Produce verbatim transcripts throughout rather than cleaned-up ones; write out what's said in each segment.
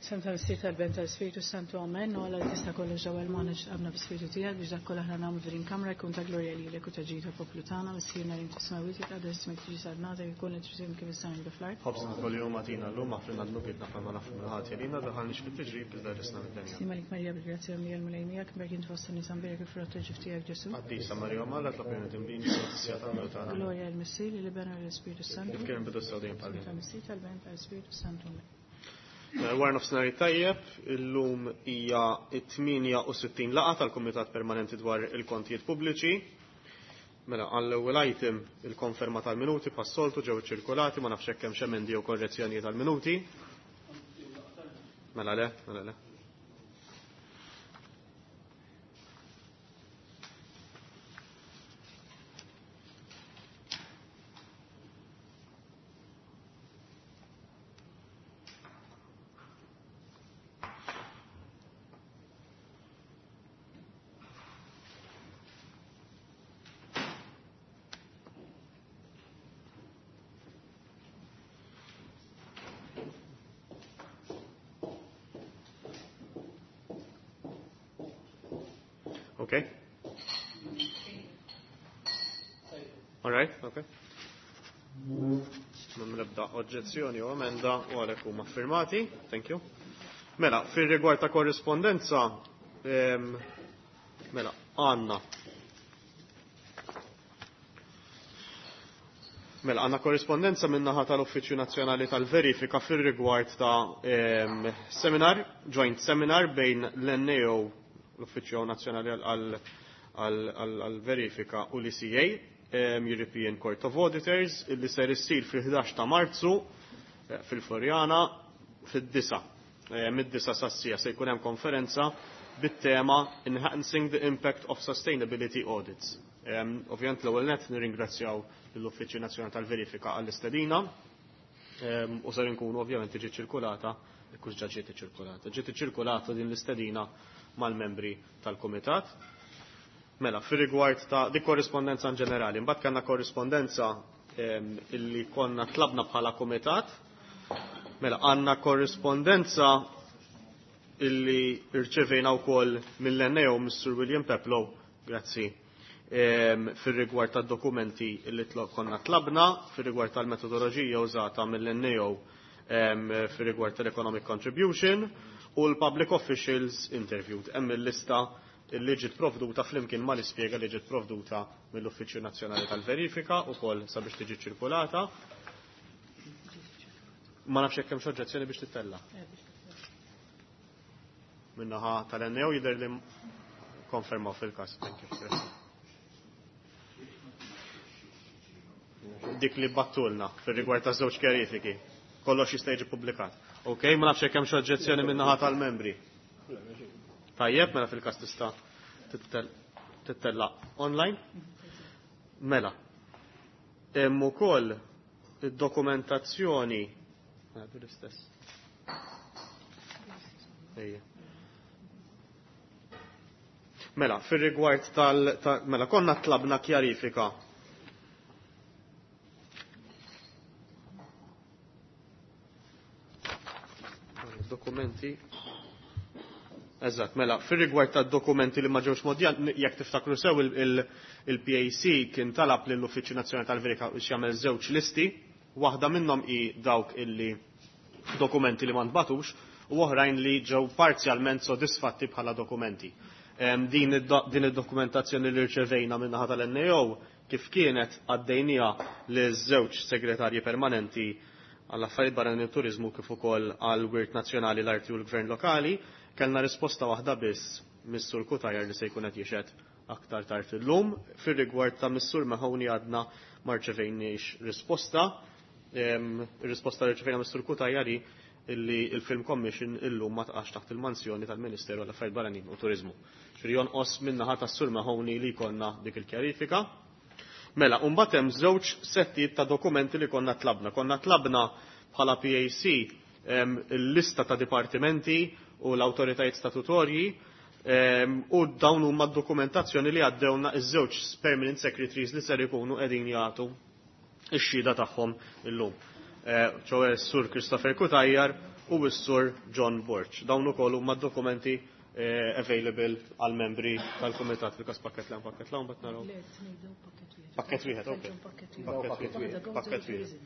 Sem tal-Missier tal-Ben tal-Spiritu Santu Amen, u għala tista' kollox ġewwa l-magħna x'qabna bi-Spiritu tiegħek biex dak kollha aħna nagħmlu f'din kamra jkun ta' glorja lilek u ta' ġid tal-poplu tagħna, Missierna li inti smawwiet jitqaddes ismek tiġi salnata jkun qed trid kif is-sajn kif l-art. Ħobżna kuljum agħtina llum aħfrilna dnubietna bħalma nafu minn ħadd jelina daħalniex fit-tiġrib iżda ħlisna mid-dinja. Sima lik Marija bil-grazzja mija l-Mulej miegħek, mberk int fost in-nisa mbierek il-frott tal-ġuf tiegħek Ġesu. Qaddisa Marija Omm Alla tlob lilna dinbin fis-siegħa tal-mewt tagħna. Glorja lill-Missier, lill-Iben u lill-Ispiritu Santu. Kif kien bidu sew dejjem bħal dejjem. Tal-Missier tal-Ben tal-Ispiritu Santu. Amen. Wara nofsinhar tajjeb, illum hija t-tmienja u sittin laqgħa tal-Kumitat Permanenti dwar il-Kontijiet Pubbliċi. Mela, għall-ewwel item il-konferma tal-minuti bħas-soltu ġew iċċirkulati, ma nafx hekk hemm x'emendi jew korrezzjonijiet tal-minuti. Mela le, mela le. Okay. All right, okay. M'hemm l-ebda oġġezzjoni u emenda u għalhekk huma firmati. Thank you. Mela, fir-rigward ta' korrispondenza, ehm, mela, għandna. Mela, għandna korrispondenza min-naħa tal-Uffiċċju Nazzjonali tal-Verifika fir-rigward ta' ehm, seminar, joint seminar bejn l-N A O, l-Uffiċċju Nazzjonali għall-Verifika u l-E C A, ehm, European Court of Auditors, illi ser issir fil-ħdax ta' Marzu, eh, fil-Floriana fid-disa. Eh, mid-disa sassija se jkun hemm konferenza bit-tema Enhancing the Impact of Sustainability Audits. Ehm, ovvjament l-ewwel nett nirringrazzjaw lill-Uffiċċju Nazzjonali tal-Verifika għall-istedina, ehm, u ser inkunu ovvjament tiġi ċirkulata, jekk ġa ġiet iċċirkulata. Ġiet iċċirkulata din l-istedina mal-membri tal-Kumitat. Mela, fir-rigward ta' dik korrispondenza in ġenerali, mbagħad kellna korrispondenza, ehm, illi konna tlabna bħala kumitat. Mela, għandna korrispondenza illi rċevejna wkoll mill-N A O Mister William Peplow, grazzi, ehm, fir-rigward tad-dokumenti illi tlo-, konna tlabna, fir-rigward tal-metodoloġija użata mill-N A O, ehm, fir-rigward tal-Economic Contribution u l-Public Officials Interviewed. Hemm il-lista li ġiet provduta flimkien mal-ispjega li ġiet provduta mill-Uffiċċju Nazzjonali tal-Verifika wkoll sabiex tiġi ċirkulata. Ma nafx jekk hemm xi oġġezzjoni biex tittella. Min-naħa tal-N A O jidher li konfermaw fil-każ. Thank you. Grazie. Dik li battulna fir-rigward ta' żewġ kjarifiki. Kollox jista' jiġi ppubblikat. Ok, ma nafx jekk hemm xi oġġezzjoni min-naħa tal-membri. Tajjeb, mela fil-każ tista' tittel-, tittella online. Mela. Hemm ukoll id-dokumentazzjoni. Għadu l-istess. Ejja. Mela, fir-rigward tal-, ta-, mela, konna tlabna kjarifika. Dokumenti. Eżatt, mela, fir-rigward tad-dokumenti li ma ġewx modja, jekk tiftakru sew il-, il-, il-P A C kien talab lill-Uffiċċju Nazzjonali tal-Verifika biex jagħmel żewġ listi, waħda minnhom hi dawk illi dokumenti li ma ntbatux u oħrajn li ġew parzjalment sodisfatti bħala dokumenti. Em, din id-do-, din id-dokumentazzjoni li rċevejna min-naħa tal-N A O kif kienet għaddejnija li żewġ segretarji permanenti għall-affarijiet barranin u turizmu kif ukoll għall-Wirt Nazzjonali, l-Arti u l-Gvern Lokali, kellna risposta waħda biss mis-Sur Cutajar li se jkun qed jixhed aktar tard illum. Fir-rigward ta' mis-Sur Mahoney għadna ma rċevejniex risposta. Em, ir-risposta li rċevejna mis-Sur Cutajar hi illi il-Film Commission illum ma taqax taħt il-mansjoni tal-Ministeru għall-Affarijiet Barranin u Turizmu. Ġifieri jonqos min-naħa tas-Sur Mahoney li jkollna dik il-kjarifika. Mela, u mbagħad hemm żewġ settijiet ta' dokumenti li konna tlabna. Konna tlabna bħala P A C, em, il-lista ta' dipartimenti u l-awtoritajiet statutorji, em, u dawn huma d-dokumentazzjoni li għaddewna iż-żewġ permanent secretaries li ser ikunu qegħdin jagħtu ix-xhieda tagħhom illum. Eh, ċoe Sur Christopher Cutajar u s-Sur John Borg. Dawn ukoll huma dokumenti eh, available għal membri tal-Kumitat fil-każ pakket l pakket l bat naraw. Pakket wieħed, ok. Pakket wieħed. Pakket wieħed.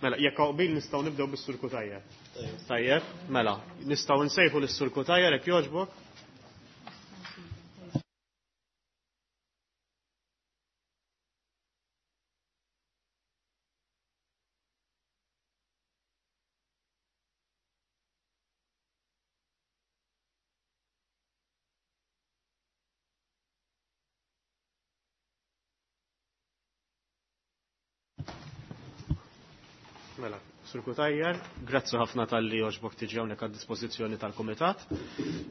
Mela, jekk qbil nistgħu nibdew bis-Sur Cutajar. Tajjeb, mela, nistgħu nsejħu lis-Sur Cutajar jekk jogħġbok. Mela, Sur Cutajar, grazzi ħafna tal-li għoġbok tiġi hawnhekk għad-dispożizzjoni tal-Kumitat.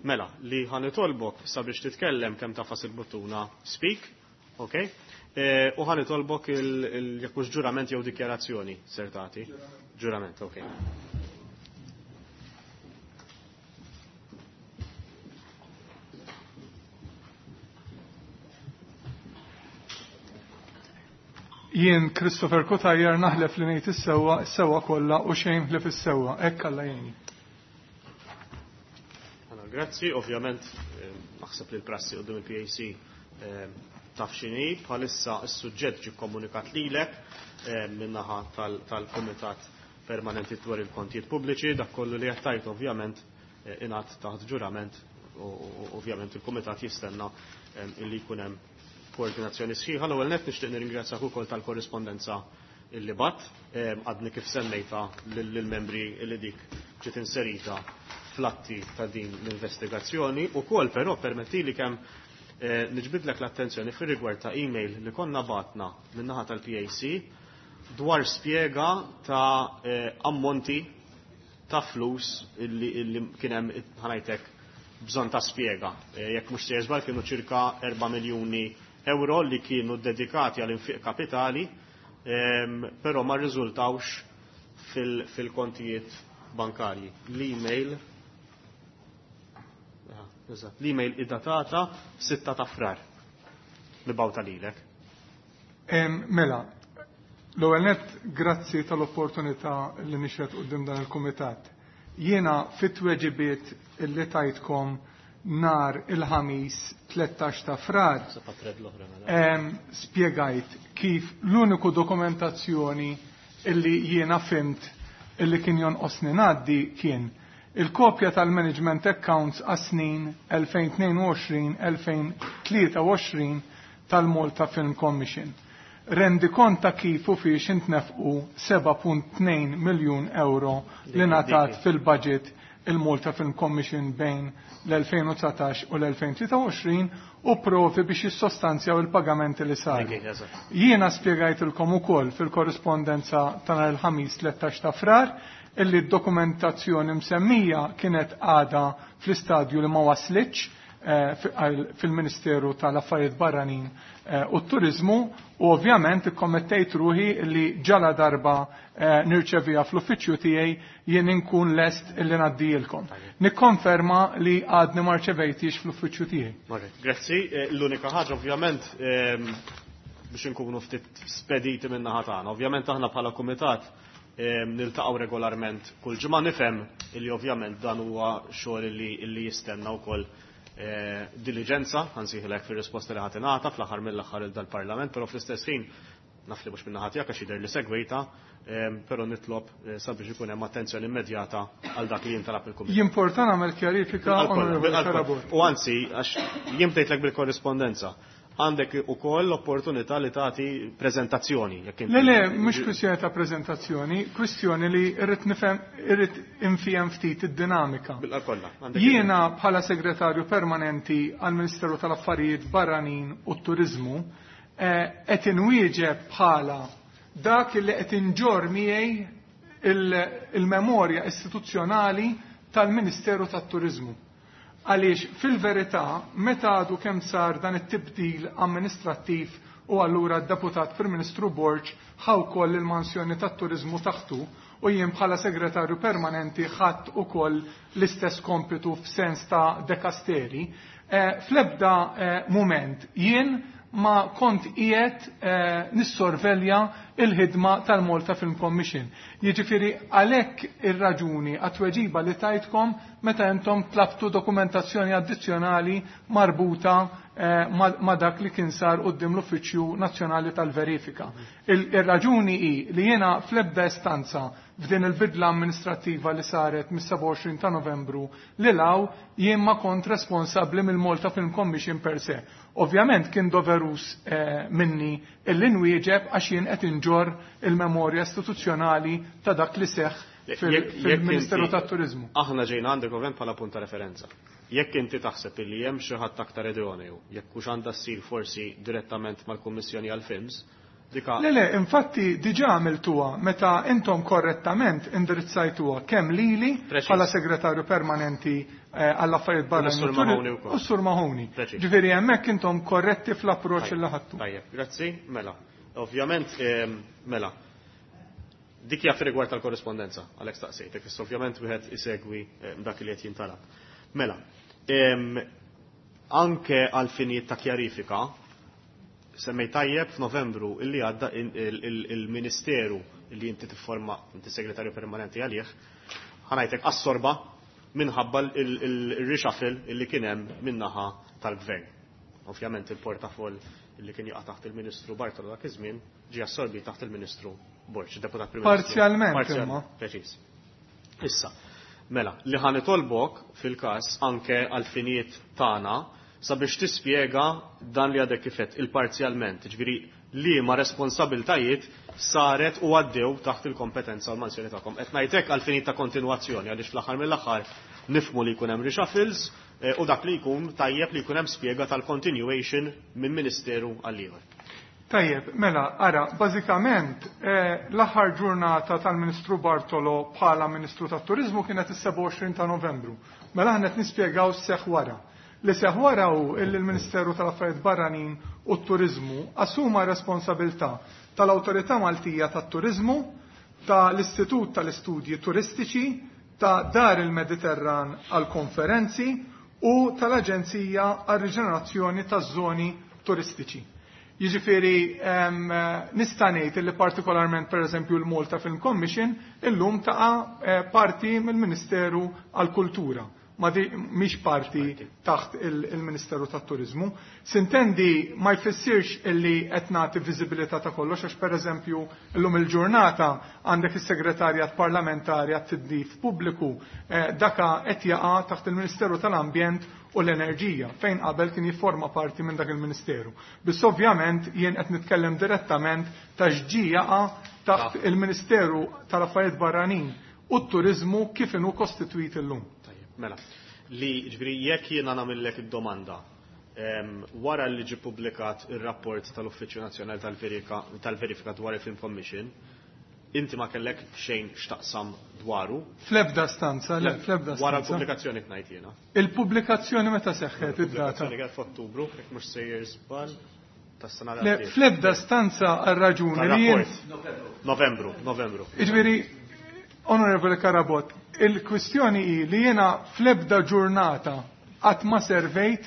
Mela, li ħanitolbok sabiex titkellem kemm tafas il-buttuna speak, ok? E, u ħanitolbok jekk mhux ġurament jew dikjarazzjoni ser tagħti. Ġurament, ok. Jien Christopher Cutajar naħlef li ngħid is-sewwa, is-sewwa kollha u xejn ħlef is-sewwa, hekk Alla jgħinni. Grazzi, ovvjament naħseb li l-prassi quddiem il-P A C taf x'inhi, bħalissa s-suġġett ġie kkomunikat lilek min-naħa tal-Kumitat Permanenti dwar il-Kontijiet Pubbliċi, dak kollu li qed tgħid ovvjament ingħad taħt ġurament u ovvjament il-Kumitat jistenna illi jkun hemm koordinazzjoni sħiħa. L-ewwel nett nixtieq nirringrazzjak ukoll tal-korrispondenza illi bat, għadni kif semmejta lill-membri illi dik ġiet inserita fl-atti ta' din l-investigazzjoni. Ukoll però permettili kemm niġbidlek l-attenzjoni fir-rigward ta' email li konna batna min-naħa tal-P A C dwar spjega ta' ammonti ta' flus illi kien hemm ħanajtek bżonn ta' spjega. Jekk mhux sejjer żball kienu ċirka erba' miljuni euro li kienu dedikati għal infiq kapitali, però ma rriżultawx fil-kontijiet bankarji. L-email l-email id-datata sitta ta' frar li bawta lilek. Mela, l-ewwel nett grazzi tal-opportunità li nixret quddiem dan il-kumitat. Jiena fit-tweġibiet li tajtkom nar il-ħamis tlettax ta' frar spjegajt kif l-uniku dokumentazzjoni illi jiena fimt illi kien jonqosni ngħaddi kien il-kopja tal-management accounts għas-snin elfejn tnejn u għoxrin elfejn tlieta u għoxrin tal-Malta Film Commission. Rendi kont ta' kif u fiex intnefqu seba' punt tnejn miljun euro li ngħatat fil-budget il-Malta Film Commission bejn l-elfejn u dsatax u l-elfejn tlieta u għoxrin u provi biex jissostanzjaw il-pagamenti li saru. Jiena spjegajtilkom ukoll fil-korrispondenza ta' nhar il-ħamis tlettax ta' frar illi d-dokumentazzjoni msemmija kienet għada fl-istadju li ma waslitx fil-Ministeru tal-Affarijiet Barranin u t-Turizmu u ovvjament ikkommettejt ruħi li ġala darba nirċevija fl-uffiċċju tiegħi jien inkun lest illi ngħaddilkom. Nikkonferma li għadni ma rċevejtix fl-uffiċċju tiegħi. Grazzi, l-unika ħaġa ovvjament biex inkunu ftit spediti minn naħa tagħna. Ovvjament aħna bħala kumitat niltaqgħu regolarment kull ġimgħa, nifhem illi ovvjament dan huwa xogħol illi jistenna wkoll diligenza, ħansiħlek fir-risposta li ħadd ingħata fl-aħħar mill-aħħar il dal-Parlament, però fl-istess ħin Naf li mhux min-naħa tiegħek għax jidher li segwejta, però nitlob sabiex ikun hemm attenzjoni immedjata għal dak li jintalab il-Kumitat. Jimporta nagħmel kjarifika, Onorevoli Carabott. U anzi, għax jien bdejtlek bil-korrispondenza, għandek ukoll l-opportunità li tagħti preżentazzjoni. Le, le, mhux kwistjoni ta' preżentazzjoni, kwistjoni li irrid nifhem, irrid infihem ftit id-dinamika. Jiena bħala segretarju permanenti għall-Ministeru tal-Affarijiet Barranin u t-Turiżmu qed inwieġeb bħala dak li qed inġorr miegħi il-memorja istituzzjonali tal-Ministeru tat-Turiżmu. Għaliex fil-verità meta għadu kemm sar dan it-tibdil amministrattiv u allura d-deputat Prim Ministru Borg ħa wkoll il-mansjoni tat-turiżmu taħtu u jien bħala segretarju permanenti ħadd ukoll l-istess kompitu f'sens ta' dekasteri, fl-ebda mument jien ma kont qiegħed nissorvelja il-ħidma tal-Malta Film Commission. Jiġifieri għalhekk ir-raġuni għat-tweġiba li tajtkom meta intom tlabtu dokumentazzjoni addizzjonali marbuta ma' dak li kien sar quddiem l-Uffiċċju Nazzjonali tal-Verifika. Ir-raġuni hi li jiena fl-ebda istanza f'din il-bidla amministrattiva li saret mis-sebgħa u għoxrin ta' Novembru li law jien ma kont responsabbli mill-Malta Film Commission per se. Ovvjament kien doverus minni illi nwieġeb għax jien qed inġorr il-memorja istituzzjonali ta' dak li seħħ fil-Ministeru tat-Turiżmu. Aħna ġejna għandek ovvjament bħala punt ta' referenza. Jekk inti taħseb illi hemm xi ħadd aktar idoneu, jekk hux għandha ssir forsi direttament mal-Kummissjoni għall-Films, Le, le, infatti diġa għamiltuha meta intom korrettament indirizzajtuha kemm lili bħala segretarju permanenti għall-affarijiet barranin u s-Sur Mahoney. Ġifieri hemmhekk intom korretti fl-approċċ li ħadtu. Tajjeb, grazzi, mela. Ovvjament, mela, dik hija fir-rigward tal-korrispondenza, għalhekk staqsejtek, issa ovvjament wieħed isegwi dak li qed jintalab. Mela, anke għal finijiet ta' kjarifika, semmej tajjeb f'Novembru illi għadda il-Ministeru illi inti tifforma, inti segretarju permanenti għalih, ħanajtek assorba minħabba il-reshuffle illi kien hemm min-naħa tal-gvern. Ovvjament il-portafoll illi kien jaqa' taħt il-Ministru Bartolo dak iż-żmien ġie assorbi taħt il-Ministru Borg, deputat Prim Ministru. Parzjalment imma. Preċiż. Issa, mela, li ħa nitolbok fil-każ anke għal-finijiet tagħna sabiex tispjega dan li għadek kifet il-parzjalment, ġifieri li ma responsabiltajiet saret u għaddew taħt il-kompetenza u l-mansjoni tagħkom. Qed ngħidlek għal finit ta' kontinwazzjoni għaliex fl-aħħar mill-aħħar nifmu li jkun hemm reshuffles u dak li jkun tajjeb li jkun hemm spjega tal-continuation minn ministeru għal ieħor. Tajjeb, mela, ara, bażikament l-aħħar ġurnata tal-Ministru Bartolo bħala Ministru tat-Turiżmu kienet is-sebgħa u għoxrin ta' Novembru. Mela aħna qed nispjegaw seħ wara. Li seħ wara hu illi l-Ministeru tal-Affarijiet Barranin u t-Turiżmu assuma responsabilità tal-Awtorità Maltija tat-Turiżmu, tal-Istitut tal-Istudji Turistiċi, ta' Dar il-Mediterran għal-Konferenzi u tal-Aġenzija għal-Riġenerazzjoni taż-Żoni Turistiċi. Jiġifieri nista' ngħid li partikolarment pereżempju l-Malta Film Commission illum taqa' parti mill-Ministeru għall-Kultura. Ma di mhix parti taħt il-Ministeru tat-Turiżmu. Sintendi ma jfissirx illi qed nagħti viżibilità ta' kollox għax pereżempju llum il-ġurnata għandek is-Segretarjat Parlamentari għat-Tindif Pubbliku daka qed jaqa' taħt il-Ministeru tal-Ambjent u l-Enerġija fejn qabel kien jifforma parti minn dak il-Ministeru. Biss ovvjament jien qed nitkellem direttament ta' x'ġi jaqa' taħt il-Ministeru tal-Affarijiet Barranin u t-Turiżmu kif inhu kostitwit illum. Mela, li ġifieri jekk jiena nagħmellek id-domanda wara li ġie ppubblikat ir-rapport tal-Uffiċċju Nazzjonali tal-Verifika dwar il-Film Commission, inti ma kellek xejn x'taqsam dwaru? Fl-ebda stanza, le, fl-ebda stanza. Wara l-pubblikazzjoni tnajt jiena. Il-pubblikazzjoni meta seħħet id-data? Il-pubblikazzjoni kienet f'Ottubru, jekk mhux sejjer żball tas-sena Le, fl-ebda stanza għar-raġuni li jien Novembru, Novembru. Jiġifieri, Onorevole Carabott, il-kwistjoni hi li jiena fl-ebda ġurnata qatt ma servejt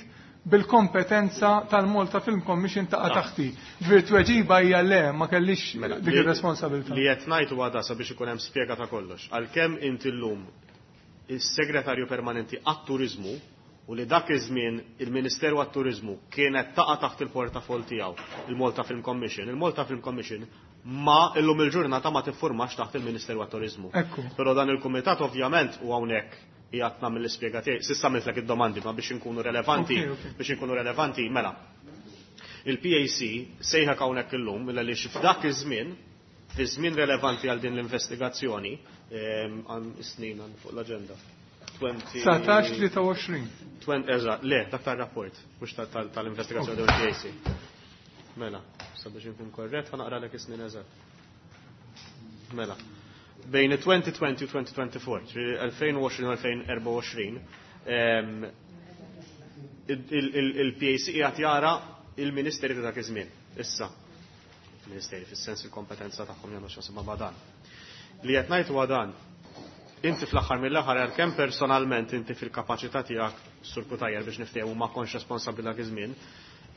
bil-kompetenza tal-Malta Film Commission taqa' taħti. Ġifieri tweġiba hija le, ma kellix dik ir-responsabilità. Li qed ngħid huwa da sabiex ikun hemm spjega ta' kollox. Għalkemm inti llum is-segretarju permanenti għat-turiżmu u li dak iż-żmien il-Ministeru għat-Turiżmu kienet taqa' taħt il-portafol tiegħu il-Malta Film Commission. Il-Malta Film Commission ma illum il-ġurnata ma tiffurmax taħt il-Ministeru għat-Turiżmu. Però dan il-kumitat ovvjament u hawnhekk qiegħed nagħmel l-ispjega tiegħi, s'issa għamiltlek id-domandi ma biex inkunu relevanti, biex inkunu relevanti, mela. Il-P A C sejħek hawnhekk illum għaliex f'dak iż-żmien, fi żmien relevanti għal din l-investigazzjoni, għan snin għan fuq l-aġenda. Satax tlieta u għoxrin. Eżatt, le, dak tar-rapport, mhux tal-investigazzjoni tal P A C. Mela, sabiex inkun korrett, ħanaqralek is-snin eżatt. Mela. Bejn twenty twenty u twenty twenty-four, elfejn u għoxrin u elfejn u erbgħa u għoxrin, il-P A C qiegħed jara il-Ministeri ta' dak iż-żmien. Issa, il-Ministeri fis-sens il-kompetenza tagħhom jagħmlu x'għasib ma' dan. Li qed ngħid huwa dan, inti fl-aħħar mill-aħħar għalkemm personalment inti fil-kapaċità tiegħek Sur Cutajar biex niftehmu ma kontx responsabbli dak iż-żmien,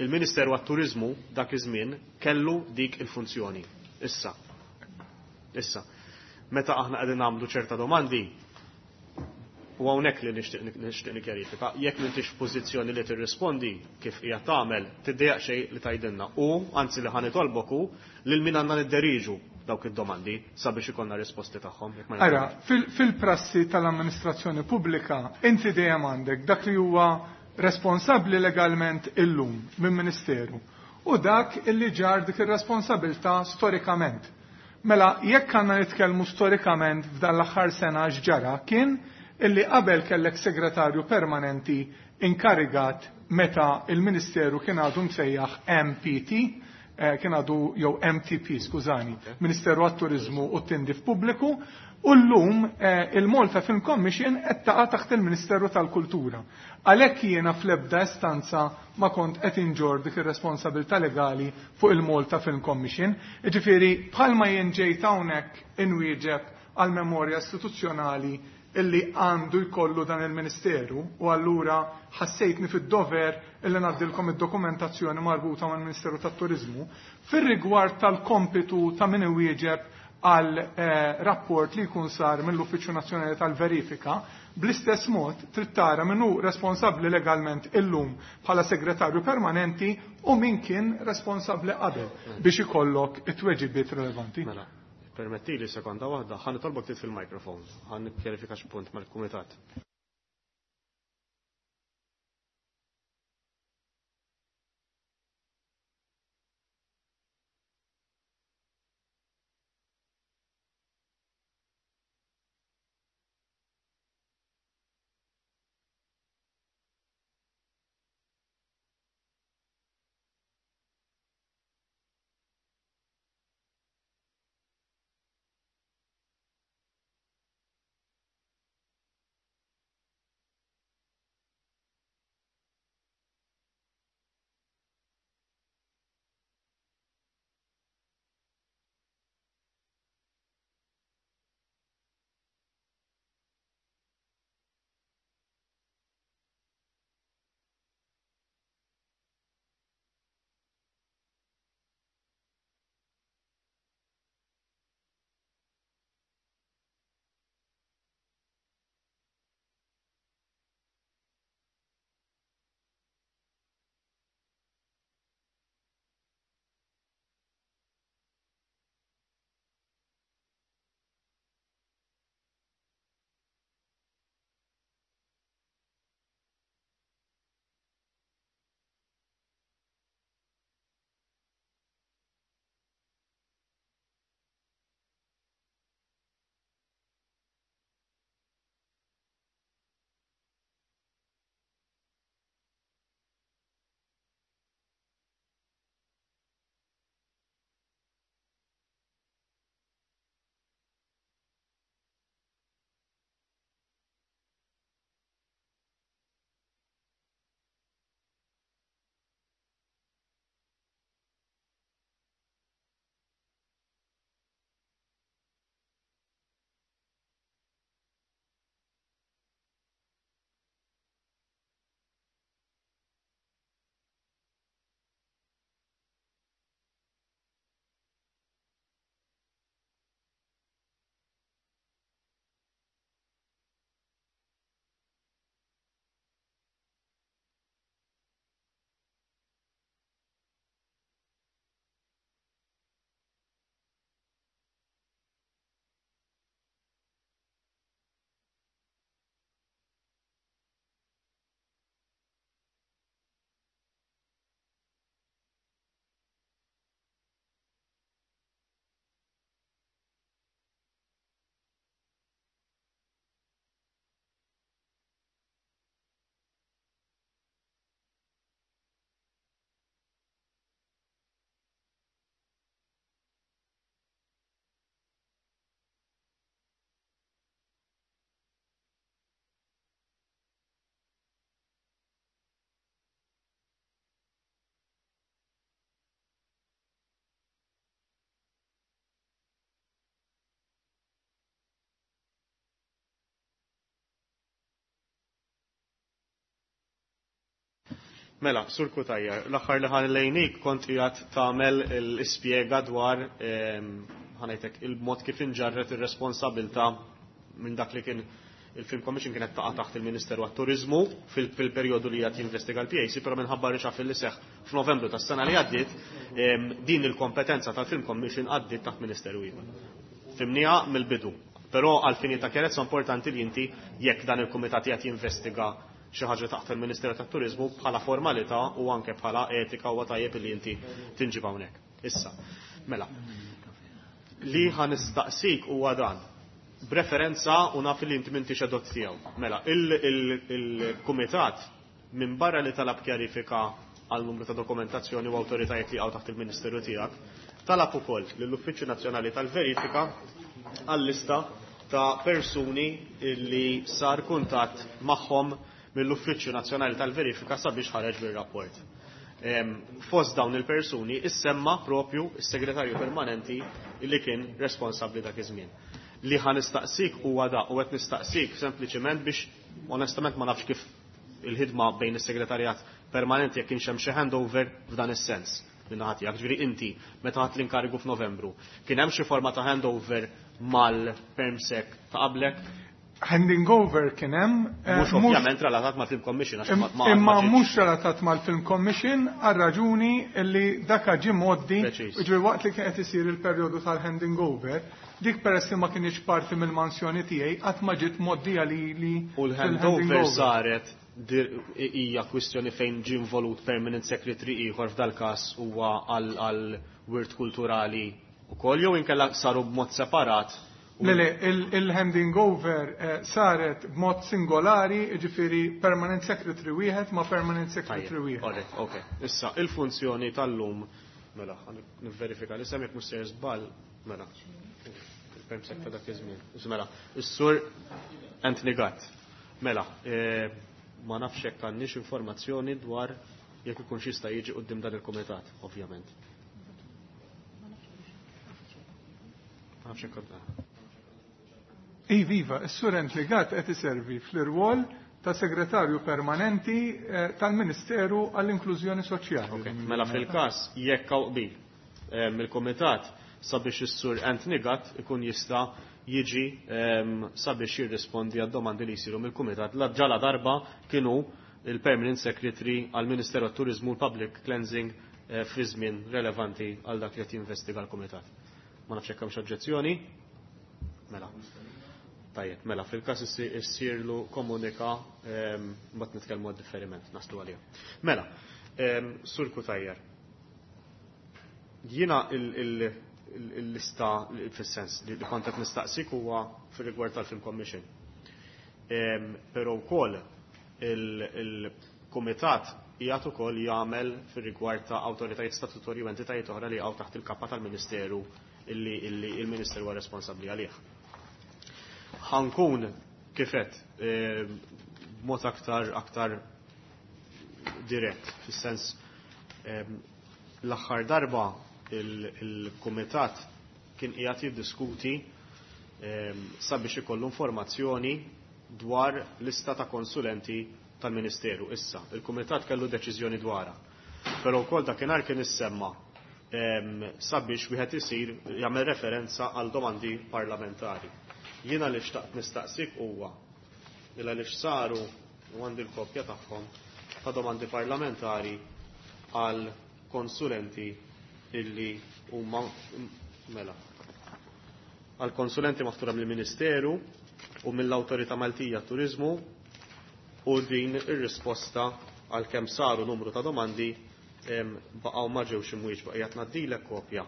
il-Ministeru għat-Turiżmu dak iż-żmien kellu dik il-funzjoni. Issa. Issa. Meta aħna qegħdin nagħmlu ċerta domandi, u hawnhekk li nixtieq nixtieq nikkjarifika, jekk m'intix f'pożizzjoni li tirrispondi kif hija tagħmel, tiddejjaq xejn li tgħidilna. U anzi li ħanitolbok hu lil min għandna nidderiġu dawk id-domandi sabiex ikollna risposti tagħhom, jekk ma Ara, nifhimx. fil-, fil-prassi tal-amministrazzjoni pubblika inti dejjem għandek dak li huwa responsabbli legalment illum minn ministeru u dak illi ġar dik ir-responsabilità storikament. Mela, jekk għandna nitkellmu storikament f'dan l-aħħar sena x'ġara kien illi qabel kellek segretarju permanenti inkarigat meta il-Ministeru kien għadu msejjaħ M P T, eh, kien għadu jew M T P, skużani, Ministeru għat-Turiżmu u t-Tindif Pubbliku, u llum, eh, il-Malta Film Commission qed taqa' taħt il-Ministeru tal-Kultura. Għalhekk jiena fl-ebda istanza ma kont qed inġor dik ir-responsabilità legali fuq il-Malta Film Commission. Jiġifieri bħalma jien ġejt hawnhekk inwieġeb għal memorja istituzzjonali illi għandu jkollu dan il-Ministeru, u allura ħassejtni fid-dover illi ngħaddilkom id-dokumentazzjoni marbuta mal-Ministeru tat-Turiżmu fir-rigward tal-kompitu ta' min iwieġeb għal, eh, rapport li jkun sar mill-Uffiċċju Nazzjonali tal-Verifika, bl-istess mod trid tara min hu responsabbli legalment illum bħala segretarju permanenti u min kien responsabbli qabel biex ikollok it-tweġibiet relevanti. Mela, permettili sekonda waħda, ħa nitolbok tit fil-mikrofon, ħa nikkjarifika x'punt mal-kumitat. Mela, Sur Cutajar, l-aħħar li ħan lejnik kont qiegħed tagħmel l-ispjega dwar ħanajtek il-mod kif inġarret ir-responsabilità minn dak li kien il-Film Commission kienet taqa' taħt il-Ministeru għat-Turiżmu fil-perjodu li qed jinvestiga l-P A C, però minħabba reshuffle li seħħ f'Novembru tas-sena li għaddiet, din il-kompetenza tal-Film Commission għaddiet taħt Ministeru ieħor. Fhimnieha mill-bidu. Però għal fini ta' chiarezza importanti li inti, jekk dan il-kumitat qed jinvestiga xi ħaġa taħt il-Ministeru tat-Turiżmu, bħala formalità u anke bħala etika huwa tajjeb li inti tinġib hawnhekk. Issa, mela, li ħa nistaqsik huwa dan. B'referenza, u naf li inti m'intix edot tiegħu. Mela, il-kumitat minn barra li talab kjarifika għal numru ta' dokumentazzjoni u awtoritajiet li għaw taħt il-Ministeru tiegħek, talab ukoll lill-Uffiċċju Nazzjonali tal-Verifika għall-lista ta' persuni li sar kuntatt magħhom mill-Uffiċċju Nazzjonali tal-Verifika sabiex ħareġ bir-rapport. Fost dawn il-persuni issemma propju is-segretarju permanenti li kien responsabbli dak iż-żmien. Li ħa nistaqsik huwa da, u qed nistaqsik sempliċement biex onestament ma nafx kif il-ħidma bejn is-segretarjat permanenti, jekk kienx hemm xi handover f'dan is-sens minn tiegħek. Ġifieri inti meta ħadt l-inkarigu f'Novembru, kien hemm xi forma ta' handover mal-permsec ta' qablek? Handing over kien hemm. Mhux ovvjament relatat ma' Film Commission. Imma mhux relatat mal-Film Commission għal raġuni li daka ġie mgħoddi, ġifieri waqt li kien qed isir il-perjodu tal-handing over, dik peress li ma kienx parti mill-mansjoni tiegħi qatt ma ġiet mgħoddija li li U l-handover saret, hija kwistjoni fejn ġie involut permanent secretary ieħor, f'dal każ huwa għal wirt kulturali ukoll, jew inkella saru b'mod separat? Le, le, il-handing over eh, saret b'mod singolari, ġifieri permanent secretary wieħed ma' permanent secretary wieħed. Ok. Issa, il-funzjoni tal-lum, mela, nivverifika li semmek mhux ser żball, mela. Il-perm ta' dak iż-żmien. Mela, is-sur Anthony Gatt. Mela, eh, ma nafx jekk għandniex informazzjoni dwar jekk ikun jista' jiġi quddiem dan il-kumitat, ovvjament. Ma nafx jekk Iva, iva, is-sur Anthony Gatt qed iservi fl-irwol ta' segretarju permanenti eh, tal-Ministeru għall-Inklużjoni Soċjali. Okay. Mela fil-każ jekk hawn qbil eh, mill-kumitat sabiex is-sur Anthony Gatt ikun jista' jiġi sabiex jirrispondi għad domandi li jsiru mill-kumitat. La ġala darba kienu il-Permanent Secretary għall-Ministeru għat-Turiżmu u Public Cleansing eh, fi żmien relevanti għal dak li qed jinvestiga l-kumitat. Ma nafx hekk hemmx oġġezzjoni. Mela. Tajjeb, mela, fil-każ issirlu komunika, mbagħad nitkellmu għad-differiment, naslu għalija. Mela, Sur Cutajar. Jiena il-lista, fis-sens li kont qed nistaqsik huwa fir-rigward tal-Film Commission. Però wkoll il-kumitat qiegħed ukoll jagħmel fir-rigward ta' awtoritajiet statutorji u entitajiet oħra li jaqgħu taħt il-kappa tal-Ministeru illi il-Ministeru huwa responsabbli għalih. Ħa nkun kif għedt b'mod aktar aktar dirett, fis-sens l-aħħar darba il-kumitat kien qiegħed jiddiskuti sabiex ikollu informazzjoni dwar lista ta' konsulenti tal-Ministeru. Issa, il-Kumitat kellu deċiżjoni dwarha. Però wkoll dakinhar kien issemma sabiex wieħed isir jagħmel referenza għal domandi parlamentari. Jiena li xtaqt nistaqsik huwa illa li saru, u għandi l-kopja tagħhom, ta' domandi parlamentari għal konsulenti illi huma, mela, għal konsulenti maħtura mill-Ministeru u mill-Awtorità Maltija Turizmu, u din ir-risposta għal kemm saru numru ta' domandi baqgħu ma ġewx imwieġba. Qiegħed ngħaddilek kopja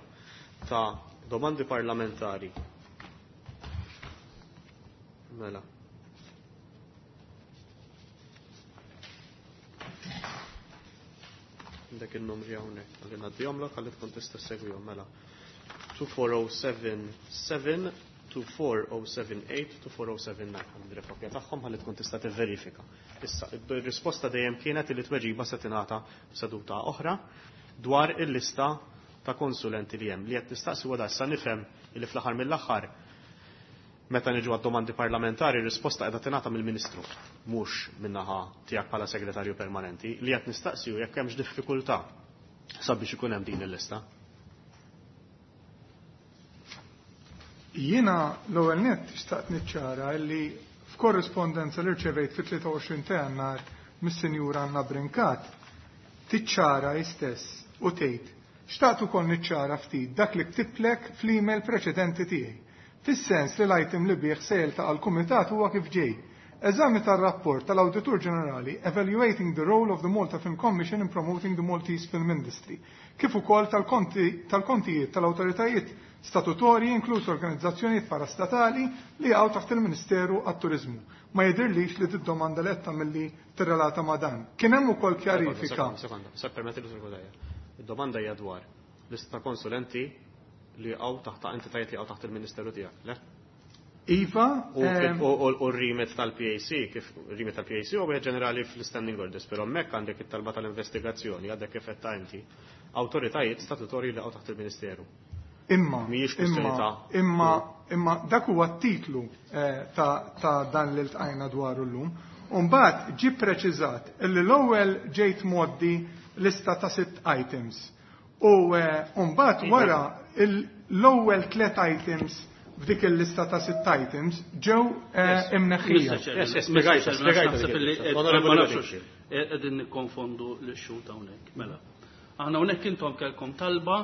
ta' domandi parlamentari. Mela. Dak il-numri hawnhekk, għalli ngħaddihomlok ħalli tkun tista' segwihom, mela. twenty-four oh seven seven, twenty-four oh seven eight, twenty-four oh seven nine, għandi kopja tagħhom ħalli tkun tista' tivverifika. Issa, ir-risposta dejjem kienet li tweġiba se tingħata f'seduta oħra dwar il-lista ta' konsulenti li hemm. Li qed nistaqsi huwa issa nifhem li fl-aħħar mill-aħħar Meta niġu għad-domandi parlamentari, risposta qiegħda tingħata mill-Ministru, mhux min-naħa tiegħek bħala segretarju permanenti, li qed nistaqsiju jekk hemmx diffikultà sabiex ikun hemm din il-lista. Jiena l-ewwel nett xtaqt niċċara li f'korrispondenza li rċevejt fit-tlieta u għoxrin ta' Jannar mis-Sinjura Anna Brincat tiċċara hi stess u tgħid: xtaqt ukoll niċċara ftit dak li ktiblek fl-email preċedenti tiegħi. Fis-sens li l-item li bih se jiltaqa' l-Kumitat huwa kif ġej. Eżami tar-rapport tal-Awditur Ġenerali Evaluating the Role of the Malta Film Commission in Promoting the Maltese Film Industry, kif ukoll tal-kontijiet tal-awtoritajiet statutorji inkluż organizzazzjonijiet parastatali li jaqgħu taħt il-Ministeru għat-Turiżmu. Ma jidhirlix li d-domanda li qed tagħmilli tirrelata ma' dan. Kien hemm ukoll kjarifika. Sekonda, sekonda, permetti li Cutajar. Id-domanda hija dwar lista ta' konsulenti li jaqgħu taħt entitajiet li jaqgħu taħt il-Ministeru tiegħek, le? Iva, U r-remit tal-P A C, kif r-remit tal-P A C huwa wieħed ġenerali fl-standing orders, però hemmhekk għandek it-talba tal-investigazzjoni, għadek kif qed ta' inti, awtoritajiet statutorji li jaqgħu taħt il-Ministeru. Imma, Mhijiex kwestjoni imma, ta' imma, imma dak huwa t-titlu, eh, ta', ta' dan li ltqajna dwaru llum. U mbagħad ġie preċiżat illi l-ewwel ġejt mgħoddi lista ta' sitt items. U, eh, mbagħad Iva. wara l-ewwel tliet items f'dik il-lista ta' sitt items ġew, eh, Yes. imneħħija. Mister Chairman, Yes, yes, Mister spiegajta, Chairman, spiegajta naħseb dik illi il-lista. qed Onorevoli ma nafx Bedingfield. qegħdin nikkonfondu l-xhud hawnhekk. Mela. Aħna hawnhekk intom kellkom talba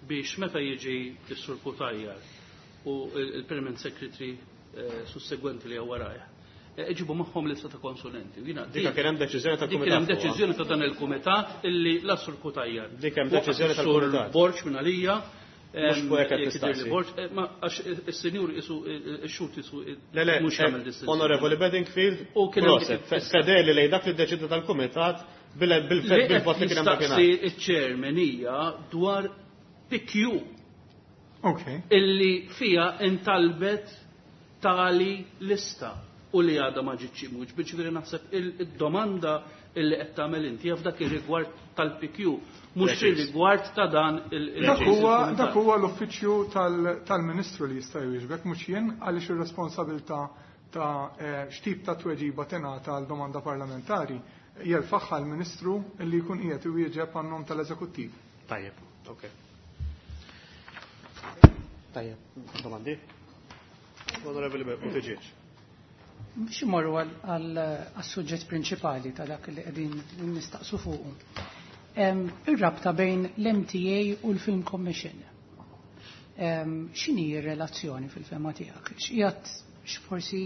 biex meta jiġi s-Sur Cutajar u il-Permanent Secretary, eh, sussegwenti li huwa warajh, eh, iġibu magħhom lista ta' konsulenti. Jiena Dik kien hemm deċiżjoni Dik tal-Kumitat kien hemm fuqha. deċiżjoni ta' dan il-Kumitat illi la Sur Cutajar. Dik hemm deċiżjoni Sur tal-Kumitat. Borg minn għalija, Mhux fuq hekk qed jekk jidher li tistaqsi. Borg, eh, ma għax is-senjur isu, ix-xhud isu, Le, le, mhux eh, jagħmel distinzjoni. Onorevoli Bedingfield, U kien hemm proset, dik fe-, il-lista. fedeli lejn dak li ddeċida tal-Kumitat bil-, bil-, Li qed bil-vot li kien hemm dakinhar. jistaqsi iċ-chairman hija dwar P Q. Ok. Illi fija intalbet tali lista u li għadha ma ġietx imwiġ. Ġifieri naħseb il-, id-domanda illi qed tagħmel inti f'dak ir-rigward tal-P Q, mhux Preċiż. fir-rigward ta' dan il-, il- Dak huwa, il-kumitat. dak huwa l-uffiċċju tal-, tal-Ministru li jista' jwieġbek, mhux jien, għaliex ir-responsabilità ta', eh, x'tip ta' tweġiba tingħata għal domanda parlamentari jerfagħha l-Ministru li jkun qiegħed iwieġeb għan-nom tal-Eżekuttiv. Tajjeb, ok. Tajjeb, domandi? Onorevoli Buttigieg. Biex imorru għal-suġġett prinċipali ta' dak li qegħdin nistaqsu fuqu. Em, ir-rabta bejn l-M T A u l-Film Commission. Em, x'inhi r-relazzjoni fil-fema tiegħek? X'qiegħed forsi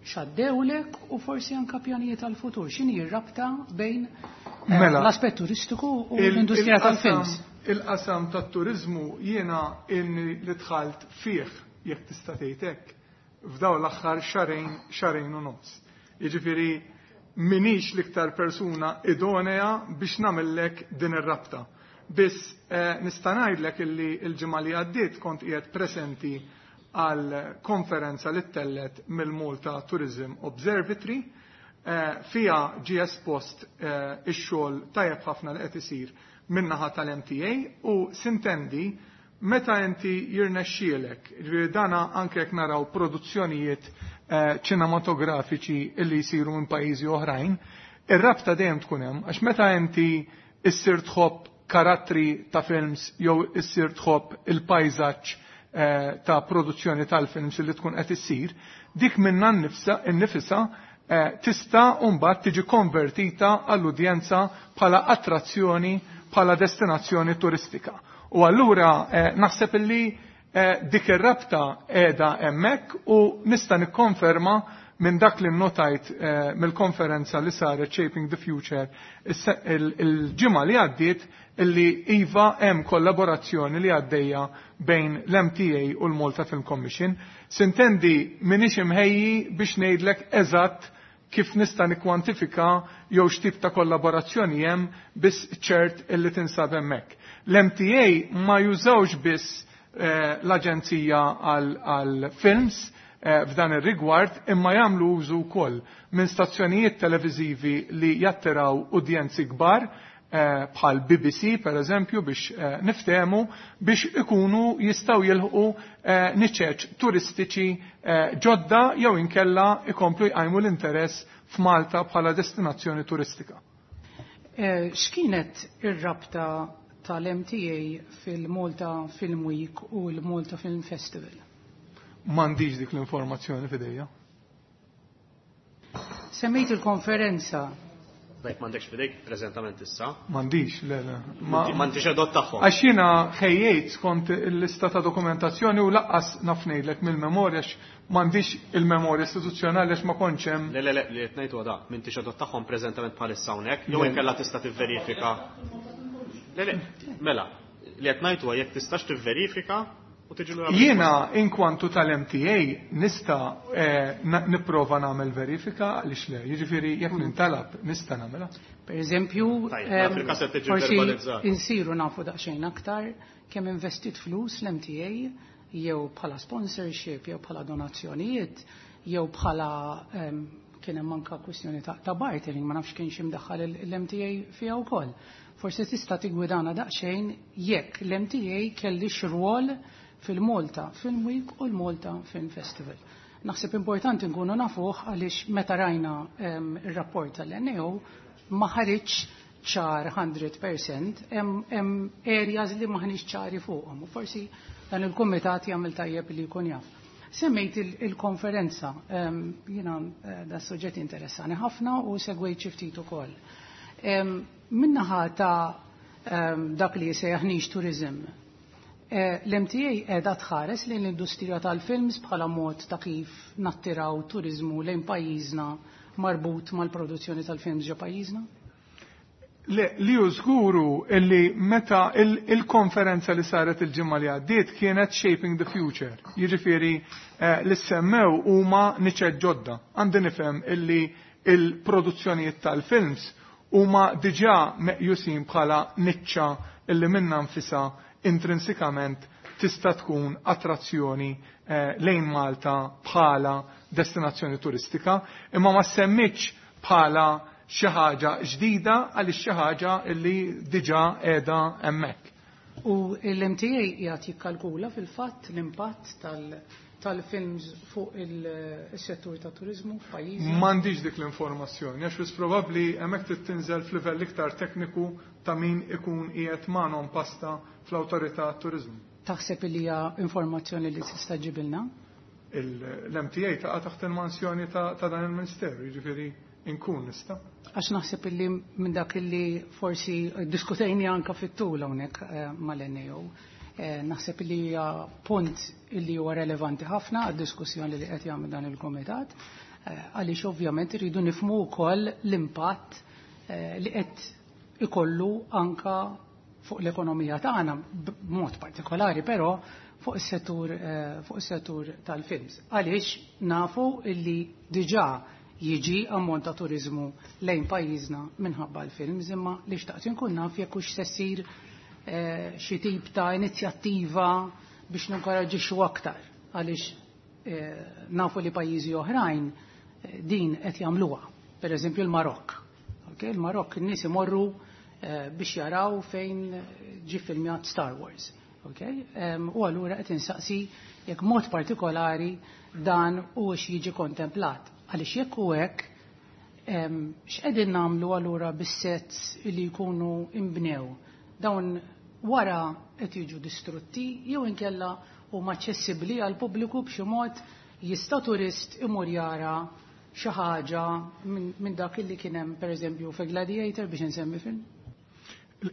x'għaddewlek u forsi anke pjanijiet għall-futur? X'inhi r-rabta bejn, eh, Mela, l-aspett turistiku u il- l-industrija il-qasam tal-films? Il-qasam tat-turiżmu jiena inni li dħalt fih, jekk tista' tgħid hekk, f'daw l-aħħar xarejn, xarejn u nofs. Jiġifieri minix l-iktar persuna idonea biex nagħmellek din ir-rabta. Biss, eh, nista' ngħidlek illi l-ġimgħa li għaddiet kont qiegħed presenti għal konferenza li ttellet mill-Malta Tourism Observatory, eh, fija ġie espost, eh, ix-xogħol tajjeb ħafna li qed isir min-naħa tal-M T A u sintendi meta inti jirnexxielek, ġifieri dana anke jekk naraw produzzjonijiet, eh, ċinematografiċi illi jsiru minn pajjiżi oħrajn, ir-rabta dejjem tkun hemm, għax meta inti issir tħobb karattri ta' films jew issir tħobb il-pajżaġġ, eh, ta' produzzjoni tal-films li tkun qed issir, dik minnha nnifsa, nnifisha, eh, tista' mbagħad tiġi konvertita għall-udjenza bħala attrazzjoni, bħala destinazzjoni turistika. U allura, eh, naħseb illi, eh, dik ir-rabta qiegħda hemmhekk u nista' nikkonferma minn dak li nnotajt, eh, mill-konferenza li saret Shaping the Future is-se-, il-, il-ġimgħa li għaddiet illi iva hemm kollaborazzjoni li għaddejja bejn l-M T A u l-Malta Film Commission. Sintendi m'iniex imħejji biex ngħidlek eżatt kif nista' nikkwantifika jew x'tip ta' kollaborazzjoni hemm biss ċert illi tinsab hemmhekk. L-M T A ma jużawx biss, eh, l-Aġenzija għal films, eh, f'dan ir-rigward, imma jagħmlu użu wkoll minn stazzjonijiet televiżivi li jattiraw udjenzi kbar, eh, bħal B B C per eżempju, biex eh, niftehmu, biex ikunu jistgħu jilħqu eh, niċeċ turistiċi eh, ġodda jew inkella ikomplu jqajmu l-interess f'Malta bħala destinazzjoni turistika. Eh, X'kienet ir-rabta tal-M T A fil-Malta Film Week u l-Malta Film Festival? M'għandix dik l-informazzjoni f'idejja. Semmejt il-konferenza. Bejk m'għandekx f'idejk preżentament issa. M'għandix, le, le. Ma m'għandix edot tagħhom. Għax jiena ħejjejt skont il-lista ta' dokumentazzjoni u lanqas naf ngħidlek mill-memorja, m'għandix il-memorja istituzzjonali għax ma kontx hemm. Le, le, le, li qed ngħidu da, m'intix edot tagħhom preżentament bħalissa hawnhekk, jew inkella tista' tivverifika. Le, le, mela, li qed ngħidu jekk tistax tivverifika u tiġi lura. Jiena inkwantu tal-M T A nista' eh, nipprova nagħmel verifika, għaliex le, jiġifieri jekk nintalab nista' nagħmilha. Per eżempju, Tajjeb, fil-każ qed tiġi forsi verbalizzat. insiru nafu daqsxejn aktar kemm investit flus l-M T A jew bħala sponsorship jew bħala donazzjonijiet jew bħala em, kien hemm anka kwistjoni ta', ta bartering, ma nafx kienx imdaħħal l-M T A fiha wkoll. Forsi tista' tigwidana daqsxejn jekk l-M T A kellix rwol fil-Malta Film Week u l-Malta Film Festival. Naħseb importanti nkunu nafuh għaliex meta rajna em, ir-rapport tal-N A O ma ħariġ ċar mija fil-mija, hemm hemm areas li maħniex ċari fuqhom u forsi dan il-kumitat jagħmel tajjeb li jkun jaf. Semmejt il- il-konferenza, em, jiena eh, da suġġett interessani ħafna u segwejt xi ftit ukoll. Em, Min-naħa ta' em, dak li jisejjaħ niche tourism, eh, l-M T A qiegħda tħares lejn l-industrija tal-films bħala mod ta' kif nattiraw turizmu lejn pajjiżna marbut mal-produzzjoni tal-films ġo pajjiżna? Le, li hu żguru illi meta il- il-konferenza li saret il-ġimgħa li għaddiet kienet Shaping the Future. Jiġifieri eh, li semmew huma niċeċ ġodda. Għandi nifhem illi il-produzzjonijiet tal-films huma diġà meqjusin bħala niċċa illi minna nfisha intrinsikament tista' tkun attrazzjoni eh, lejn Malta bħala destinazzjoni turistika, imma ma semmitx bħala xi ħaġa ġdida għaliex xi ħaġa illi diġà qiegħda hemmhekk. U l-M T A qiegħed jikkalkula fil-fatt l-impatt tal- tal-films fuq il-settur ta' turizmu f'pajjiżna? M'għandix dik l-informazzjoni, għax wis probabbli hemmhekk trid tinżel f'livell iktar tekniku ta' min ikun qiegħed magħhom pasta fl-awtorità turiżmu. Taħseb li hija informazzjoni li tista' ġibilna? L-M T A taqa' taħt il-mansjoni ta' ta' dan il-Ministeru, jiġifieri inkun nista'. Għax naħseb illi minn dak illi forsi diskutejni anka fit-tul hawnhekk eh, mal-N A O. Eh, naħseb illi hija punt illi huwa relevanti ħafna għad-diskussjoni li qed jagħmel dan il-kumitat, eh, għaliex ovvjament irridu nifhmu wkoll l-impatt eh, li qed ikollu anka fuq l-ekonomija tagħna b'mod partikolari, però fuq is-settur eh, fuq is-settur tal-films. Għaliex nafu illi diġà jiġi ammont ta' turizmu lejn pajjiżna minħabba l-films, imma li xtaqt inkun naf jekk hux se ssir eh, xi tip ta' inizjattiva biex ninkoraġġixxu aktar, għaliex eh, nafu li pajjiżi oħrajn eh, din qed jagħmluha. Per eżempju l-Marokk. Okay, il-Marokk in-nies imorru eh, biex jaraw fejn ġi filmjat Star Wars. Okay? Um, u allura qed insaqsi jekk mod partikolari dan u jiġi kontemplat. Għaliex jekk hu hekk, em, x'qegħdin nagħmlu allura bis-sets li jkunu imbnew? Dawn wara qed jiġu distrutti jew inkella huma aċċessibbli għal pubbliku b'xi mod, jista' turist imur jara xi ħaġa minn min dak li kien hemm, pereżempju, fi Gladiator, biex insemmi film?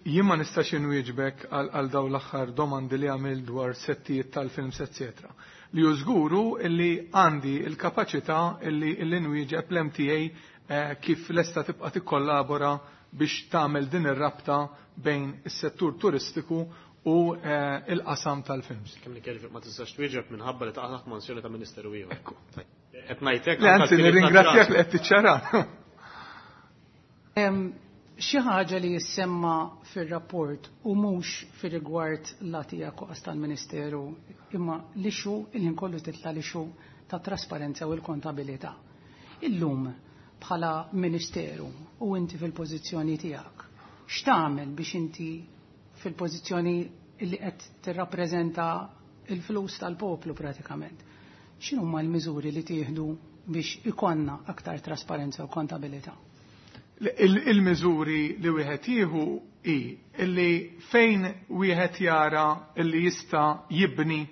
Jien ma nistax inwieġbek għal għal dawn l-aħħar domandi li għamil dwar settijiet tal-films, eccetera. Li hu żguru illi għandi il-kapaċità illi illi nwieġeb l-M T A eh, kif lesta tibqa' tikkollabora biex tagħmel din ir-rabta bejn is-settur turistiku u eh, il-qasam tal-films. Kemm li kelli ma tistax twieġeb minħabba li taqa' taħt mansjoni ta' Ministeru ieħor. Ekku. Qed ngħidlek. Le, anzi, nirringrazzjak li qed tiċċara. Em, Xi ħaġa li jissemma fir-rapport u mhux fir-rigward la tiegħek u tal-Ministeru, imma l-issue il-ħin kollu titla' l-issue ta' trasparenza u l-kontabilità. Illum bħala Ministeru u inti fil-pożizzjoni tiegħek, X'tagħmel biex inti fil-pożizzjoni li qed tirrappreżenta il-flus tal-poplu pratikament? X'inhuma l-miżuri li tieħdu biex ikonna aktar trasparenza u kontabilità? Il-miżuri li wieħed jieħu hi illi fejn wieħed jara illi jista' jibni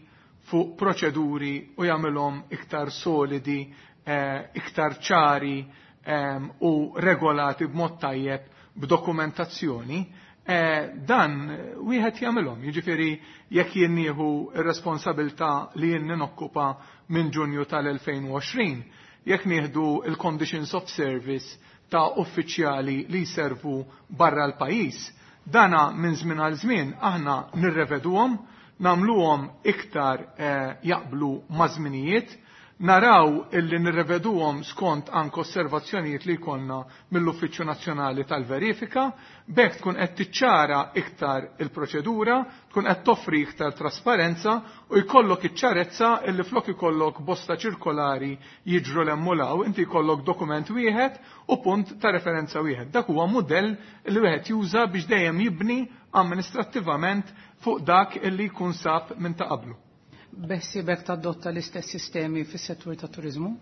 fuq proċeduri u jagħmilhom iktar solidi, eh, iktar ċari eh, u regolati b'mod tajjeb b'dokumentazzjoni, eh, dan wieħed jagħmilhom. Jiġifieri jekk jien nieħu r-responsabilità li jien ninokkupa minn Ġunju tal-elfejn u għoxrin, jekk nieħdu il-conditions of service ta' uffiċjali li jservu barra l-pajjiż, dana minn żmien għal żmien aħna nirreveduhom, nagħmluhom iktar eh, jaqblu ma' żminijiet, naraw illi nirreveduhom skont anke osservazzjonijiet li jkollna mill-Uffiċċju Nazzjonali tal-Verifika, b'hekk tkun qed tiċċara iktar il-proċedura, tkun qed toffri iktar trasparenza u jkollok iċ-ċarezza illi flok ikollok bosta ċirkolari jiġru l-emmulaw, inti jkollok dokument wieħed u punt ta' referenza wieħed. Dak huwa mudell li wieħed juża biex dejjem jibni amministrattivament fuq dak illi jkun sab minn ta' qablu. Beħsiebek tadotta l-istess sistemi fis-settur tat-turiżmu?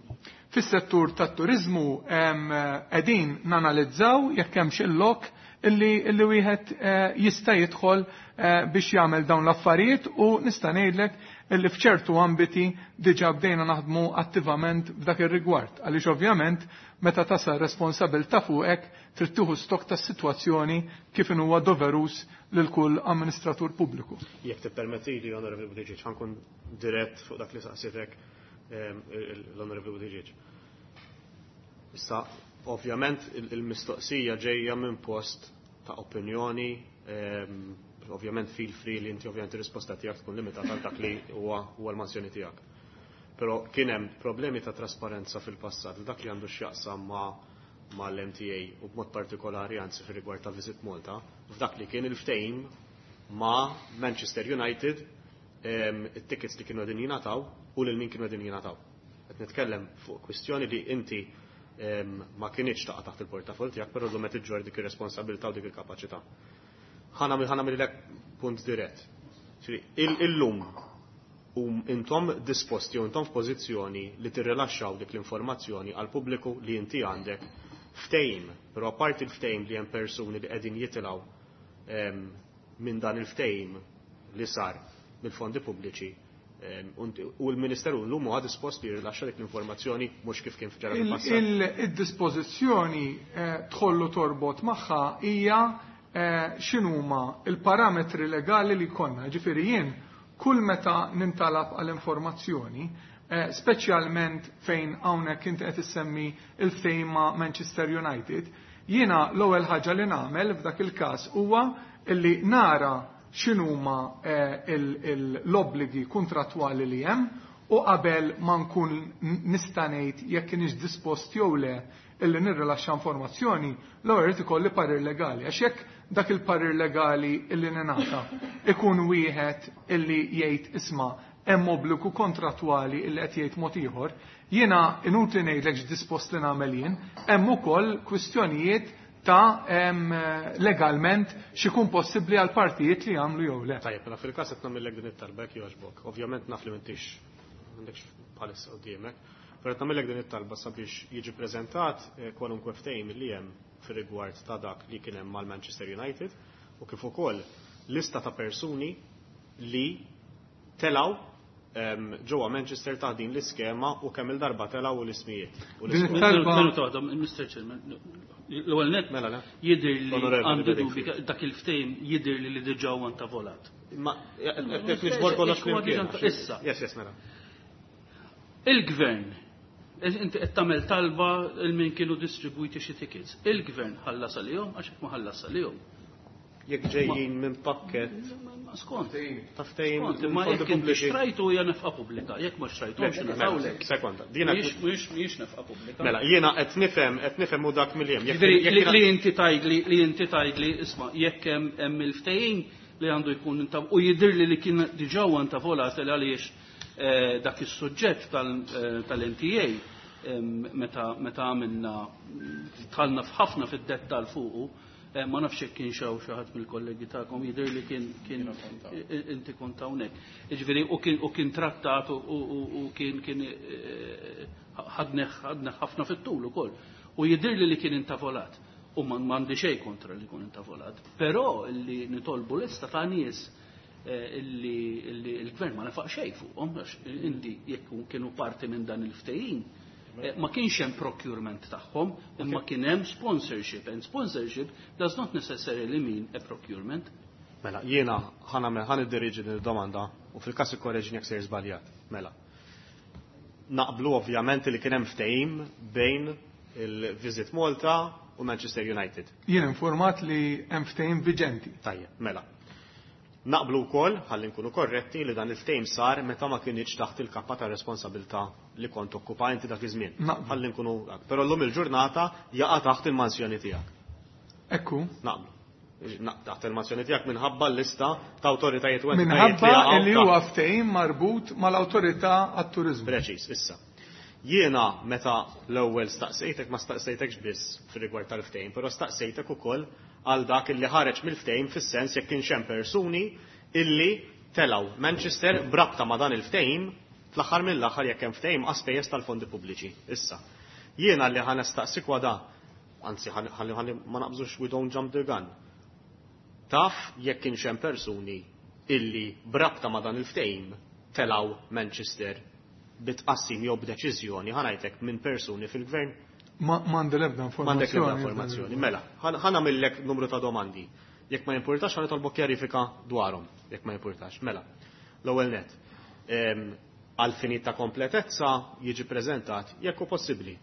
Fis-settur tat-turiżmu qegħdin nanalizzaw jekk hemm xi lok illi, illi wieħed eh, jista' jidħol eh, biex jagħmel dawn l-affarijiet u nista' ngħidlek illi f'ċertu ambiti diġà bdejna naħdmu attivament f'dak ir-rigward. Għaliex ovvjament meta tasal responsabilità fuqek trid tieħu stok tas-sitwazzjoni kif huwa doverus lil kull amministratur pubbliku. Jekk tippermettili, Onorevoli Buttigieg, ħankun dirett fuq dak li saqsitek l-Onorevoli Buttigieg. Issa, ovvjament il-mistoqsija ġejja minn post ta' opinjoni, ovvjament feel free li inti ovvjament ir-risposta tiegħek tkun limitata għal dak li huwa huwa l-mansjoni tiegħek. Però kien hemm problemi ta' trasparenza fil-passat li dak li għandu x'jaqsam ma' mal-M T A u b'mod partikolari anzi fir-rigward ta' Visit Malta, f'dak li kien il-ftehim ma' Manchester United, it-tickets li kienu qegħdin jingħataw u lil min kienu qegħdin jingħataw. Qed nitkellem fuq kwistjoni li inti ma kienx taqa' taħt il-portafol tiegħek, però llum qed iġġorr dik ir-responsabilità u dik il-kapaċità. Ħa nagħmel punt dirett. Illum u intom disposti u intom f'pożizzjoni li tirrilaxxaw dik l-informazzjoni għal pubbliku li inti għandek ftehim, però apparti l-ftehim li hemm persuni li qegħdin jitilgħu minn dan il-ftehim li sar mill-fondi pubbliċi u l-Ministeru llum huwa dispost li jirrilaxxa dik l-informazzjoni mhux kif kien ġara fil-passat. Il-dispożizzjoni tħollu torbot magħha hija x'inhuma il-parametri legali li jkollna. Ġifieri jien kull meta nintalab għall-informazzjoni, speċjalment fejn hawnhekk inti qed issemmi il-ftehim ma' Manchester United, jiena l-ewwel ħaġa li nagħmel f'dak il-każ huwa illi nara x'inhuma l-obbligi kontrattwali li hemm u qabel ma nkun nista' ngħid jekk kienx dispost jew le illi nirrilaxxa informazzjoni, l-ewwel irid ikolli parir legali. Għax jekk dak il-parir legali illi ningħata ikun wieħed illi jgħid isma' hemm obbligu kontrattwali illi qed jgħid mod ieħor, jiena inutli ngħidlek x'dispost li nagħmel jien, hemm ukoll kwistjonijiet ta' legalment x'ikun possibbli għal partijiet li jagħmlu jew le. Tajjeb, mela fil-każ qed nagħmellek din it-talba jekk jogħġbok. Ovvjament naf li m'intix m'għandekx bħalissa quddiemek, però qed nagħmellek din it-talba sabiex jiġi preżentat kwalunkwe ftehim li hemm fir-rigward ta' dak li kien hemm mal-Manchester United u kif ukoll lista ta' persuni li telaw ġewwa Manchester ta' din l-iskema u kemm il-darba telaw u l-ismijiet. Din it-talba Minuta waħda, Mister Chairman, l-ewwel nett Mela, le. jidher li Onorevoli għandu Bedingfield. dubji dak il-ftehim jidher li li diġà huwa ntavolat. Ma qed niġbor kollox Huwa diġà flimkien. Issa. Yes, yes, mela. Il-gvern, inti qed tagħmel talba il min kienu distribwiti xi tickets. Il-gvern ħallas għalihom għax hekk ma ħallas għalihom. Jekk ġejjin minn pakket Ma skont. ta' ftehim Skont, minn imma fondi jekk inti pubbliċi. xtrajtu hija nefqa pubblika, jekk ma xtrajthomx Le, mela, nefqawlek. Sekonda, dina Mhijiex, mhijiex, mhijiex nefqa pubblika. Mela, jiena qed nifhem, qed nifhem u dak mill-jem. Jekk Ġifieri, jekk li, jiena li inti tgħidli, li inti tgħidli, isma', jekk hemm, hemm il-ftehim li għandu jkun inta u jidhirli li kien diġà huwa intavolat għaliex, eh, dak is-suġġett tal-, eh, tal-M T A, em, meta, meta għamilna, dħalna f'ħafna fid-dettall fuqu, Ma nafx jekk kien xaw xi ħadd mill-kollegi tagħkom, jidher li kien kien inti kont hawnhekk. Jiġifieri u kien u kien trattat u kien kien ħadneh ħadneh ħafna fit-tul ukoll. U jidher li li kien intavolat. U m'għandi xejn kontra li jkun intavolat. Però li nitolbu lista ta' nies illi l-gvern ma nefaq xejn fuqhom, għax inti jekk kienu parti minn dan il-ftehim, ma kienx hemm procurement tagħhom, imma kien hemm sponsorship, and sponsorship does not necessarily mean a procurement. Mela, jiena ħa nagħmel ħa niddirieġi din id-domanda u fil-każ ikkorreġini jekk sejr żbaljat. Mela. Naqblu ovvjament li kien hemm ftehim bejn il-Visit Malta u Manchester United. Jien informat li hemm ftehim viġenti. Tajjeb, mela. Naqblu wkoll, ħalli nkunu korretti, li dan il-ftehim sar meta ma kienx taħt il-kappa ta' responsabilità li kont okkupa inti dak iż-żmien. Ħalli nkunu, però llum il-ġurnata jaqa' taħt il-mansjoni tiegħek. Ekku. Naqblu. Taħt il-mansjoni tiegħek minħabba l-lista ta' awtoritajiet u minħabba li huwa ftehim marbut mal-awtorità għat-turiżmu. Preċiż, issa. Jiena meta l-ewwel staqsejtek ma staqsejtekx biss fir-rigward tal-ftehim, però staqsejtek ukoll għal dak illi ħareġ mill-ftehim fis-sens jekk kienx hemm persuni illi telgħu Manchester brabta ma' dan il-ftehim fl-aħħar mill-aħħar jekk hemm ftehim għas-spejjeż tal-fondi pubbliċi. Issa, jiena li ħa nistaqsik wada, anzi ħalli ma naqbżux, we don't jump the gun. Taf jekk kienx hemm persuni illi brabta ma' dan il-ftehim telgħu Manchester bitqassim jew b'deċiżjoni, ħa ngħidlek, minn persuni fil-gvern? M'għandi l-ebda informazzjoni. M'għandek l-ebda informazzjoni. Mela, ħa nagħmillek numru ta' domandi. Jekk ma jimpurtax, ħa nitolbok kjarifika dwarhom, jekk ma jimpurtax. Mela, l-ewwel net. Għal finit ta' kompletezza jiġi preżentat, jekk hu possibbli,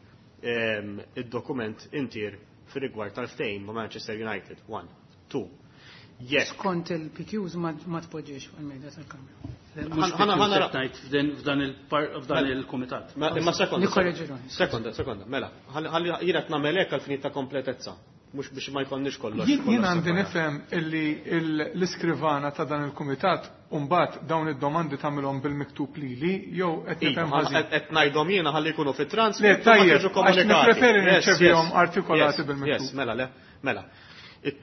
id-dokument intier fir-rigward tal-ftehim ma' Manchester United. One, two. Jekk. Skont il-P Qs ma tpoġġiex fuq il-mejda tal-Kamra. F'dan il-komitat. Imma sekonda. Sekonda, sekonda, mela. Ħalli jiena nagħmel hekk għal finit ta' kompletezza. Mhux biex ma jkollniex kollox. Jien għandi nifhem illi l-iskrivana ta' dan il-kumitat mbagħad dawn id-domandi tagħmilhom bil-miktub lili jew qed nifhem ħażin? Qed ngħidhom jiena ħalli jkunu fit-trans. Le, tajjeb, għax nippreferi nirċevihom artikolati bil-miktub. Mela, le, mela.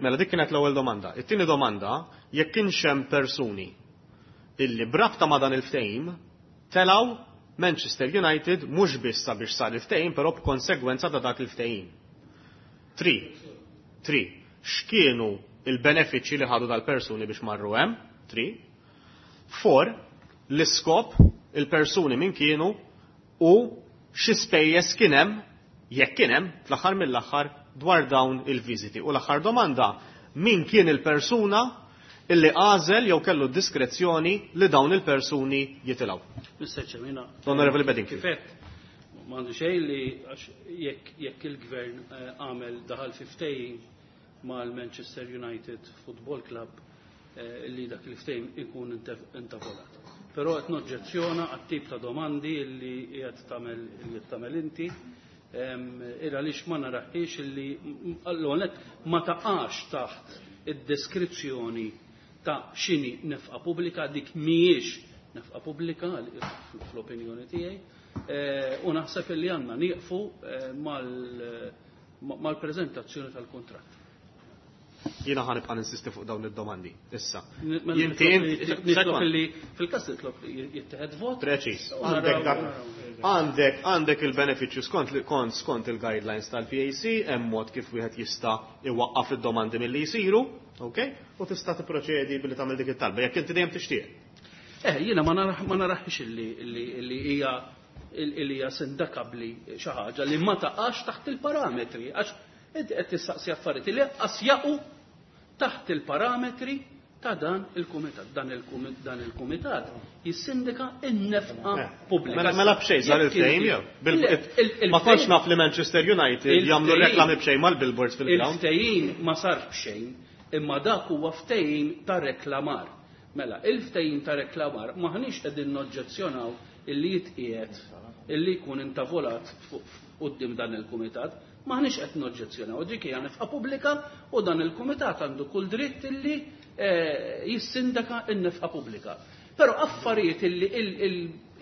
Mela dik kienet l-ewwel domanda. It-tieni domanda, jekk kienx hemm persuni illi brabta ma' dan il-ftehim telgħu Manchester United mhux biss sabiex sar il-ftehim, però b'konsegwenza ta' dak il-ftehim. Three. Three. X'kienu il-benefiċċji li ħadu dal-persuni biex marru hemm? Three. Four. L-iskop, il-persuni min kienu u xi spejjeż kien hemm, jekk kien hemm, fl-aħħar mill-aħħar dwar dawn il-viżiti. U l-aħħar domanda, min kien il-persuna illi għażel jew kellu diskrezzjoni li dawn il-persuni jitilgħu? Mister Chairman, Honorable Bedingfield. Kif għedt, m'għandu xejn li għax jekk jekk il-gvern għamel daħal fi ftehim mal-Manchester United Football Club, li dak il-ftehim ikun intavolat. Però qed noġġezzjona għat-tip ta' domandi li qiegħed tagħmel li tagħmel inti, ira għaliex ma naraħiex illi l ma taqax taħt id-deskrizzjoni ta' x'inhi nefqa pubblika, dik mhijiex nefqa pubblika fl-opinjoni tiegħi, u naħseb illi għandna nieqfu mal-preżentazzjoni tal-kuntratt. Jiena ħa nibqa' ninsisti fuq dawn id-domandi. Issa. Jinti nitlob li fil-każ nitlob li jittieħed vot. Preċiż. Għandek dak għandek għandek il-benefiċċju skont kont skont il-guidelines tal-P A C, hemm mod kif wieħed jista' iwaqqaf id-domandi milli jsiru, ok? U tista' tipproċedi billi tagħmel dik it-talba jekk inti dejjem tixtieq. Eh, jiena ma naraħ ma naraħx illi illi hija illi hija sindakabbli xi ħaġa li ma taqax taħt il-parametri, għax inti qed tistaqsi affarijiet li qas jaqu taħt il-parametri ta' dan il-kumitat. Dan il-kumitat, dan il-kumitat jissindika n-nefqa pubblika. Mela, mela b'xejn sar il-ftehim jew? Ma kontx naf li Manchester United jagħmlu reklami b'xejn mal-billboards fil-ground. Il-ftehim ma sarx b'xejn, imma dak huwa ftehim ta' reklamar. Mela, il-ftehim ta' reklamar maħniex qegħdin noġġezzjonaw illi jitqiegħed illi jkun intavolat quddiem dan il-kumitat, maħniex qed noġġezzjonaw. Dik hija nefqa pubblika u dan il-kumitat għandu kull dritt illi eh, jissindaka n-nefqa pubblika. Però affarijiet illi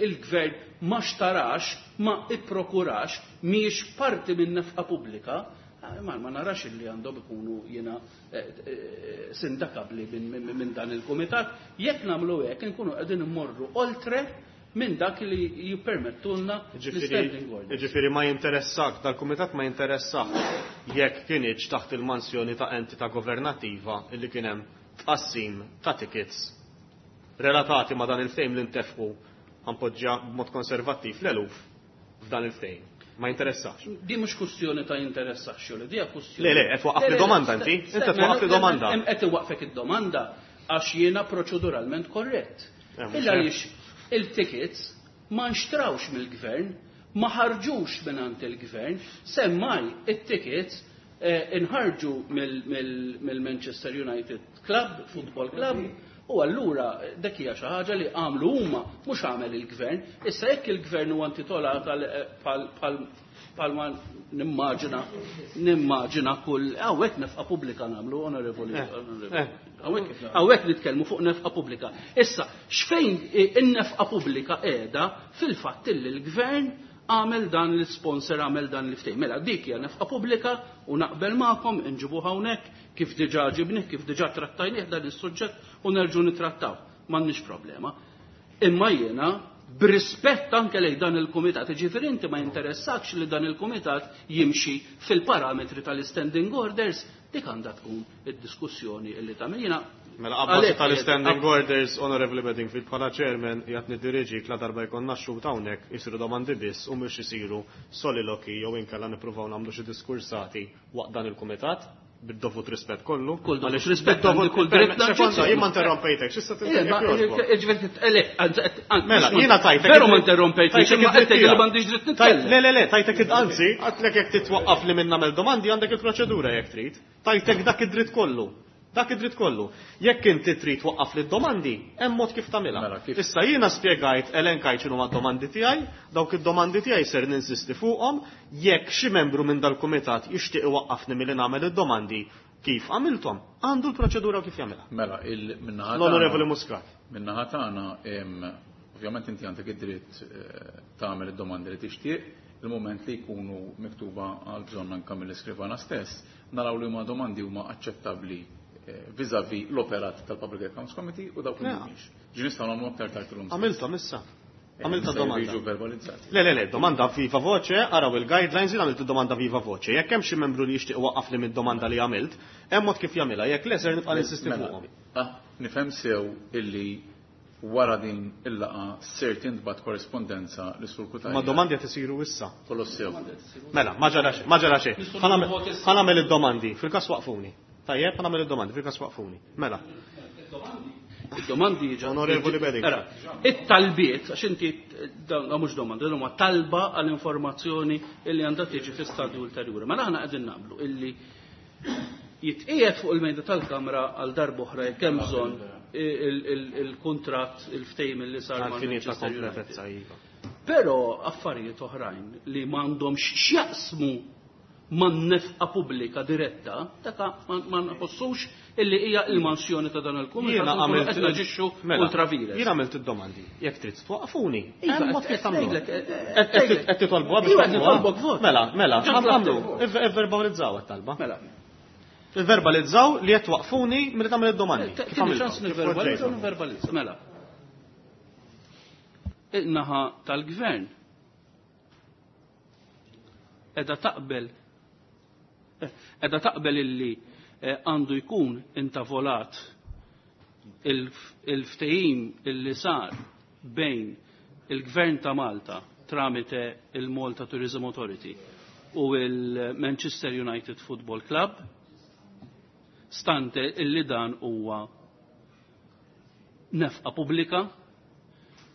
il-gvern ma xtarax, ma ipprokurax, mhijiex parti minn nefqa pubblika, Ma, ma narax li għandhom ikunu jiena sindakabli minn dan il-kumitat. Jekk nagħmlu hekk inkunu qegħdin immorru oltre minn dak li jippermettulna l-standing order. Jiġifieri ma jinteressak, dal-kumitat ma jinteressak jekk kienx taħt il-mansjoni ta' entità governattiva illi kien hemm tqassim ta' tickets relatati ma' dan il-ftehim li ntefqu ħanpoġġja b'mod konservattiv l-eluf f'dan il-ftehim. Ma jinteressax. Di mhux kwestjoni ta' jinteressax, jew di hija kwestjoni. Le, le, qed twaqqaf li domanda inti, inti qed twaqqaf li domanda. Qed iwaqqfek id-domanda għax jiena proċeduralment korrett. Illa għaliex il-tickets ma nxtrawx mill-gvern, ma ħarġux mingħand il-gvern, semmai it-tickets inħarġu mill-Manchester United Club, Football Club, u allura dak hija xi ħaġa li għamlu huma mhux għamel il-gvern. Issa jekk il-gvern huwa intitolat bħal ma nimmaġina nimmaġina kull hawnhekk nefqa pubblika nagħmlu, onorevoli. Hawnhekk nitkellmu fuq nefqa pubblika. Issa x'fejn in-nefqa pubblika qiegħda fil-fatt illi l-gvern għamel dan l-sponsor, għamel dan l-ftehim. Mela dik hija nefqa pubblika u naqbel magħkom inġibuha hawnhekk kif diġà ġibnih, kif diġà trattajnih dan is-suġġett u nerġgħu nittrattaw. M'għandniex problema. Imma jiena b'rispett anke lejn dan il-kumitat, jiġifieri inti ma jinteressakx li dan il-kumitat jimxi fil-parametri tal-standing orders, dik għandha tkun id-diskussjoni illi tagħmel. Jiena Mela abbażi tal-standing orders, Honorable Bedingfield, bħala chairman jgħat nidiriġik la darba jkollna xhud hawnhekk isiru domandi biss u mhux isiru soliloki jew inkella nippruvaw nagħmlu xi diskursati waqt dan il-kumitat bid-dovut rispett kollu. Kull dovut rispett, għandi kull dritt naġġezzjoni. Jien ma interrompejtek, x'issa tinterrompejtek? Mela, jiena tajtek. Veru ma interrompejtek, imma qed tgħid li m'għandix dritt nitkellem. Le, le, le, tajtek anzi, għadtlek jekk titwaqqaf li minn nagħmel domandi għandek il-proċedura jekk trid. Tajtek dak id-dritt kollu. Dak id-dritt kollu. Jekk inti trid twaqqaf li domandi, hemm mod kif tagħmilha. Issa jiena spjegajt elenkajt x'inhu d-domandi tiegħi, dawk id-domandi tiegħi ser ninsisti fuqhom, jekk xi membru minn dal-kumitat jixtieq iwaqqafni milli nagħmel id-domandi kif għamilthom, għandu l-proċedura kif jagħmilha. Mela, il-minnaħa L-Onorevoli Muscat. Min-naħa tagħna, ovvjament inti għandek id-dritt tagħmel id-domandi li tixtieq, il-moment li jkunu miktuba għal bżonn anke mill-iskrivana stess, naraw li huma domandi huma aċċettabbli vis-à-vis l-operat tal-Public Accounts Committee u dawk li mhumiex. Ġi nistgħu nagħmlu aktar tard illum. Għamilthom issa. Għamilta domanda. Jiġu verbalizzati. Le, le, le, domanda viva voce, araw il-guidelines, jien għamilt domanda viva voce. Jekk hemm xi membru li jixtieq waqqafni mid-domanda li għamilt, hemm mod kif jagħmilha, jekk le ser nibqa' ninsisti fuqhom. Nifhem sew illi wara din il-laqa ser tintbagħat korrespondenza li sur Cutajar. Ma domandi qed isiru issa. Kollox sew. Mela, ma ġara xejn, ma ġara xejn. Ħa nagħmel id-domandi, fil-każ waqfuni. Tajjeb, ħa nagħmel id-domandi, fil-każ waqfuni. Mela. Id-domandi ġa. Onorevoli Beding. Era, it-talbiet, għax inti dan mhux domandi, dan huma talba għall-informazzjoni illi għandha tiġi fi stadju ulterjuri. Mela aħna qegħdin naqblu illi jitqiegħed fuq il-mejda tal-Kamra għal darb'oħra jekk hemm bżonn il-kuntratt, il-ftehim li sar ma' Manchester United. Però affarijiet oħrajn li m'għandhomx x'jaqsmu man nefqa pubblika diretta, daka ma nħossux illi hija il-mansjoni ta' dan il-kumitat. Jiena għamilt qed naġixxu ultra vires. Jiena għamilt id-domandi. Jekk trid twaqqafuni. Iva, Hemm mod kif qed tagħmlu. ngħidlek, Qed titolbu biex Iva, qed nitolbok vot. Mela, mela, Ġa għamlu. tlabtek. Ivverbalizzaw it-talba. Mela. Ivverbalizzaw li qed twaqfuni milli tagħmel id-domandi. Kif Tini għamiltom? ċans nivverbalizza, nivverbalizza. Mela. Il-naħa tal-gvern edha taqbel edha taqbel illi għandu jkun intavolat il-ftehim illi sar bejn il-Gvern ta' Malta tramite il-Malta Tourism Authority u il-Manchester United Football Club, stante illi dan huwa nefqa pubblika,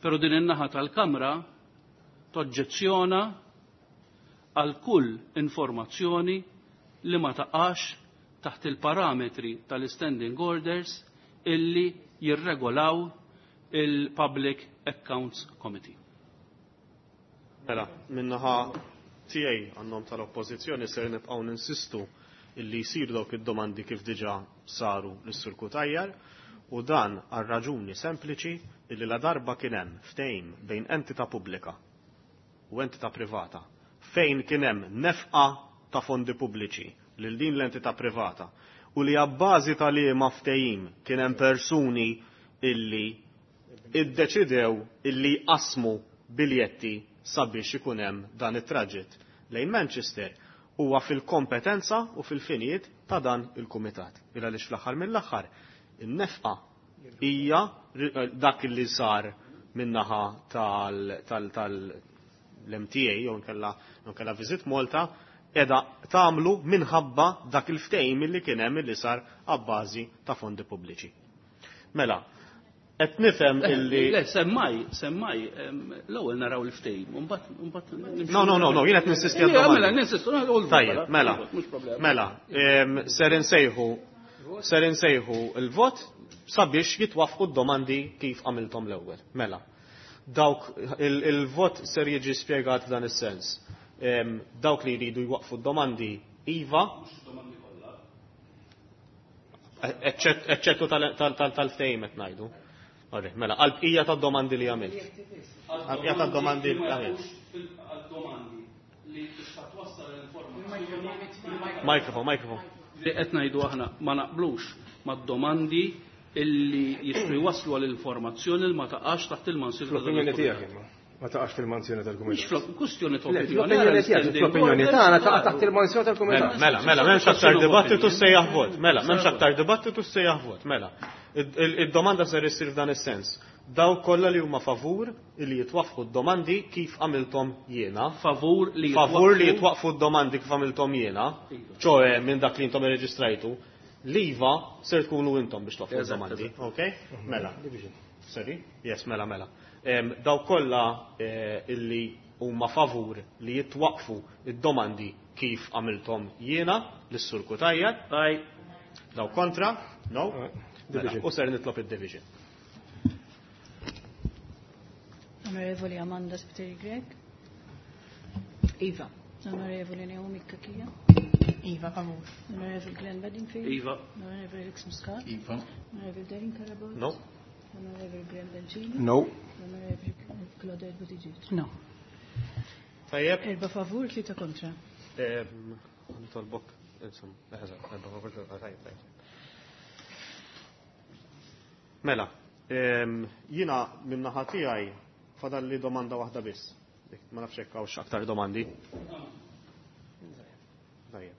pero din in-naħa tal-Kamra toġġezzjona għal kull informazzjoni li ma taqax taħt il-parametri tal-standing orders illi jirregolaw il-Public Accounts Committee. Mela, minnaħa tiegħi għannom tal-Oppożizzjoni ser nibqgħu ninsistu illi jsiru dawk id-domandi kif diġà saru lis-Sur Cutajar, u dan għal raġuni sempliċi illi la darba kien hemm ftehim bejn entità pubblika u entità privata fejn kien hemm nefqa ta' fondi pubbliċi lil din l-entità privata u li abbażi ta' liema ftehim kien hemm persuni illi iddeċidew illi qasmu biljetti sabiex ikun hemm dan it-traġitt lejn Manchester huwa fil-kompetenza u fil-finijiet ta' dan il-kumitat. Il għaliex fl-aħħar mill-aħħar in-nefqa hija dak li sar min-naħa tal-M T A jew nkella nkella Visit Malta qiegħda tagħmlu minħabba dak il-ftehim li kien hemm li sar abbażi ta' fondi pubbliċi. Mela, qed nifhem illi Le, semmaj, semmaj, l-ewwel naraw il-ftehim, u mbagħad No, no, no, no, jien qed ninsisti għad Mela, ninsistu, Tajjeb, mela, mela, ser insejħu ser insejħu il-vot sabiex jitwafqu d-domandi kif għamiltom l-ewwel. Mela, dawk il-vot ser jiġi spjegat f'dan is-sens. Dawk li jridu jwaqfu d-domandi iva, eċċettu tal-ftehim qed ngħidu. Mela, għal-bqija tad-domandi li għamilt. Għal-bqija tad-domandi li għamilt. Għal-domandi li tista' twassal l-informazzjoni. Mikrofon, mikrofon. Li qed ngħidu aħna ma naqblux mad-domandi illi jistgħu jwasslu għall-informazzjoni li ma taqax taħt il-mansjoni. L-opinjoni tiegħek imma. Ma taqax fil-mansjoni tal-kumitat. Mhux kwestjoni ta' opinjoni. L-opinjoni tiegħek, l-opinjoni tagħna taqa' taħt il-mansjoni tal-kumitat. Mela, mela, m'hemmx aktar dibattitu sejjaħ vot. Mela, m'hemmx aktar dibattitu sejjaħ vot. Mela. Id-domanda ser issir f'dan is-sens. Dawk kollha li huma favur li jitwaffqu d-domandi kif għamilthom jiena. Favur li Favur li jitwaqfu d-domandi kif għamilthom jiena, ċoè minn dak li intom irreġistrajtu, l-iva ser tkunu intom biex twaqqfu d-domandi. Ok? Mela. Sorry? Yes, mela, mela. Dawk kollha illi huma favur li jitwaqfu id-domandi kif għamilthom jiena lis-Sur Cutajar. Dawk kontra? No? Mela, u ser nitlob id-division. Onorevoli Amanda Spiteri Grech. Iva. Onorevoli Naomi Cachia. Iva, favur. Onorevoli Glenn Bedingfield. Iva. Onorevoli Alex Muscat. Iva. Onorevoli Darren Carabott. No. Onorevoli Graham Bencini. No. Onorevoli Claudette Buttigieg. No. Tajjeb. Erba favur, tlieta kontra. Nitolbok, insomma, eżatt, erba favur, tlieta tajjeb, tajjeb. Mela, jiena min-naħa tiegħi fadalli domanda waħda biss. Ma nafx hekk hawnx aktar domandi. Tajjeb.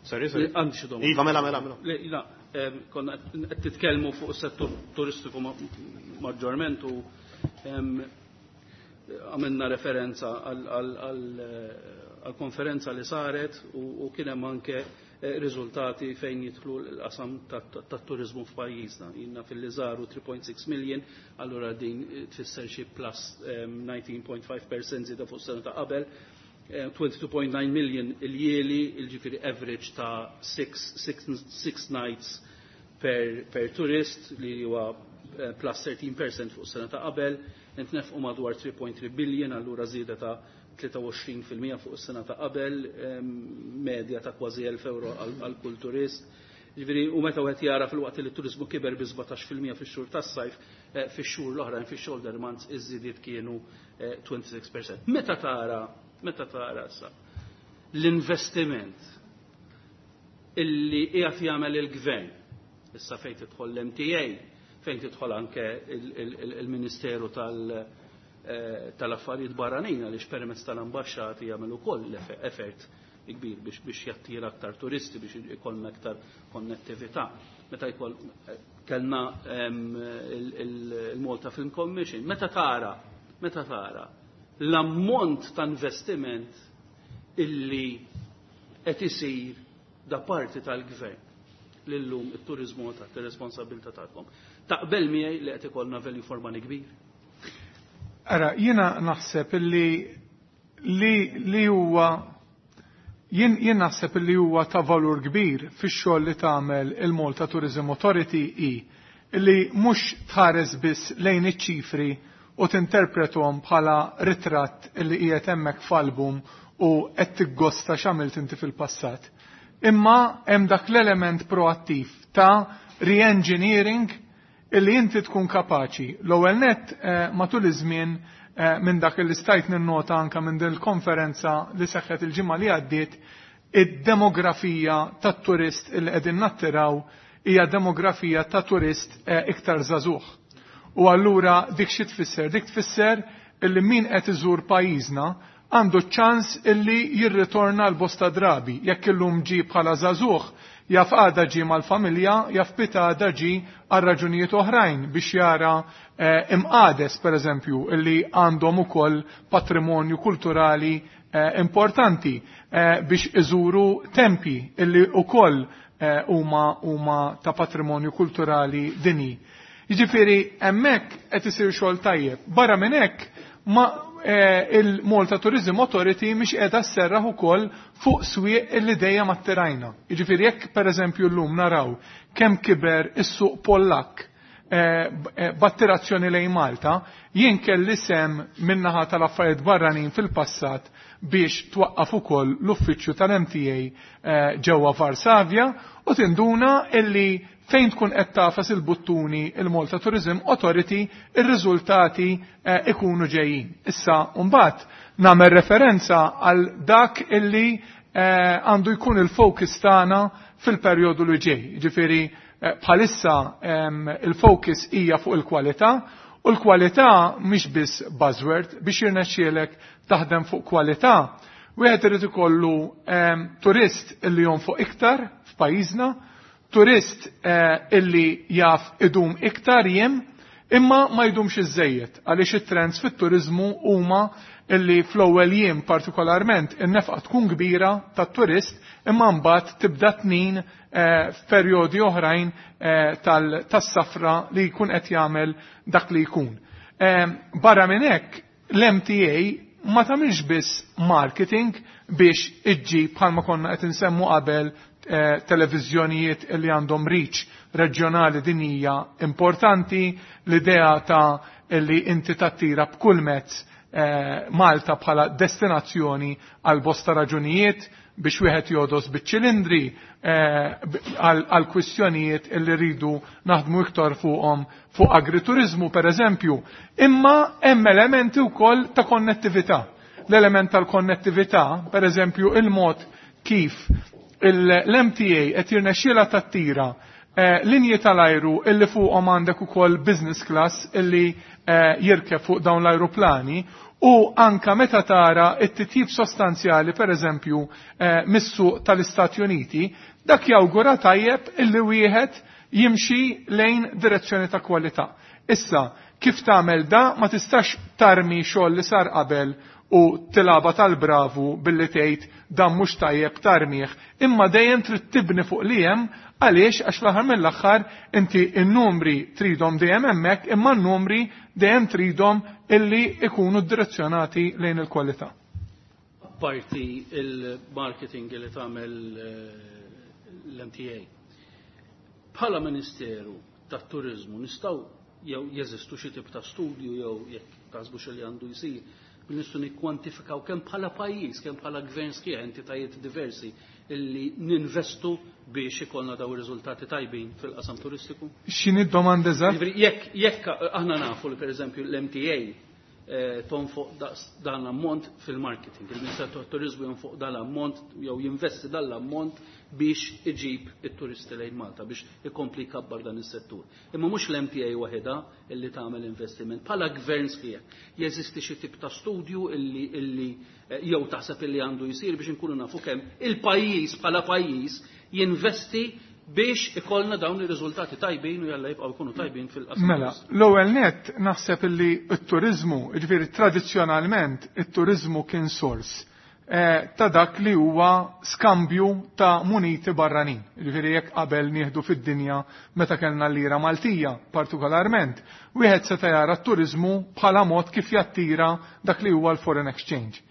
Sorry, sorry. Għandi xi domanda. Iva, mela, mela, mela. Le, la, konna qed titkellmu fuq is-settur turistiku maġġorment u għamilna referenza għal konferenza li saret u kien hemm anke riżultati fejn jidħlu l-qasam tat-turizmu f'pajjiżna. Jiena fil-li żaru three point six million, allura din tfisser xi plus nineteen point five percent żieda fuq sena ta' qabel. twenty-two point nine million il-jieli, il-ġifieri average ta' six nights per, per turist li huwa plus thirteen percent fuq sena ta' qabel, intnefqu madwar three point three billion, allura żieda ta' tlieta u għoxrin fil-mija fuq is-sena ta' qabel, medja ta' kważi elf euro għal kull turist. Ġifieri, u meta wieħed jara fil-waqt li t-turizmu kiber bi sbatax fil-mija fix-xhur tas-sajf, fix-xhur l-oħrajn, fix-shoulder months, iż-żidiet kienu twenty-six percent. Meta tara, meta tara sa l-investiment illi qiegħed jagħmel il-gvern, issa fejn tidħol l-M T A, fejn tidħol anke il-Ministeru tal- tal-affarijiet barranin, għaliex permezz tal-ambaxxati jagħmel ukoll effort kbir biex biex jattira aktar turisti, biex ikollna aktar konnettività. Meta jkoll kellna il-Malta Film Commission, meta tara, meta tara l-ammont ta' investiment illi qed isir da parti tal-gvern l-lum it-turizmu ta' ir-responsabilità tagħkom. Taqbel miegħi li qed ikollna value for money kbir? Ara, jiena naħseb illi li li huwa jien jien naħseb illi huwa ta' valur kbir fix-xogħol li tagħmel il-Malta Tourism Authority i illi mhux tħares biss lejn iċ-ċifri u tinterpretom bħala ritratt illi qiegħed hemmhekk f'album u qed tiggosta x'għamilt inti fil-passat. Imma hemm dak l-element proattiv ta' re-engineering Illi inti tkun kapaċi l-ewwel nett eh, matul iż-żmien eh, minn dak li stajt ninnota anke minn din il-konferenza li seħħet il-ġimgħa li għaddiet, id-demografija tat-turist illi qegħdin nattiraw hija demografija ta' turist eh, iktar żagħżugħ. U allura dik xi tfisser? Dik tfisser illi min qed iżur pajjiżna għandu ċans illi jirritorna l-bosta drabi. Jekk illum ġie bħala żagħżugħ, jaf għada ġie mal-familja, jaf pitgħada ġie għal raġunijiet oħrajn biex jara eh, imqades, per eżempju, illi għandhom ukoll patrimonju kulturali eh, importanti eh, biex iżuru tempi illi ukoll huma eh, huma ta' patrimonju kulturali dinji. Jiġifieri hemmhekk qed isir xogħol tajjeb. Barra minn hekk ma eh, il-Malta Tourism Authority mhix qiegħda sserraħ ukoll fuq swieq illi dejjem attirajna. Jiġifieri jekk pereżempju llum naraw kemm kiber is-suq Pollakk eh, eh, b'attirazzjoni lejn Malta, jien kelli sem min-naħa tal-affarijiet barranin fil-passat biex twaqqaf ukoll l-uffiċċju tal-M T A eh, ġewwa Varsavja u tinduna illi fejn tkun qed tagħfas il-buttuni il-Malta Tourism Authority, ir-riżultati eh, ikunu ġejjin. Issa mbagħad nagħmel referenza għal dak illi eh, għandu jkun il-focus tagħna fil-perjodu li ġej. Ġifieri eh, bħalissa em, il-focus hija fuq il-kwalità u l-kwalità mhix biss buzzword. Biex jirnexxielek taħdem fuq kwalità, wieħed irid ikollu em, turist illi jonfoq iktar f'pajjiżna, turist eh, illi jaf idum iktar jiem, imma ma jdumx iżejjed, għaliex it-trends fit-turizmu huma illi fl-ewwel jiem partikolarment in-nefqa tkun kbira tat-turist, imma mbagħad tibda tnin eh, f'perjodi oħrajn eh, tas-safra li jkun qed jagħmel dak li jkun. Eh, barra minn hekk, l-M T A ma tagħmilx biss marketing biex iġġib, bħalma konna qed insemmu qabel, eh, televiżjonijiet li għandhom reach reġjonali dinija importanti, l-idea ta' li inti tattira b'kull mezz eh, Malta bħala destinazzjoni għal bosta raġunijiet, biex wieħed jogħdos biċ-ċilindri eh, għal kwistjonijiet li rridu naħdmu iktar fuqhom fuq agriturizmu, per eżempju, imma hemm elementi wkoll ta' konnettività. L-element tal-konnettività, per eżempju, il-mod kif l-M T A qed jirnexxiela tattira eh, linji tal-ajru illi fuqhom għandek ukoll business class illi eh, jirkeb fuq dawn l-ajruplani u anka meta tara it-titjib sostanzjali, per eżempju, eh, mis-suq tal-Istati Uniti, dak jawgura tajjeb illi wieħed jimxi lejn direzzjoni ta' kwalità. Issa, kif tagħmel da? Ma tistax tarmi xogħol li sar qabel u tilgħabha tal-bravu billi tgħid dan mhux tajjeb, tarmih, imma dejjem trid tibni fuq li hemm. Għaliex? Għax fl-aħħar mill-aħħar inti n-numri tridhom dejjem hemmhekk, imma n-numri dejjem tridhom illi ikunu direzzjonati lejn il-kwalità. Parti il-marketing li tagħmel eh, l-M T A. Bħala Ministeru tat-Turizmu, nistgħu jew jeżistu xi tip ta' studju jew jekk taħsbu li għandu jsir bil nistgħu nikkwantifikaw kemm bħala pajjiż, kemm bħala gvern sħiħ, entitajiet diversi illi ninvestu biex ikollna daw ir-riżultati tajbin fil-qasam turistiku? X'inhi d-domanda eżatt? Jiġifieri, Jekk jekk aħna nafu li, pereżempju, l-M T A eh, tonfoq dan l-ammont fil-marketing, il-Ministeru tat-Turizmu jonfoq dan l-ammont jew jinvesti dan l-ammont biex iġib it-turisti lejn Malta, biex ikompli jkabbar dan is-settur. Imma mhux l-M T A waħedha illi tagħmel investiment. Bħala gvern sħiħ, jeżisti xi tip ta' studju illi illi eh, jew taħseb illi għandu jsir biex inkunu nafu kemm il-pajjiż bħala pajjiż jinvesti biex ikollna dawn ir-riżultati tajbin u jalla jibqgħu jkunu tajbin fil-qasam? Mela, l-ewwel nett naħseb illi t-turizmu, jiġifieri tradizzjonalment it-turizmu kien sors eh, ta' dak li huwa skambju ta' muniti barranin. Jiġifieri jekk qabel nieħdu fid-dinja meta kellna l-lira Maltija partikolarment, wieħed seta' jara t-turizmu bħala mod kif jattira dak li huwa l-foreign exchange.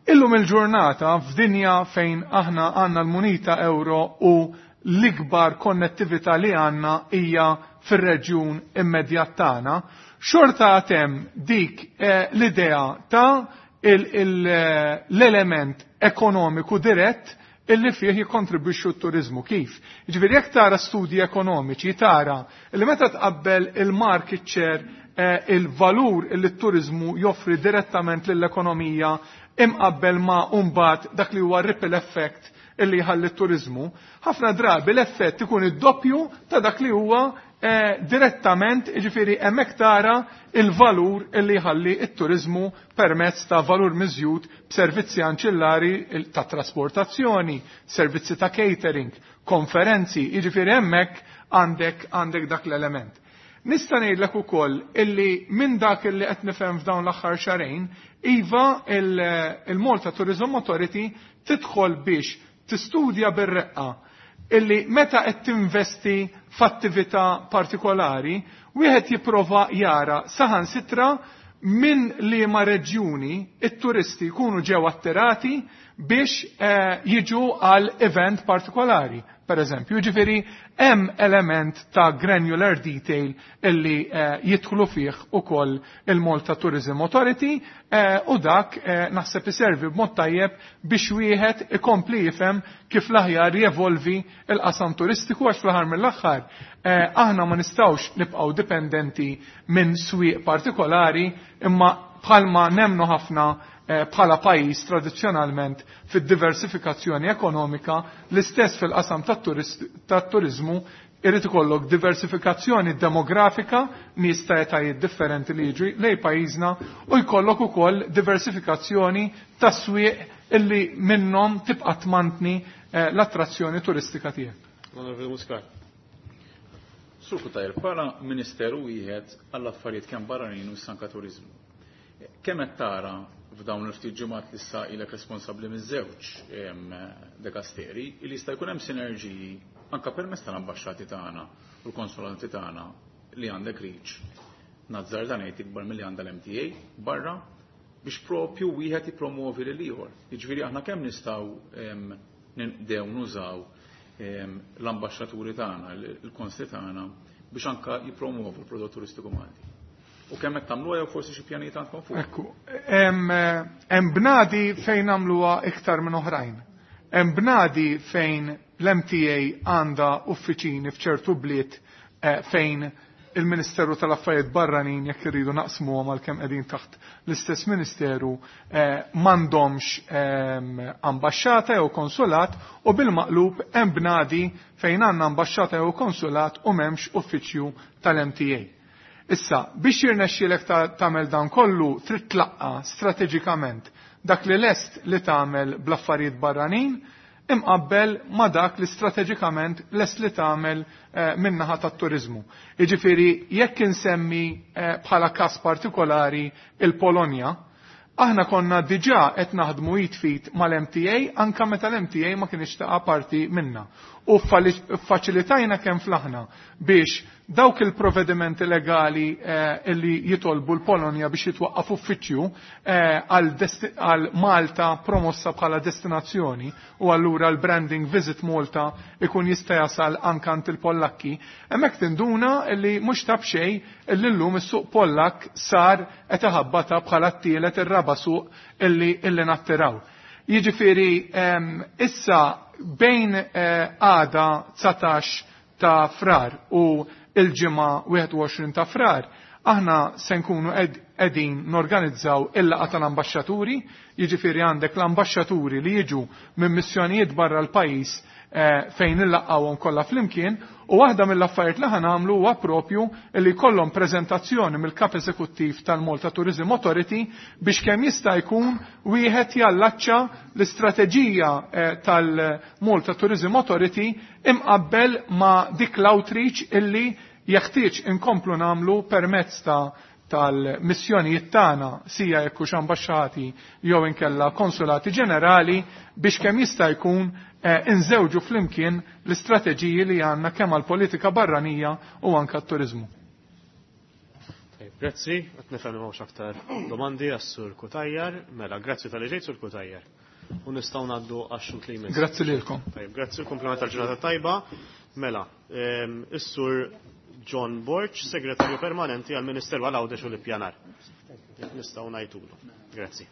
Illum il-ġurnata, f'dinja fejn aħna għandna l-munita euro u l-ikbar konnettività li għandna hija fir-reġjun immedjat tagħna, xorta għatem dik eh, l-idea ta' l-element ekonomiku dirett illi fih jikkontribwixxu t-turizmu. Kif? Jiġifieri jekk tara studji ekonomiċi tara li meta tqabbel il-market share, eh, il-valur illi t-turizmu joffri direttament lill-ekonomija imqabbel ma' mbagħad dak li huwa ripple effect illi jħalli t-turizmu, ħafna drabi l-effett ikun id-doppju ta' dak li huwa eh, direttament, jiġifieri hemmhekk tara il-valur illi jħalli t-turizmu permezz ta' valur miżjud b'servizzi anċillari ta' trasportazzjoni, servizzi ta' catering, konferenzi, jiġifieri hemmhekk għandek għandek dak l-element. Nista' ngħidlek ukoll illi minn dak illi qed nifhem f'dawn l-aħħar xahrejn, iva il-Malta Tourism Authority tidħol biex tistudja bir-reqqa illi meta qed tinvesti f'attività partikolari, wieħed jipprova jara saħansitra minn liema reġjuni it-turisti jkunu ġew attirati biex eh, jiġu għal event partikolari. Per eżempju, ġifieri hemm element ta' granular detail illi eh, jidħlu fih ukoll il-Malta Tourism Authority eh, u dak eh, naħseb iservi b'mod tajjeb biex wieħed ikompli jifhem kif l-aħjar jevolvi il-qasam turistiku, għax fl-aħħar mill-aħħar eh, aħna ma nistgħux nibqgħu dipendenti minn swieq partikolari, imma bħalma nemnu ħafna bħala pajjiż tradizzjonalment fid-diversifikazzjoni ekonomika, l-istess fil-qasam tat-turizmu irid ikollok diversifikazzjoni demografika, nies ta' etajiet differenti li jiġu lej pajjiżna, u jkollok ukoll diversifikazzjoni tas-swieq illi minnhom tibqa' tmantni l-attrazzjoni turistika tiegħek. Onorevoli Muscat. Sur Cutajar, bħala Ministeru wieħed għall-affarijiet kemm barranin u s-sanka turizmu. Kemm qed tara f'dawn il-ftit ġimgħat li issa ilek responsabbli miż-żewġ dekasteri li jista' jkun hemm sinerġiji anke permezz tal-ambaxxati tagħna u l-konsulanti tagħna li għandek reach. Nazzarda ngħid ikbar milli għandha l-M T A barra biex propju wieħed jippromovi lil ieħor. Jiġifieri aħna kemm nistgħu ninqdew nużaw l-ambaxxaturi tagħna, il-konsli tagħna biex anke jippromovu l-prodott turistiku Malti. U kemm qed tagħmluha jew forsi xi pjanijiet għandkom fuq? Ekku, hemm bnadi fejn nagħmluha iktar minn oħrajn. Hemm bnadi fejn l-M T A għandha uffiċini f'ċertu bliet eh, fejn il-Ministeru tal-Affarijiet Barranin, jekk irridu naqsmuhom għal kemm qegħdin taħt l-istess ministeru, eh, m'għandhomx ehm, ambaxxata jew konsulat, u bil-maqlub hemm bnadi fejn għandna ambaxxata jew konsulat u m'hemmx uffiċċju tal-M T A. Issa, biex jirnexxielek tagħmel dan kollu, trid tlaqqa strateġikament dak li lest li tagħmel bl-affarijiet barranin imqabbel ma dak li strateġikament lest li tagħmel eh, min-naħa tat-turizmu. Jiġifieri jekk insemmi eh, bħala każ partikolari il-Polonja, aħna konna diġà qed naħdmu jitfit mal-M T A anka meta l-M T A ma kienx taqa' parti minna. U faċilitajna kemm flaħna biex dawk il-provvedimenti legali eh, illi jitolbu l-Polonja biex jitwaqqaf uffiċċju eh, għal Malta promossa bħala destinazzjoni, u allura l-branding Visit Malta ikun jista' jasal anka għand il-Pollakki. Hemmhekk tinduna illi mhux ta' b'xejn illi llum is-suq Pollak sar qed iħabbata bħala t-tielet, ir-raba' suq illi illi nattiraw. Jiġifieri issa bejn eh, għada dsatax ta' Frar u il-ġimgħa wieħed u għoxrin ta' Frar, aħna se nkunu qegħdin norganizzaw il-laqgħa tal-ambaxxaturi, jiġifieri għandek l-ambaxxaturi li jiġu minn missjonijiet barra l-pajjiż eh, fejn illaqgħuhom kollha flimkien, u waħda mill-affarijiet li ħanamlu huwa propju li jkollhom preżentazzjoni mill-kap eżekuttiv tal-Malta Tourism Authority biex kemm jista' jkun wieħed jallaċċa l-istrateġija eh, tal-Malta Tourism Authority imqabbel ma' dik l-outreach illi jeħtieġ inkomplu nagħmlu permezz ta' tal-missjonijiet tagħna, sija jekk hux ambaxxati jew inkella konsulati ġenerali, biex kemm jista' jkun eh, inżewġu flimkien l-istrateġiji li għandna kemm għall-politika barranija u anke t-turizmu. Grazzi, qed nifhem m'hawnx aktar domandi għas-Sur Cutajar. Mela, grazzi talli ġejt, Sur Cutajar. U nistgħu ngħaddu għax-xhud li jmiss. Grazzi lilkom. Tajjeb, grazzi, kumplament tal-ġurnata tajba. Mela, ehm, is-Sur John Borg, Segretarju Permanenti għal-Ministeru għal Għawdex u l-Ippjanar. Jekk nistgħu ngħidulu. Grazzi.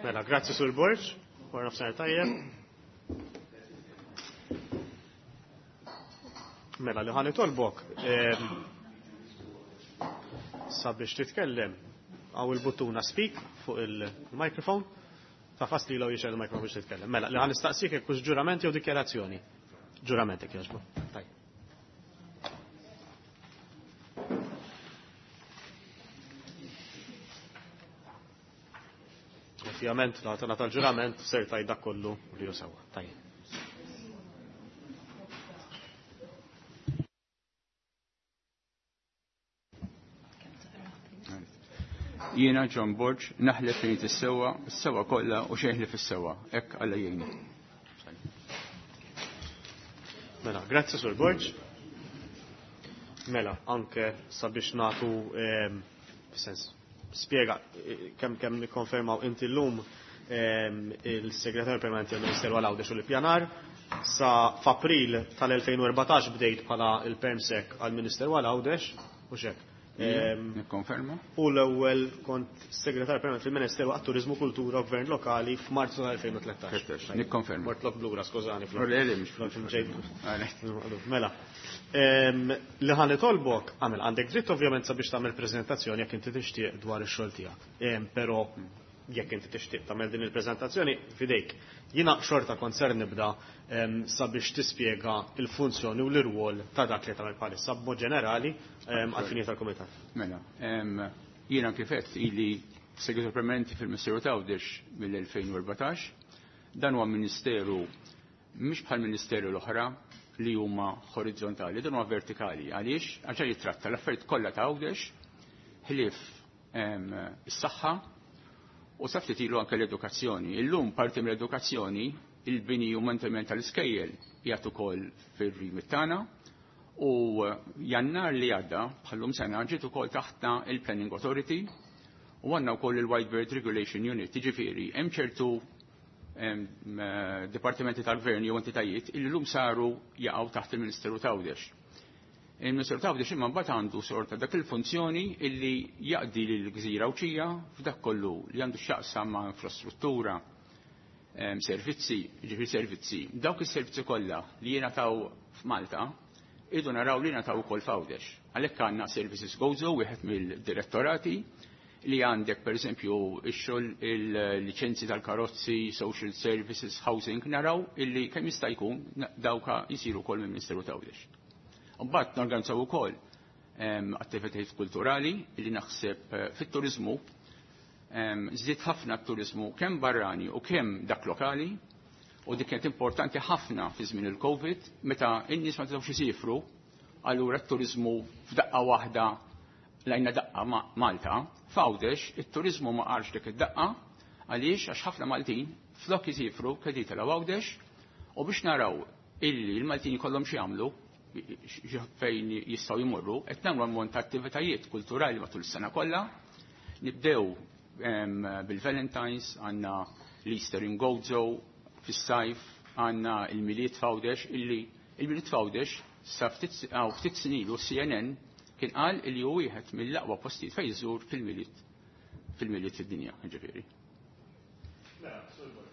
Mela, grazzi Sur Borg, wara nofsinhar tajjeb. Mela, li ħa nitolbok sabiex titkellem hawn il-buttuna speak fuq il-microphone, tagħfas li law jixgħel il-microphone biex titkellem. Mela, li ħa nistaqsik jekk hux ġurament jew dikjarazzjoni. Ġurament jekk jogħġbu. Tajjeb. Ovvjament, la tal-ġurament ser tgħid dak kollu li hu sewwa. Tajjeb. Jiena John Borg, naħlef li is-sewwa, is-sewwa kollha u xejn li fis-sewwa. Hekk Alla jgħinni. Mela, grazzi Sur Borg. Mela, anke sabiex nagħtu sens spjega kemm kemm nikkonfermaw inti llum il-Segretarju Permanenti għall-Ministeru għal Għawdex u l-Ippjanar sa f'April tal-elfejn u erbatax bdejt bħala il-Permsec għall-Ministeru għal Għawdex u xek. Nikkonferma. U l-ewwel kont segretarju permanenti fil-Ministeru għat-Turiżmu, Kultura u Gvern Lokali f'Marzu tal-elfejn u tlettax. Nikkonferma. Mortlok blura, skużani. Mela. Li ħa nitolbok, għamel għandek dritt ovvjament sabiex tagħmel preżentazzjoni jekk inti tixtieq dwar ix-xogħol tiegħek. Però jekk inti tixtieq tagħmel din il-preżentazzjoni f'idejk. Jiena xorta kont ser nibda sabiex tispjega il-funzjoni u l-irwol ta' dak li tagħmel bħalissa b'mod ġenerali għall-fini tal-kumitat. Mela, jiena kif għedt ili segretarju permanenti fil-Ministeru ta' Għawdex mill-elfejn u erbatax. Dan huwa ministeru mhix bħal ministeru l-oħra li huma orizzontali, dan huwa vertikali. Għaliex? Għax jitratta l-affarijiet kollha ta' Għawdex ħlief is-saħħa u sa ftit ilu anke l-edukazzjoni. Illum parti mill-edukazzjoni, il-bini u manteniment tal-iskejjel qiegħed ukoll fir-remit tagħna u Jannar li għadda bħallum sena ġiet ukoll taħtna il-Planning Authority u għandna wkoll il-White Bird Regulation Unit. Jiġifieri hemm ċertu dipartimenti tal-gvern jew entitajiet illi llum saru jaqgħu taħt il-Ministeru ta' Għawdex. Il-Ministeru ta' Għawdex imma mbagħad għandu sorta dak il-funzjoni illi jaqdi lill-Gżira Għawdxija f'dak kollu li għandu x'jaqsam ma' infrastruttura, servizzi, ġifieri servizzi. Dawk is-servizzi kollha li jingħataw f'Malta idu naraw li jingħataw ukoll f'Għawdex. Għalhekk għandna Services Gozo, wieħed mill-direttorati li għandek pereżempju x-xogħol il-liċenzi tal-karozzi, social services, housing, naraw illi kemm jista' jkun dawka jsiru wkoll mill-Ministeru ta' Għawdex. Mbagħad norganizzaw ukoll attivitajiet kulturali li naħseb fit-turiżmu żdied ħafna t-turiżmu kemm barrani u kemm dak lokali, u dik kienet importanti ħafna fi żmien il-Covid meta n-nies ma setgħux isifru, allura t-turiżmu f'daqqa waħda lajna daqqa Malta, f'Għawdex it-turiżmu ma qarx dik id-daqqa għaliex għax ħafna Maltin flok isifru kedi telgħu Għawdex u biex naraw illi l-Maltin jkollhom xi jagħmlu fejn jistgħu jmorru, qed nagħmlu ammont ta' attivitajiet kulturali matul is-sena kollha. Nibdew bil-Valentines, għandna l-Easter in Gozo fis-sajf, għandna il-Milied f'Għawdex, illi il-Milied f'Għawdex sa ftit snin ilu C N N kien qal illi hu wieħed mill-aqwa postijiet fejn iżur fil-Milied fil-Milied fid-dinja, ġifieri. Mela, Sur Borg,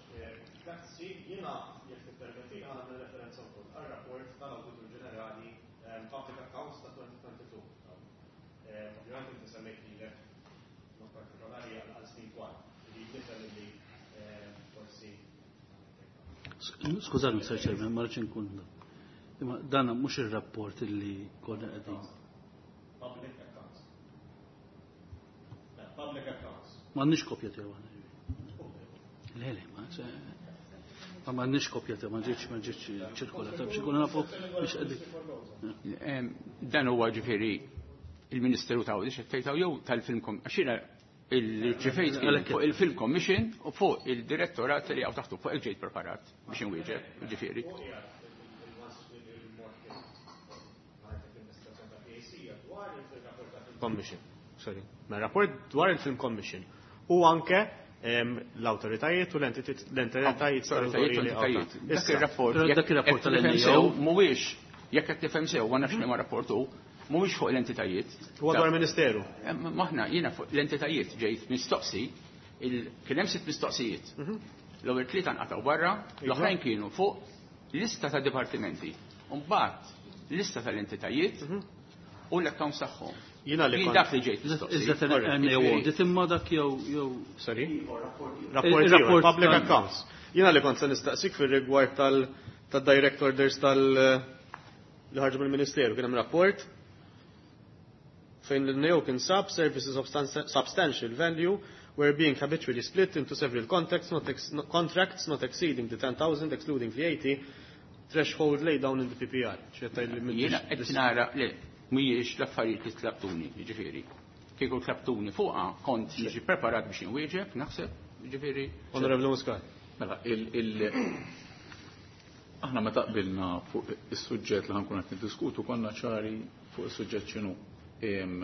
grazzi, jiena jekk tippermetti nagħmel referenza wkoll għar-rapport tal-Awditur Ġenerali Public Accounts ta' twenty twenty-two. Ovvjament inti semmejt lilek mod partikolari għal snin twal, li nifhem li forsi. Skużani, Sir Chairman, ma rridx inkun. Imma dan mhux ir-rapport illi konna qegħdin. Public Accounts. Public Accounts. M'għandniex kopja tiegħu aħna. Le, le, ma se ma m'għandniex kopja tiegħu, ma ġietx, ma ġietx ċirkolata biex ikunu nafu biex qegħdin. Dan huwa ġifieri il-Ministeru ta' Għawdex qed tgħid jew tal-Film Com-, għax jiena il-ġifejt fuq il-Film Commission u fuq il-direttorat li hawn taħtu fuq il-ġejt preparat biex inwieġeb, ġifieri. Commission, sorry. Ma rapport dwar il-Film Commission u anke l-awtoritajiet u l-entitajiet Dak ir-rapport, Dak ir-rapport jekk tal-N tifhem A O. sew, mhuwiex, jekk qed tifhem sew, ma nafx liema rapport hu, mhuwiex fuq l-entitajiet. Huwa dwar Ministeru. Maħna jiena fuq l-entitajiet ġejt mistoqsi Kien hemm sitt mistoqsijiet. L-ewwel tlieta nqatgħu barra, l-oħrajn kienu fuq lista ta' dipartimenti. U mbagħad lista tal-entitajiet u l-accounts tagħhom. Jiena li Jien kont- dak li ġejt mistoqsi. Iżda N A O audit imma dak jew jew Sorry? Il- Rapport il-rapport ieħor, public tal- accounts. Jiena li kont se nistaqsik fir-rigward tal tad-direct orders tal li ħarġu mill-Ministeru, kien hemm rapport fejn l-N A O kien sab services of stan- substantial value were being habitually split into several contracts not, ex no, contracts not exceeding the ten thousand excluding V A T threshold laid down in the P P R. Jiena qed nara le mhijiex l-affarijiet li tlabtuni, jiġifieri. Kieku tlabtuni fuqha kont niġi preparat biex inwieġeb, naħseb, jiġifieri. Honorable Muscat. Mela, il, il, aħna meta qbilna fuq is-suġġett li ħa nkun qed niddiskutu konna ċari fuq is-suġġett x'inhu. Em,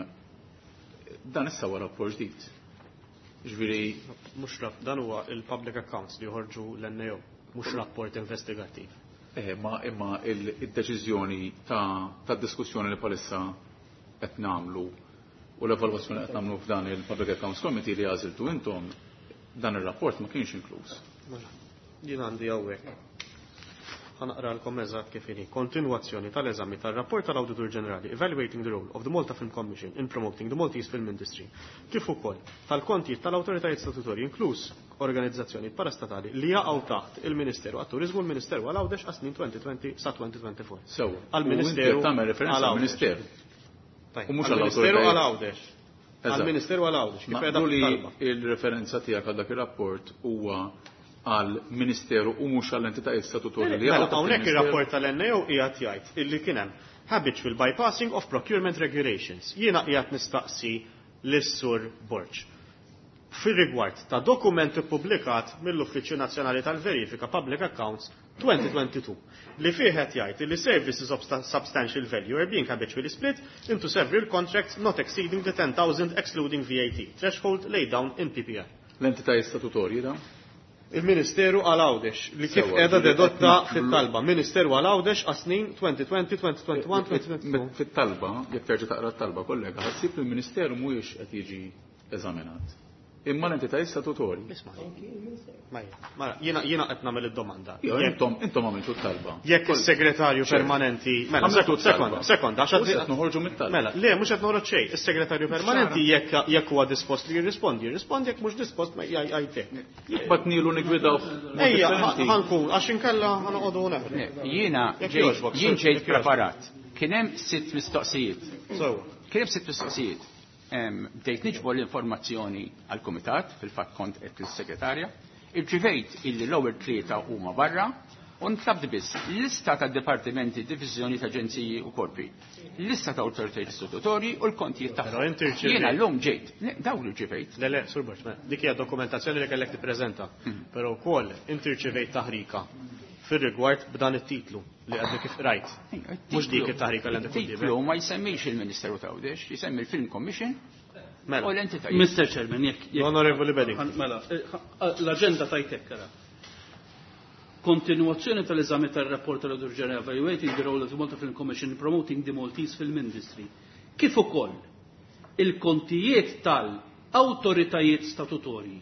Dan issa huwa rapport ġdid. Ġifieri Mhux rap, dan huwa il-public accounts li joħorġu l-N A O, mhux rapport investigattiv. Eh, ma imma il-deċiżjoni ta' ta' diskussjoni li palissa qed nagħmlu u l-evalwazzjoni qed nagħmlu f'dan il-Public Accounts Committee li għażiltu intom, dan ir-rapport ma kienx inkluż. Mela, jien għandi hawnhekk. Ħa naqralkom eżatt kif inhi. Kontinwazzjoni tal-eżami tar-rapport tal-Awditur Ġenerali Evaluating the Role of the Malta Film Commission in Promoting the Maltese Film Industry. Kif ukoll tal-kontijiet tal-awtoritajiet statutorji, inkluż organizzazzjoni parastatali li jaqgħu taħt il-Ministeru għat-Turiżmu u l-Ministeru għal Għawdex għas-snin elfejn u għoxrin sa elfejn u erbgħa u għoxrin. Sew, Għal-Ministeru u inti qed tagħmel referenza għal Għawdex. għall-Ministeru. Tajjeb, U mhux għall-Ministeru għall-awtoritajiet. għal Għawdex. Eżatt. Għall-Ministeru għal Għawdex. Kif qiegħda Naqblu li fit-talba. il-referenza tiegħek għal dak ir-rapport huwa għal Ministeru u mhux għall-entitajiet statutorji li Mela, jaqgħu taħt hawnhekk il-Ministeru. ir-rapport tal-N A O qiegħed jgħid illi kien hemm habitual bypassing of procurement regulations. Jiena qiegħed nistaqsi lis-Sur Borg fir-rigward ta' dokument ippubblikat mill-Uffiċċju Nazzjonali tal-Verifika Public Accounts twenty twenty-two li fih qed jgħid li services of substantial value are being habitually split into several contracts not exceeding the ten thousand excluding V A T threshold laid down in P P R. L-entitajiet statutorji da? Il-Ministeru għal Għawdex li kif Sewa, qiegħda ġifieri dedotta qed naqblu- fit-talba. Ministeru għal Għawdex għas-snin elfejn u għoxrin, elfejn u wieħed u għoxrin, elfejn u tnejn u għoxrin. Fit-talba, jekk terġa' taqra t-talba, kollega, ħa ssib li l-Ministeru mhuwiex qed jiġi eżaminat. Imma l-entitajiet statutorji. Isma'. Mela, jiena jiena qed nagħmel id-domanda. Jo, Jekk- intom intom għamiltu t-talba. Jekk is-segretarju permanenti, mela, Għamiltu sekond, sekonda, t-talba. sekonda, għax U issa qed noħorġu mit-talba. Mela, le, mhux qed noħroġ xejn. Is-segretarju permanenti jekk jekk huwa dispost li jirrispondi, jirrispondi, jekk mhux dispost ma jgħidlek. Bat nilu nigwidaw. Ejja, ħa nkun, għax inkella ħa noqogħdu neħlu. Le, jiena Jekk ġejt jogħġbok, jien sur, ġejt jekk jogħġbok. preparat. Kien hemm sitt mistoqsijiet. Sewwa. Kien hemm sitt mistoqsijiet. Em, Bdejt niġbor l-informazzjoni għall-kumitat, fil-fatt kont qed lis-segretarja, irċivejt illi l-ewwel tlieta huma barra u ntlabt biss lista ta' dipartimenti, diviżjoni ta' aġenziji u korpi, lista ta' awtoritajiet istitutorji u l-kontijiet Però tagħhom. inti rċevejt. Jiena llum ġejt, le, dawn li rċivejt. Le, le, Sur Borg, mela, dik hija dokumentazzjoni li kellek tippreżenta. Però wkoll inti rċevejt taħrika fir-rigward b'dan it-titlu li għadni kif rajt. Mhux dik it-taħrika li għandek Titlu quddiemek. ma jsemmix il-Ministeru ta' Għawdex, jisemmi il-Film Commission Mela. u l-entitajiet. Mister Chairman, jekk jekk- Onorevoli Beding. Mela, eh, l-agenda tajtek ara. Kontinuazzjoni tal-eżami tal-rapport tal-Auditor General Evaluating the Role of the Malta Film Commission in Promoting the Maltese Film Industry. Kif ukoll il-kontijiet tal-awtoritajiet statutorji,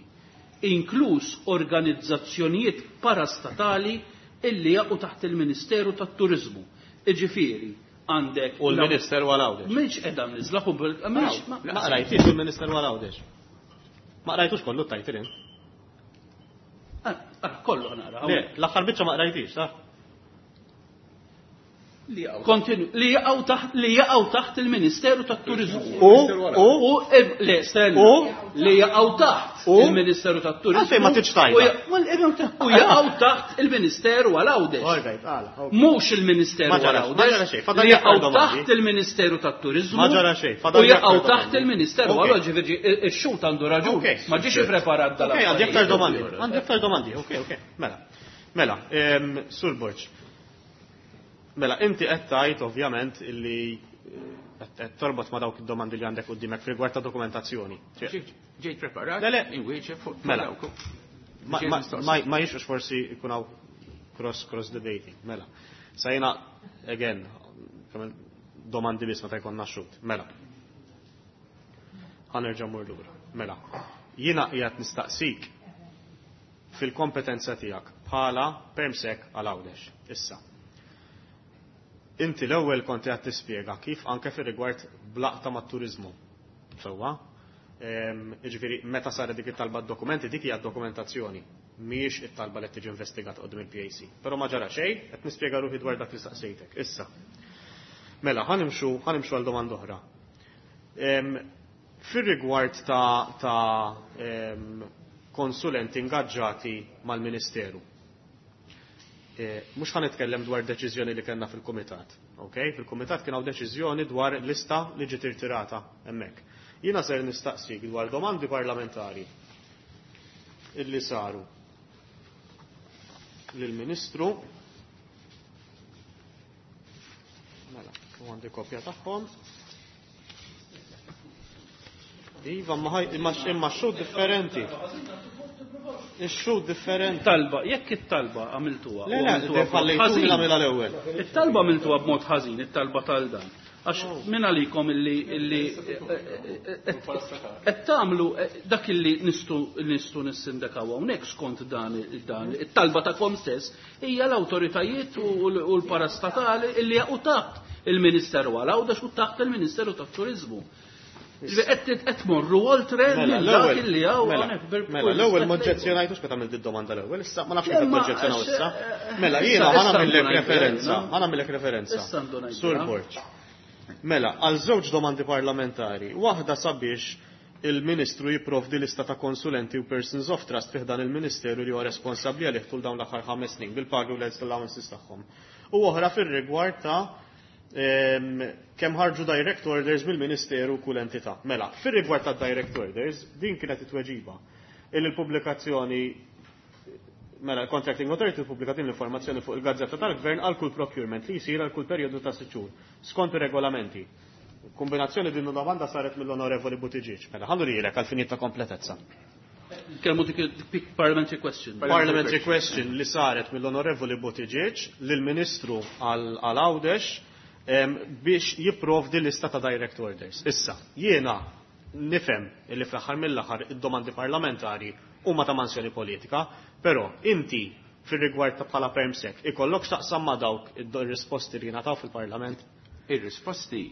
inkluż organizzazzjonijiet parastatali illi jaqgħu taħt il-Ministeru tat-Turizmu. Iġifieri, għandek U l-Ministeru għal Għawdex. Mhix qiegħda mniżla mhix Ma qrajtix il-Ministeru għal Għawdex. Ma qrajtux kollu t-title int. Ah, ah, kollu nara. Le, l-aħħar biċċa ma qrajtix, ta' Kontinu, li jaqgħu taħt li jaqgħu taħt il-Ministeru tat-Turiżmu. U u U em, le, stenna. U? Li jaqgħu taħt U? il-Ministeru tat-Turiżmu. Għalfejn ma tridx tgħidha? U ja- U jaqgħu taħt il-Ministeru għal Għawdex. All right, għala. Ok. Mhux il-Ministeru Ma ġara- għal ma ġara Għawdex. xejn, fadal Li aktar jaqgħu domandi. taħt il-Ministeru tat-Turiżmu. Ma ġara xejn, fadal U jaqgħu aktar taħt domandi. il-Ministeru Ok. għal Għawdex, ġifieri ix-xhud għandu raġun. Ok. Ma ġiex ippreparat dal Ok, għandi aktar domandi. Għandi aktar domandi, ok, ok. Mela. Mela, em, Sur Borg. Mela, inti qed tgħid ovvjament illi eh, qed torbot ma dawk id-domandi li għandek quddiemek f'rigward ta' dokumentazzjoni. Ġejt ġejt preparat, Le, le. inwieġeb fuq Mela. dawk. Ma, ma, ma, ma jixux forsi jkun hawn cross cross debating. Mela. Sa jiena again kemm domandi biss meta jkollna xhud. Mela. Ħa nerġa' mmur lura. Mela. Jiena qiegħed nistaqsik fil-kompetenza tiegħek bħala permsek għal Għawdex. Issa. Inti l-ewwel kont qed tispjega kif anke fir-rigward blaqta mat-turiżmu. Sewwa? Jiġifieri meta saret dik it-talba d-dokumenti dik hija dokumentazzjoni, mhijiex it-talba li qed tiġi investigata quddiem il-P A C. Però ma ġara xejn, qed nispjega ruħi dwar dak li staqsejtek. Issa. Mela, ħanimxu, ħanimxu għal domanda oħra. Fir-rigward ta', ta konsulenti ingaġġati mal-Ministeru. Mhux ħa nitkellem dwar deċiżjoni li kellna fil-Kumitat. Okay? Fil-Kumitat kien hawn deċiżjoni dwar lista li ġiet irtirata hemmhekk. Jiena ser nistaqsik dwar domandi parlamentari illi saru lill-Ministru. Mela, u għandi kopja tagħhom. Iva, ma imma xhud differenti. Ix-xhud differenti. Talba, jekk it-talba għamiltuha. Le, le, fallejtu nagħmilha l-ewwel. It-talba għamiltuha b'mod ħażin, it-talba tal dan. Għax min għalikom illi illi qed tagħmlu dak illi nistgħu nistgħu nissindakaw hawnhekk skont dan dan it-talba tagħkom stess hija l-awtoritajiet u l-parastatali illi jaqgħu taħt il-Ministeru għal Għawdex u taħt il-Ministeru tat-Turiżmu. Qed tmorru oltre minn dak illi hawn hawnhekk. Mela, l-ewwel ma oġġezzjonajtux meta għamilt id-domanda l-ewwel, issa ma nafx kif oġġezzjonaw issa. Mela, jiena ħa nagħmillek referenza, ħa nagħmillek referenza. Sur Borg. Mela, għal żewġ domandi parlamentari, waħda sabiex il-Ministru jipprovdi lista ta' konsulenti u persons of trust fih dan il-Ministeru li huwa responsabbli għalih tul dawn l-aħħar ħames snin bil-pagi u l-allowances tagħhom. U oħra fir-rigward ta' kemm ħarġu direct orders mill-Ministeru kull entità. Mela, fir-rigward ta' direct orders, din kienet it-tweġiba. Il-pubblikazzjoni mela l-Contracting Authority pubblikat din l-informazzjoni fuq il-Gazzetta tal-Gvern għal kull procurement li jsir għal kull perjodu ta' sitt xhur skont ir-regolamenti. Kombinazzjoni din domanda saret mill-Onorevoli Buttigieg. Mela, ħallu lilek għal finit ta' kompletezza. Kelmu dik parliamentary question. Parliamentary question li saret mill-Onorevoli Buttigieg lill-Ministru għal Għawdex biex jipprovdi lista ta' direct orders. Issa, jiena nifhem illi fl-aħħar mill-aħħar id-domandi parlamentari huma ta' mansjoni politika, però inti fir-rigward ta' bħala permsek ikollok x'taqsam ma' dawk ir-risposti li jingħataw fil-Parlament? Ir-risposti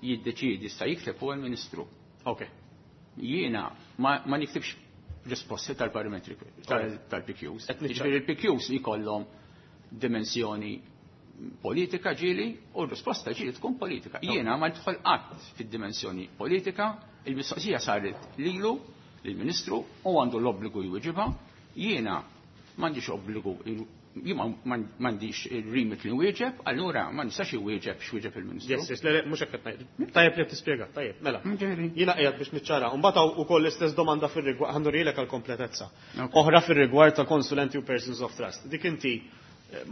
jiddeċiedi sta jikteb huwa l-Ministru. Ok. Jiena ma, ma niktibx risposti tal-parliamentary tal-P Qs. Jiġifieri il-P Qs jkollhom dimensjoni politika ġieli u r-risposta ġieli tkun politika. Jiena ma nidħol qatt fid-dimensjoni politika, il-mistoqsija saret lilu, lill-Ministru, u għandu l-obbligu jwieġibha. Jiena m'għandix obbligu, jien m'għandix il-remit li nwieġeb, allura ma nistax iwieġeb x'wieġeb il-Ministru. Yes, yes, le, le, mhux hekk qed ngħid. Tajjeb li tispjega, tajjeb, mela. Ġifieri. Jiena qiegħed biex niċċara. Mbagħad hawn ukoll l-istess domanda fir-rigward, ħa nurielek għall-kompletezza. Oħra fir-rigward ta' konsulenti u persons of trust. Dik inti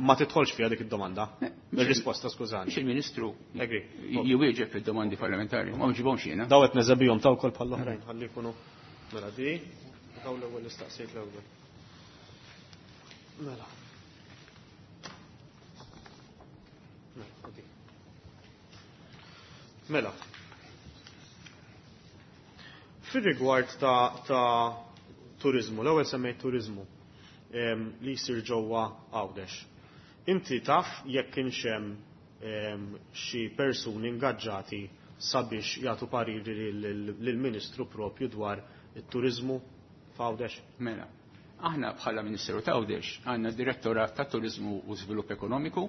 ma tidħolx fiha dik id-domanda. Ir-risposta, skużani. Mhux il-Ministru Agree. jwieġeb id-domandi parlamentari, ma nġibhomx jiena. Daw qed neżebihom ta' wkoll bħall-oħrajn, ħalli jkunu. Mela di, daw l-ewwel nistaqsejt l-ewwel. Mela. Mela, di. Mela. Fir-rigward ta', ta' turizmu, l-ewwel semmejt turizmu li jsir ġewwa Għawdex. Inti taf jekk kienx hemm xi persuni ingaġġati sabiex jagħtu pariri lill-Ministru propju dwar it-turizmu f'Għawdex? Mela, aħna bħala Ministeru ta' Għawdex għandna Direttorat ta' Turizmu u Żvilupp Ekonomiku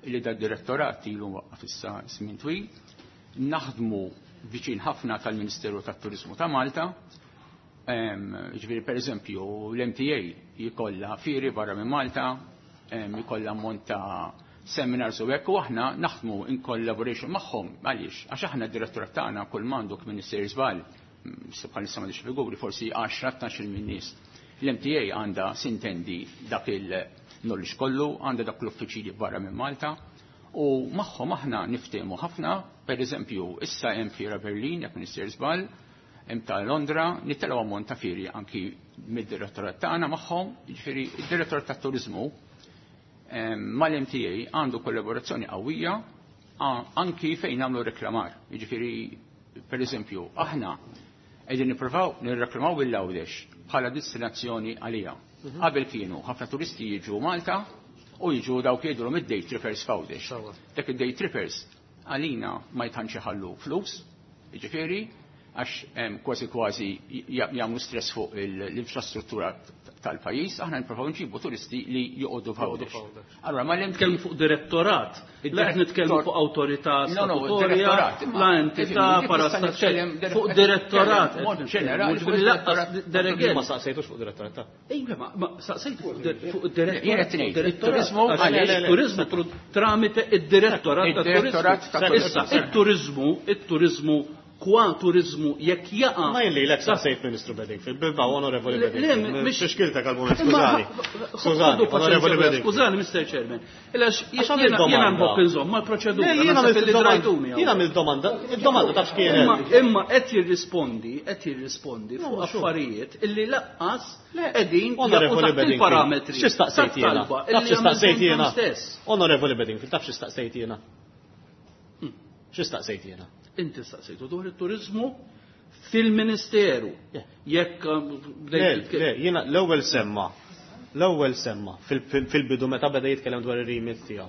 li da direttorat ilu waqqaf issa żmien twil, naħdmu viċin ħafna tal-Ministeru tat-Turizmu ta' Malta. Ġifieri per eżempju l-M T A jkollha fieri barra minn Malta, jkollha ammont ta' seminars u hekk, u aħna naħdmu in collaboration magħhom. Għaliex? Għax aħna d-direttorat tagħna kull m'għandu kmin isir żball, bħalissa m'għandix figuri, forsi għaxra tnax-il minn nies. L-M T A għandha sintendi dak il-knowledge kollu, għandha dak l-uffiċili barra minn Malta, u magħhom aħna niftehmu ħafna. Per eżempju, issa hemm fiera Berlin, jekk minn żball, hemm ta' Londra, nittelgħu ammont ta' fieri anki mid-direttorat tagħna magħhom. Jiġifieri id-direttorat tat-turiżmu mal-M T A għandu kollaborazzjoni qawwija anki fejn nagħmlu reklamar. Jiġifieri per eżempju, aħna Qegħdin nippruvaw nirreklamaw bil-Għawdex bħala destinazzjoni għalija. Qabel kienu ħafna turisti jiġu Malta u jiġu dawk jgħidulhom id-day trippers f'Għawdex. Dak id-day trippers għalina ma jtantx iħallu flus, jiġifieri, għax kważi kważi jagħmlu stress fuq l-infrastruttura tal-pajjiż, aħna nippruvaw nġibu turisti li joqogħdu f'Għawdex. Allora ma nitkellmu fuq direttorat, la qed nitkellmu fuq awtorità statutorja, la entità parastatali, fuq direttorat. Ġenerali, ma saqsejtux fuq direttorat. Ejja, ma saqsejt fuq direttorat. Turizmu, turizmu tramite id-direttorat tat-turizmu. Issa, it-turizmu, it-turizmu kwa turizmu jekk jaqa. Ma jilli l saqsejt Ministru Bedingfield, Bilbao, Onorevoli Bedingfield. Mhix xkiltek għal-moment, skużani. Skużani, Onorevoli Bedingfield. Skużani, Mister Chairman. Ilax jiena nħobb inżomm mal-proċedura. Jiena mill-domanda, id-domanda taf x'kienet. Imma qed jirrispondi, qed jirrispondi fuq affarijiet illi laqqas qegħdin Onorevoli Bedingfield. Il-parametri. X'istaqsejt jiena? Taf x'istaqsejt jiena? Onorevoli Bedingfield, taf x'istaqsejt jiena? X'istaqsejt jiena? Inti staqsejtu dwar it-turizmu fil-Ministeru. Jekk Le, jiena l-ewwel semma, l-ewwel semma fil-bidu meta beda jitkellem dwar ir-remit tiegħu.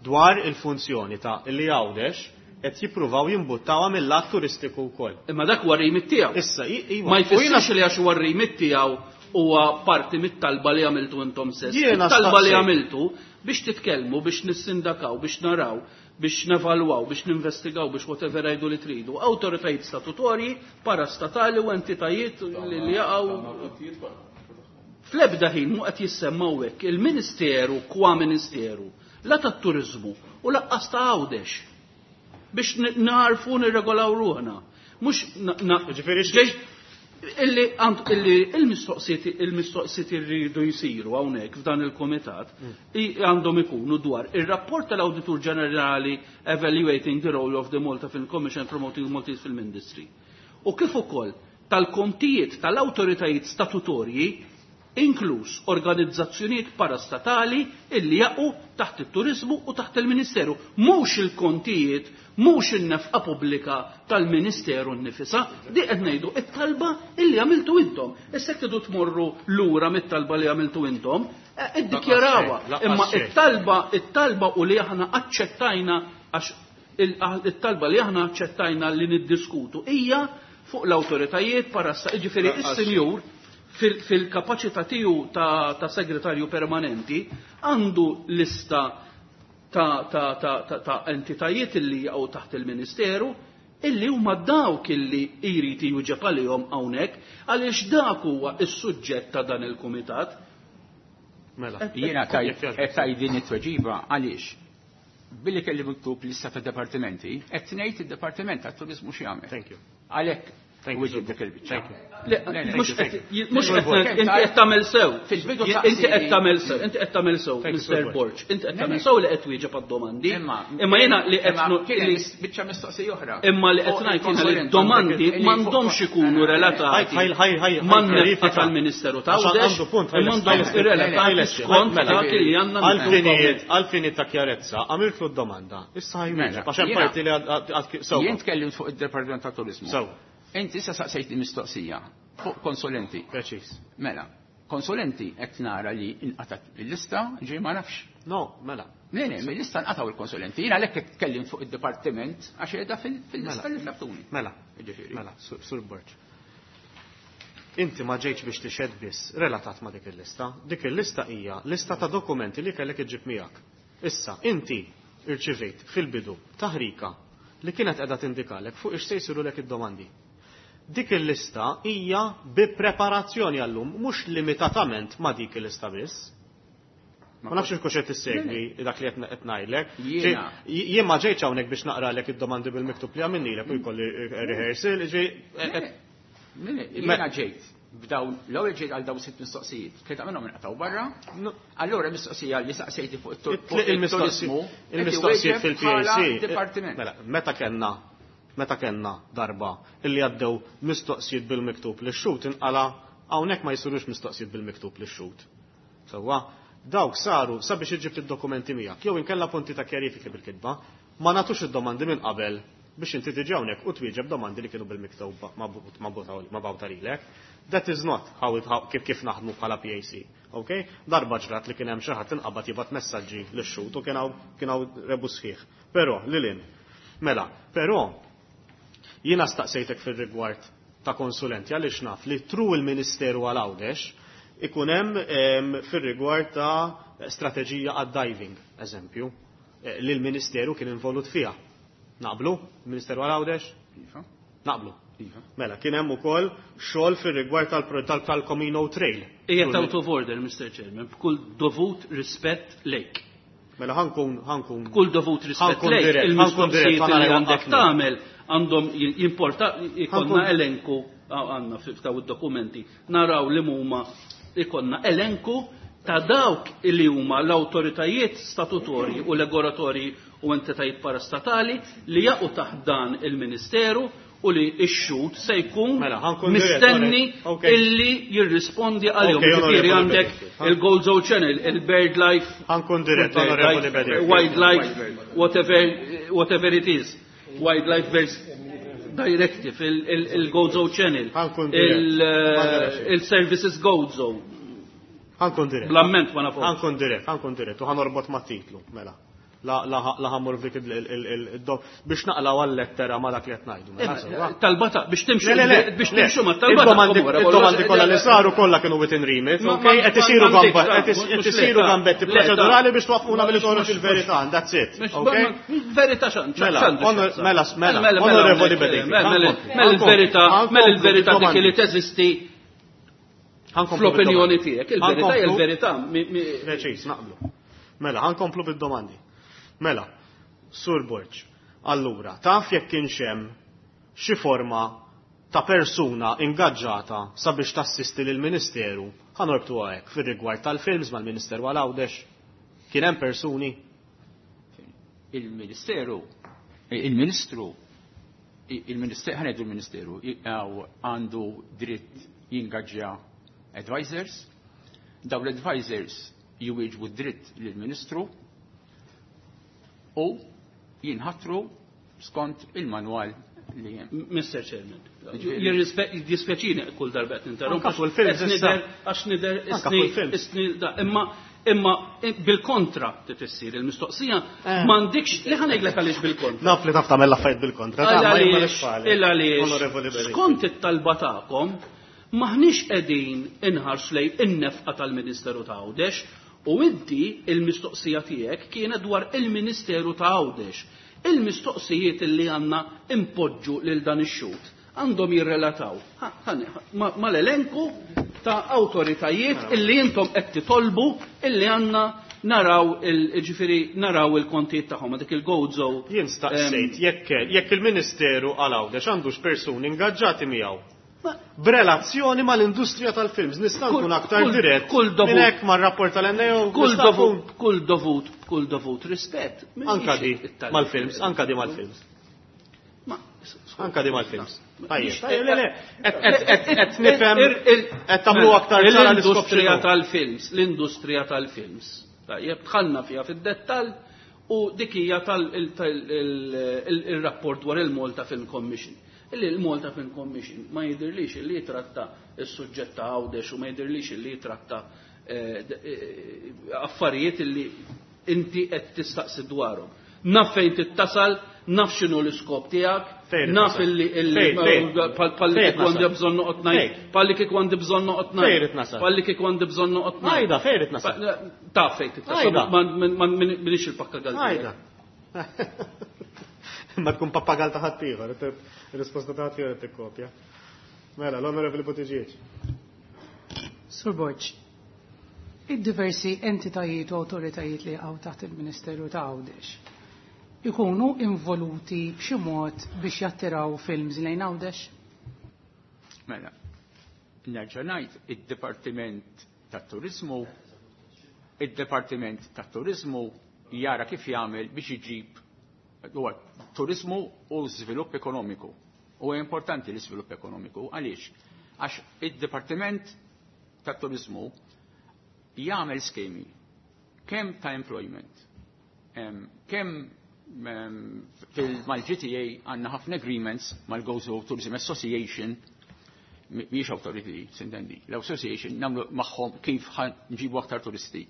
Dwar il-funzjoni ta' li Għawdex qed jippruvaw jimbuttawha mill-lat turistiku wkoll. Imma dak huwa r-remit tiegħu. Issa, iva. Ma jfissirx li għax huwa r-remit tiegħu huwa parti mit-talba li għamiltu intom stess. It-talba li għamiltu biex titkellmu, biex nissindakaw, biex naraw, biex nevalwaw, biex ninvestigaw, biex whatever għidu li tridu. Awtoritajiet statutorji, parastatali u entitajiet li jaqgħu. Fl-ebda ħin mu qed jissemmaw hekk il-Ministeru kwa Ministeru, la tat-turiżmu u laqqas ta' Għawdex biex narfu nirregolaw ruħna. Mhux illi illi il-mistoqsijiet il-mistoqsijiet irridu jsiru hawnhekk f'dan il-kumitat għandhom ikunu dwar ir-rapport tal-Awditur Ġenerali Evaluating the Role of the Malta Film Commission Promoting the Maltese Film Industry. U kif ukoll tal-kontijiet tal-awtoritajiet statutorji inkluż organizzazzjonijiet parastatali illi jaqgħu taħt it-turizmu u taħt il-Ministeru. Mhux il-kontijiet, mhux in-nefqa pubblika tal-Ministeru nnifisha, di qed ngħidu it-talba illi għamiltu intom. Issa jekk tridu tmorru lura mit-talba li għamiltu intom, iddikjarawha. Imma it-talba, it-talba u li aħna aċċettajna għax it-talba li aħna aċċettajna li niddiskutu hija fuq l-awtoritajiet parasta, jiġifieri is-sinjur fil-kapaċità tiegħu ta', ta segretarju permanenti għandu lista ta', ta, ta, ta, ta entitajiet illi jaqgħu taħt il-Ministeru illi huma dawk illi jrid jwieġeb għalihom hawnhekk għaliex dak huwa s-suġġett ta' dan il-kumitat. Mela. Jiena qed tgħid din it-tweġiba għaliex billi kelli miktub lista ta' dipartimenti qed ngħid id-Dipartiment tat-Turiżmu x'jagħmel. Thank you. Għalhekk Mux qed inti qed tagħmel sew. Inti qed tagħmel sew, inti qed tagħmel sew, Mister Borg. Inti qed tagħmel sew li qed wieġeb għad-domandi. Imma jiena li qed biċċa mistoqsija oħra. Imma li qed ngħid jiena li d-domandi m'għandhomx ikunu relatati man-nefqa tal-Ministeru ta' Għawdex, m'għandhomx relatati skont dak li għandna. Għalfinijiet ta' kjarezza, għamiltlu d-domanda. Issa ħajwieġeb għax hemm parti li għad sew. Jien tkellimt fuq id-Dipartiment tat-Turiżmu. Sew. Inti issa saqsejt mistoqsija fuq konsulenti. Preċiż. Mela, konsulenti qed nara li inqatat il-lista ġej ma nafx. No, mela. Le, le, mill-lista nqataw il-konsulenti. Jiena għalhekk qed tkellim fuq id-dipartiment għax qiegħda fil-lista li tlabtuni. Mela. Jiġifieri. Mela, Sur Borg. Inti ma ġejtx biex tixhed biss relatat ma' dik il-lista. Dik il-lista hija lista ta' dokumenti li kellek iġġib miegħek. Issa, inti irċivejt fil-bidu taħrika li kienet qiegħda tindikalek fuq ix se jsirulek id-domandi. Dik il-lista hija bi preparazzjoni għallum, mhux limitatament ma' dik il-lista biss. Ma nafx kux qed tissegwi dak li qed ngħidlek. Jien ma ġejtx hawnhekk biex naqralek id-domandi bil-miktub li għamilnilek u jkolli rehearsal, Jiena ġejt b'dawn l-ewwel ġejt għal dawn sitt mistoqsijiet, tlieta minnhom inqatgħu barra. Allura mistoqsija li saqsejti fuq it-turiżmu, il-mistoqsijiet fil-P A C. Mela, meta kellna meta kellna darba illi għaddew mistoqsijiet bil-miktub li x-xut inqala hawnhekk ma jsirux mistoqsijiet bil-miktub li x-xut. Sewwa, dawk saru sabiex iġib id-dokumenti miegħek jew inkella punti ta' kjarifiki bil-kitba, ma nagħtux id-domandi minn qabel Biex inti tiġi hawnhekk u twieġeb domandi li kienu bil-miktub mabgħuta lilek. That is not how it, how, kif kif naħdmu bħala P A C. Okay? Darba ġrat li kien hemm xi ħadd inqabad jibgħat messaġġi lix-xhud u kien hawn kien hawn rebu sħiħ. Però lilin. Mela, però jiena staqsejtek fir-rigward ta' konsulenti għaliex naf li through il-Ministeru għal Għawdex ikun hemm fir-rigward ta' strateġija għad-diving, eżempju, eh, li l-Ministeru kien involut fiha. Naqblu? Il-Ministeru għal Għawdex? Iva. Naqblu. Iva. Mela, kien hemm ukoll xogħol fir-rigward tal-Comino Trail. Ejja, out of order, Mister Chairman, b'kull dovut rispett lejk. Mela ħankun ħankun Kull dovut rispett lejk, il-mistoqsijiet li għandek tagħmel għandhom jimporta ikollna elenku għandna f'daw id-dokumenti. Naraw li huma, ikollna elenku ta' dawk li huma l-awtoritajiet statutorji u regolatorji u entitajiet parastatali li jaqgħu taħt dan il-Ministeru u li x-xhud se jkun Mela, ħankun dirett, mistenni okay. illi jirrispondi għalihom. Okay, Ġifieri onorevoli għandek Bedingfield. il-Gozo Channel, il-Bird Life, Ħankun dirett, onorevoli Bedingfield. Wildlife, whatever, whatever it is, Wildlife Birds Directive, il- il- il-Gozo Channel, Ħankun dirett. il- Ħankun il-Services Gozo. Ħankun dirett. Bl-amment ma nafux. Ħankun dirett, ħankun dirett, u ħanorbot ma' titlu, mela. La la la ħammur f'dik il biex naqlaw għal-lettera ma dak li qed ngħidu. Mela, sewwa. Talbata biex timxu Le, le, le, biex le. timxu ma talbata. Id-domandi id-domandi kollha li saru kollha kienu within remit, Ma- ok? ma- Qed isiru ma- gamba- ma- qed is- mhux qed le, isiru ta' gambetti le, ta' proċedurali biex twaqqfuna billi Mhux- toħroġ mhux- il-verità, and that's it. Mhux- Ok? Verità xan, Mela, onor- mela, mela, onorevoli Bedingfield, Mela ħankun- mela il-verità, ħankomplu mela il-verità dik bid-domandi. li teżisti Ħankomplu fl-opinjoni bid-domandi. tiegħek. Il-verità hija Ħankomplu- l-verità. Mi- mi- Preċis, naqblu. Mela, ħankomplu bid-domandi. Mela, Sur Borg, allura, taf jekk kienx hemm xi forma ta' persuna ingaġġata sabiex tassisti lill ministeru ħanorbtu hekk fir-rigward tal-films mal-Ministeru għal Għawdex? Kien hemm persuni? Il-Ministeru, il-Ministru, il-Ministeru, ħa ngħidu il-Ministeru, għandu dritt jingaġġja advisors, daw l-advisors jwieġbu dritt lill-Ministru u jinħatru skont il-manwal li hemm. Mister Chairman, jiddispjaċini kull darba qed ninterrompu. Anka fuq il-films Qed issa. nidher- Għax nidher Anka isni- fuq il-films. isni da, imma imma bil-kontra titissir il-mistoqsija Eh. m'għandikx li ħa ngħidlek għaliex bil-kontra. Naf li taf tagħmel l-affarijiet bil-kontra. ta' ma jien m'għalix Għaliex, fali. il għaliex, Onorevoli Bedingfield. skont it-talba tagħkom, maħniex qegħdin inħarsu lejn in-nefqa tal-Ministeru ta' Għawdex u inti il-mistoqsija tiegħek kienet dwar il-Ministeru ta' Għawdex. Il-mistoqsijiet li għandna impoġġu lil dan ix-xhud għandhom jirrelataw ha- ħa- ma- mal-elenku ta' awtoritajiet illi intom qed titolbu illi għandna naraw il-ġifieri naraw il-kontijiet tagħhom dik il-Gozo. Jien staqsejt jekk jekk il-Ministeru għal Għawdex għandux persuni ingaġġati miegħu Ma- b'relazzjoni mal-industrija tal-films. Nista' Kull- nkun aktar kull- dirett kull dovut- minn hekk mar-rapport tal-N A O. Kull nista' dovut, nkun- kull dovut, kull dovut rispett. Anka di Mhijiex mal-films, anka di mal-films. Ma- Anka di mal-films. Tajjeb, Mhix- tajjeb, le, le, qed- qed- qed- qed nifhem Ir- il- qed tagħmlu aktar ċara l-iskop L-industrija x'inhu. tal-films, l-industrija tal-films. Tajjeb, dħalna fiha fid-dettall u dik hija tal-rapport dwar il-Malta Film Commission. Illi il-Malta Film Commission ma jidirlix illi jitratta is-suġġett ta' Għawdex u ma jidirlix illi jitratta eh, d- eh, affarijiet illi inti qed tistaqsi dwarhom. Naf fejn tittasal, naf x'inhu l-iskop tiegħek, Fejn naf tittasal? illi illi Fejn, fejn? palli Fejn kieku għandi tnasal? bżonn noqgħod ngħid, Fejn? palli kieku għandi bżonn noqgħod Fejn ngħid. itnasal? Palli kieku għandi bżonn noqgħod ngħid. Għajda, fejn itnasal? Taf fejn tittasal, Għajda. ma ma minix il-pappagal. Għajda. Ma tkun pappagal ta' ħaddieħor, ir-risposta ta' ħaddieħor tikkopja. Mela, l-Onorevoli Buttigieg. Sur Borg, id-diversi entitajiet u autoritajiet li għaw taħt il-Ministeru ta' Għawdex ikunu involuti b'xi mod biex jattiraw films lejn Għawdex? Mela, nerġa' ngħid id-Dipartiment tat-Turizmu id-Dipartiment tat-Turizmu jara kif jagħmel biex iġib huwa turizmu u żvilupp ekonomiku. U importanti l-iżvilupp ekonomiku għaliex? Għax id-Dipartiment tat-Turizmu jagħmel skemi kemm ta' employment, em, kemm Mal-G T A għandna ħafna agreements mal-Gozo Tourism Association, mhijiex authority, s'intendi. L-association nagħmlu magħhom kif nġibu aktar turisti.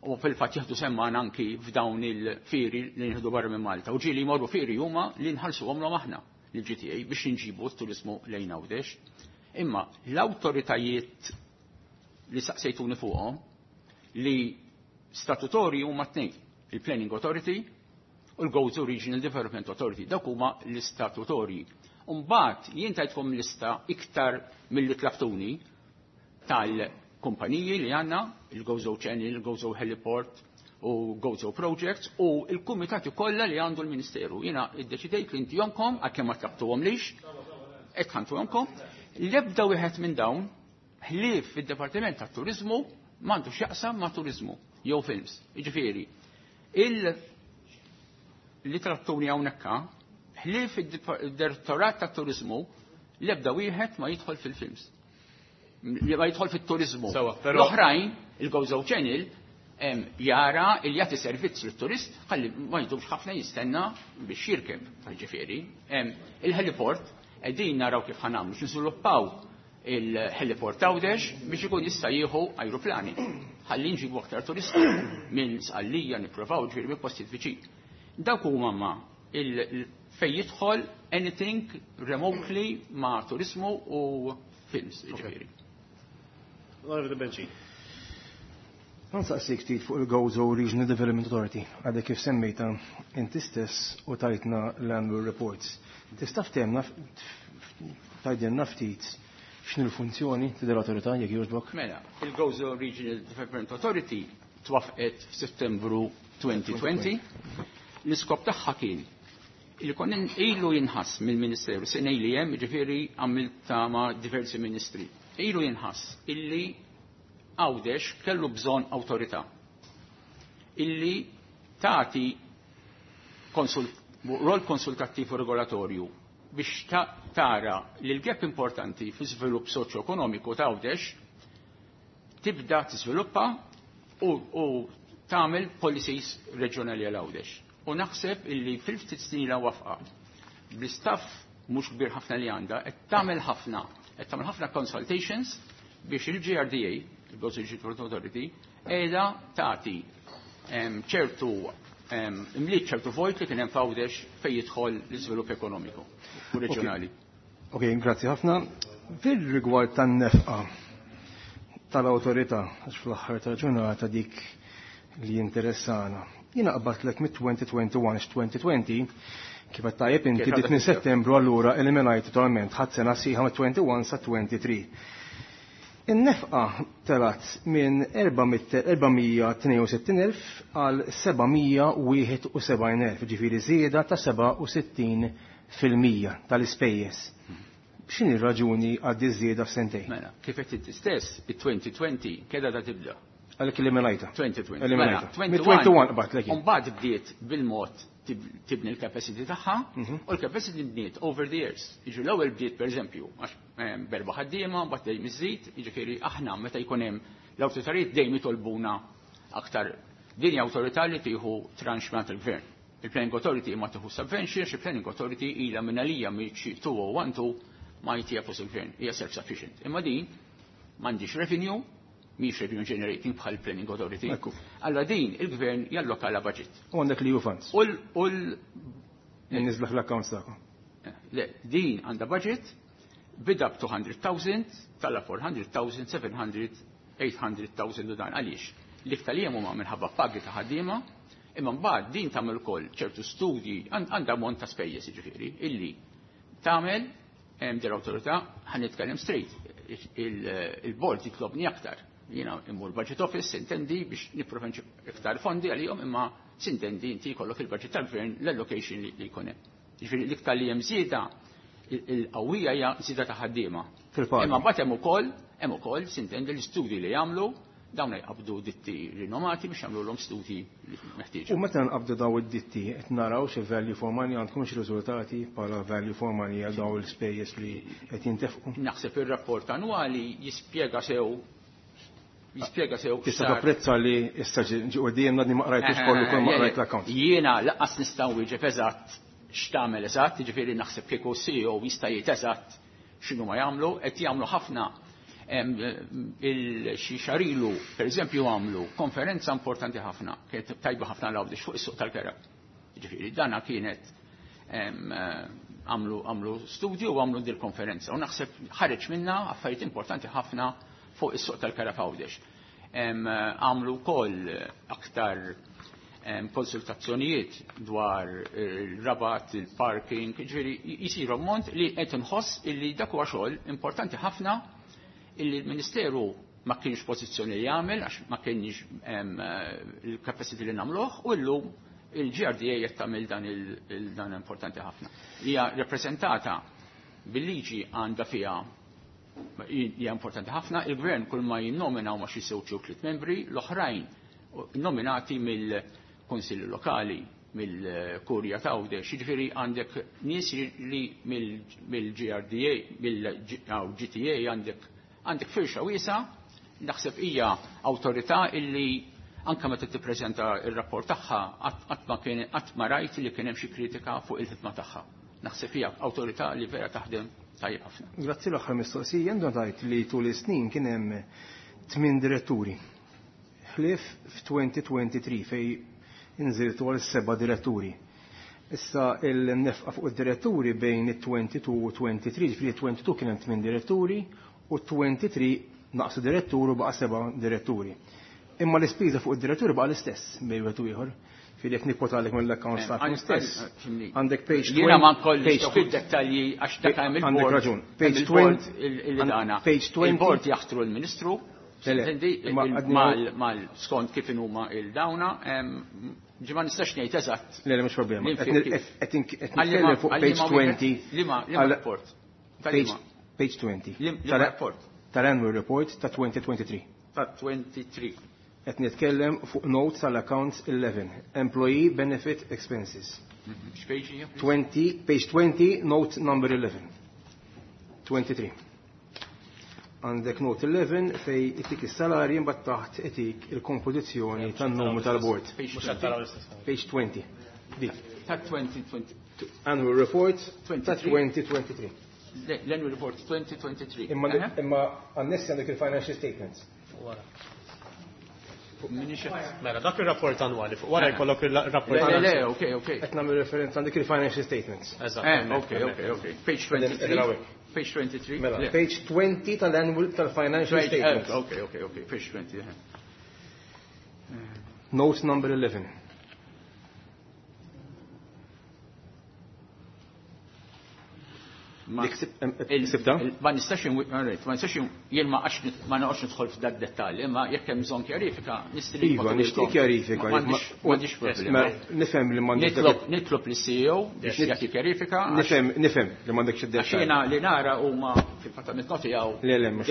U fil-fatt jieħdu sehem anki f'dawn il-fieri li nieħdu barra minn Malta. U ġieli jmorru fieri huma li nħallsuhom aħna l-G T A biex nġibu t-turizmu lejn Għawdex. Imma l-awtoritajiet li saqsejtuni fuqhom li statutorji huma tnejn, il-Planning Authority u l-Gozo Regional Development Authority. Dawk huma l-istatutorji. Umbagħad jien tajtkom lista iktar milli tlabtuni tal-kumpaniji li għandna, il-Gozo Channel, il-Gozo Heliport u Gozo Projects u il-kumitati kollha li għandu l-Ministeru. Jiena iddeċidejt li ntihomlkom, għalkemm ma tlabtuhomlix, hekk ħa ntihomlkom, l-ebda wieħed minn dawn ħlief fid-Dipartiment tat-Turizmu m'għandu x'jaqsam ma' turizmu jew films. Jiġifieri, il li tlabtuni hawnhekk ħlief id-Direttorat tat-Turizmu, l-ebda wieħed ma jidħol fil-films. Li ma jidħol fit-turizmu. L-oħrajn, il-Gozo Channel, jara il jagħti servizz lit-turist ħalli ma jdumx ħafna jistenna biex jirkeb, ġifieri. Il-heliport qegħdin naraw kif ħa nagħmlu niżviluppaw il-heliport Għawdex biex ikun jista' jieħu ajruplani. Ħalli nġibu aktar turisti minn Sqallija, nippruvaw ġifieri minn postijiet viċin. Dawk huma ma fej jidħol anything remotely ma' turizmu u films, ġifieri. Onorevoli Benci. Nsaqsik ftit fuq il-Gozo Regional Development Authority, għadek kif semmejta inti stess u tajtna l-annual reports. Tista' ftehemna tgħidilna ftit x'inhi l-funzjoni ta' l-awtorità, jekk jogħġbok? Mela, il-Gozo Regional Development Authority twaffqet f'Settembru elfejn u għoxrin. L-iskop tagħha kien li kon ilu jinħass mill-Ministeru, sena li hemm, ġifieri għamilta ma' diversi ministri. Ilu jinħass illi Għawdex kellu bżonn awtorità illi tagħti konsult, rol konsultattiv u regolatorju biex ta tara li l-gap importanti fi żvilupp soċjo-ekonomiku ta' Għawdex tibda tiżviluppa u, u tagħmel policies reġjonali għal Għawdex. U naħseb illi fil-ftit snin la wafqa bl-istaff mhux kbir ħafna li għandha qed tagħmel ħafna, qed tagħmel ħafna consultations biex il-G R D A, il-Gozo Regional Authority, qiegħda tagħti ċertu imliet ċertu vojt li kien hemm f'Għawdex fejn jidħol l-iżvilupp ekonomiku u reġjonali. Ok, grazzi ħafna. Fil-rigward tan-nefqa tal-awtorità, għax fl-aħħar tal-ġurnata dik li interessana. Jiena qbadtlek mit-elfejn u wieħed u għoxrin, elfejn u għoxrin kif qed tajjeb inti bdiet minn Settembru, allura eliminajt totalment ħadd sena sħiħa mit-wieħed u għoxrin sa tnejn u għoxrin. In-nefqa telat minn erba' mija tnejn u sittin elf għal seba' mija wieħed u sebgħin elf, ġifieri żieda ta' sebgħa u sittin fil-mija tal-ispejjeż. X'inhi r-raġuni għal żieda f'sentejn? Mela, kif qed inti stess, it-elfejn u għoxrin keda da tibda. Għalhekk eliminajta. elfejn u għoxrin. Eliminajta. Mela, Mit-wieħed u għoxrin qbadtlek. Mbagħad bdiet bil-mod tibni l-capacity tagħha u l-capacity bniet over the years. Jiġu l-ewwel bdiet, pereżempju, għax b'erba' ħaddiema, mbagħad dejjem iżid, jiġifieri aħna meta jkun hemm l-awtoritajiet dejjem jitolbuna aktar. Din hija awtorità li tieħu tranche minn il-gvern. Il-Planning Authority ma tieħu subvention, il-Planning Authority ilha minn għalija mill-elfejn u tnax ma jtiha flus il-gvern, hija self-sufficient. Imma din m'għandix revenue, mhix revenue generating bħal Planning Authority. Allora din il-gvern jallokala budget. U għandek li funds. U l Nizlaħ l-accounts tagħkom. Le, din għandha budget bida b' mitejn elf, tala erba' mitt elf, seba' mija, tmien mitt elf u dan għaliex. L-iktar li huma minħabba pagi ta' ħaddiema, imma mbagħad din tagħmel ukoll ċertu studji, għandha ammont ta' spejjeż jiġifieri illi tagħmel din l-awtorità. Ħa nitkellem straight, il-board jitlobni aktar. Jiena immur budget office, intendi, biex nipprova iktar fondi għalihom, imma s'intendi inti jkollok il-budget tal-gvern, l-allocation li jkun hemm. Jiġifieri l-iktar li hemm żieda il-qawwija hija żieda ta' ħaddiema. Imma mbagħad hemm ukoll hemm ukoll s'intendi l-istudji li jagħmlu dawn, jqabdu ditti rinomati biex jagħmlu l studji li meħtieġ. U meta nqabdu daw id-ditti, qed naraw xi value for money, għandkom xi riżultati bħala value for money għal daw l-ispejjeż li qed jintefqu? Naħseb ir-rapport annwali jispjega sew Jispjega sew. Tista' tapprezza li issa ġi qudiemna li ma qrajtux kollu kull ma qrajt l-account. Jiena lanqas nista' nwieġeb eżatt x'tagħmel eżatt, jiġifieri naħseb kieku C E O jista' jgħid eżatt x'inhu ma jagħmlu, qed jagħmlu ħafna xi xarilu, pereżempju għamlu konferenza importanti ħafna, kienet tajba ħafna l-Għawdex fuq is-suq tal-kera. Jiġifieri dana kienet għamlu għamlu studju u għamlu dil konferenza u naħseb ħareġ minna affarijiet importanti ħafna fuq is-suq tal-kera f'Għawdex. Għamlu wkoll aktar konsultazzjonijiet dwar il-rabat, il-parking, ġifieri jisiru ammont li qed inħoss illi dak huwa xogħol importanti ħafna illi l-Ministeru ma kienx pożizzjoni li jagħmel għax ma kienx il-capacity li nagħmluh u llum il-G R D A qed tagħmel dan il-dan importanti ħafna. Hija rappreżentata bil-liġi għandha fiha hija importanti ħafna, il-gvern kull ma jinnomina huma xi żewġ jew tliet membri, l-oħrajn nominati mill-Kunsilli Lokali, mill-Kurja ta' Għawdex, jiġifieri għandek nies li mill-G R D A, mill-G T A għandek għandek firxa wiesa, naħseb hija awtorità illi anke meta tippreżenta r-rapport tagħha qatt ma kien qatt ma rajt li kien hemm xi kritika fuq il-ħidma tagħha. Naħseb hija awtorità li vera taħdem tajjeb ħafna. Grazzi l-aħħar mistoqsija, għandu ngħid li tul is-snin kien hemm tmien diretturi. Ħlief f'twenty twenty-three fej inżiltu għal seba' diretturi. Issa il-nefqa fuq id-diretturi bejn it-twenty-two u twenty-three, ġifieri twenty-two kien hemm tmien diretturi u twenty-three naqsu direttur u baqa' seba' diretturi. Imma l-ispiża fuq id-diretturi baqa' l-istess bejn wieħed u ieħor. Fili jekk nikkotalek mill-account staff stess. Għandek page Jiena ma nkollix fid-dettalji għax dak hemm il-board. Għandek raġun. Page twenty. Page twenty. Il-board jaħtru l-Ministru. Mal skont kif inhuma il-dawna, ġi ma nistax ngħid eżatt. Le, le, mhux problema. Qed nitkellem fuq page twenty. Liema rapport? Page twenty. Liema rapport? Tal-annual report ta' twenty twenty-three. Ta' twenty-three. Qed nitkellem fuq notes tal-accounts eleven, employee benefit expenses. X'page hija? Twenty, page twenty, note number eleven. twenty-three. Għandek note eleven fej itik is-salarji mbagħad taħt itik il-kompożizzjoni tan-numru tal-board. Page twenty. Dik. Ta' twenty twenty. Annual report ta' twenty twenty-three. L-annual report twenty twenty-three. Imma imma għannessi għandek il-financial statements. Mela, dak il-rapport annwali, fuq wara jkollok il-rapport Le, le, ok, ok. Qed nagħmel referenza għandek il-financial statements. Eżatt. Ok, ok, ok. Page twenty-three. Page twenty-three. Mela, page twenty tal-annual tal-financial statements. Ok, ok, ok. Page twenty. Note number eleven. Ma nistax ma nistax jien ma għax ma noqgħodx nidħol f'dak dettall, imma jekk hemm bżonn kjarifika nistri. Iva, nixtieq kjarifika. M'għandix problema. Nifhem li m'għandek. Nitlob lis C E O biex jagħti kjarifika. Nifhem, nifhem li m'għandekx id-dettall. Għax jiena li nara huma fil-fatt noti hawn. Le, le, mhux.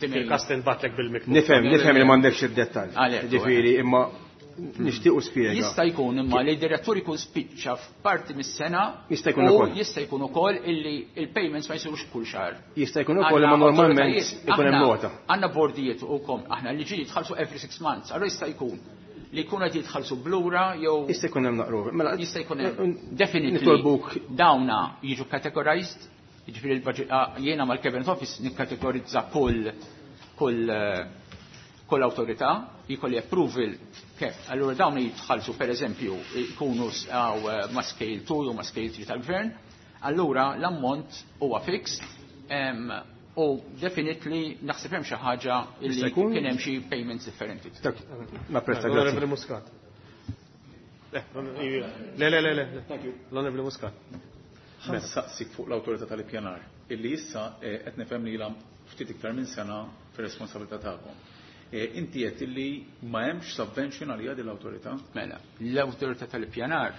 Fil-każ tinbatlek bil-miktub. Nifhem, nifhem li m'għandekx id-dettall. Ġifieri, imma nixtiequ spjega. Jista' jkun imma li d-direttur ikun spiċċa f'parti mis-sena. Jista' jkun ukoll. Jista' jkun ukoll illi il-payments ma jsirux kull xahar. Jista' jkun ukoll imma normalment ikun hemm nota. Għandna bordijiet ukoll aħna li ġi jitħallsu every six months, allura jista' jkun li jkun qed jitħallsu blura jew Jista' jkun hemm naqru. Mela jista' jkun hemm definitely dawna jiġu categorized, jiġifieri l-budget jiena mal-Cabinet Office nikkategorizza kull kull kull awtorità jkolli approval kif. Allura dawn jitħallsu pereżempju jkunu ma' scale two u ma' scale three tal-gvern, allura l-ammont huwa fixed u definitely naħseb hemm xi ħaġa li kien hemm xi payments differenti. Napprezza, grazzi. L-Onorevoli Muscat. Le, le, le, le. L-Onorevoli Muscat. Ħa nsaqsik fuq l-awtorità tal-ippjanar illi issa qed nifhem li ilha ftit iktar minn sena fir-responsabilità tagħkom. Inti qed illi ma hemmx subvention għalija din l-awtorità? Mela, l-awtorità tal-ippjanar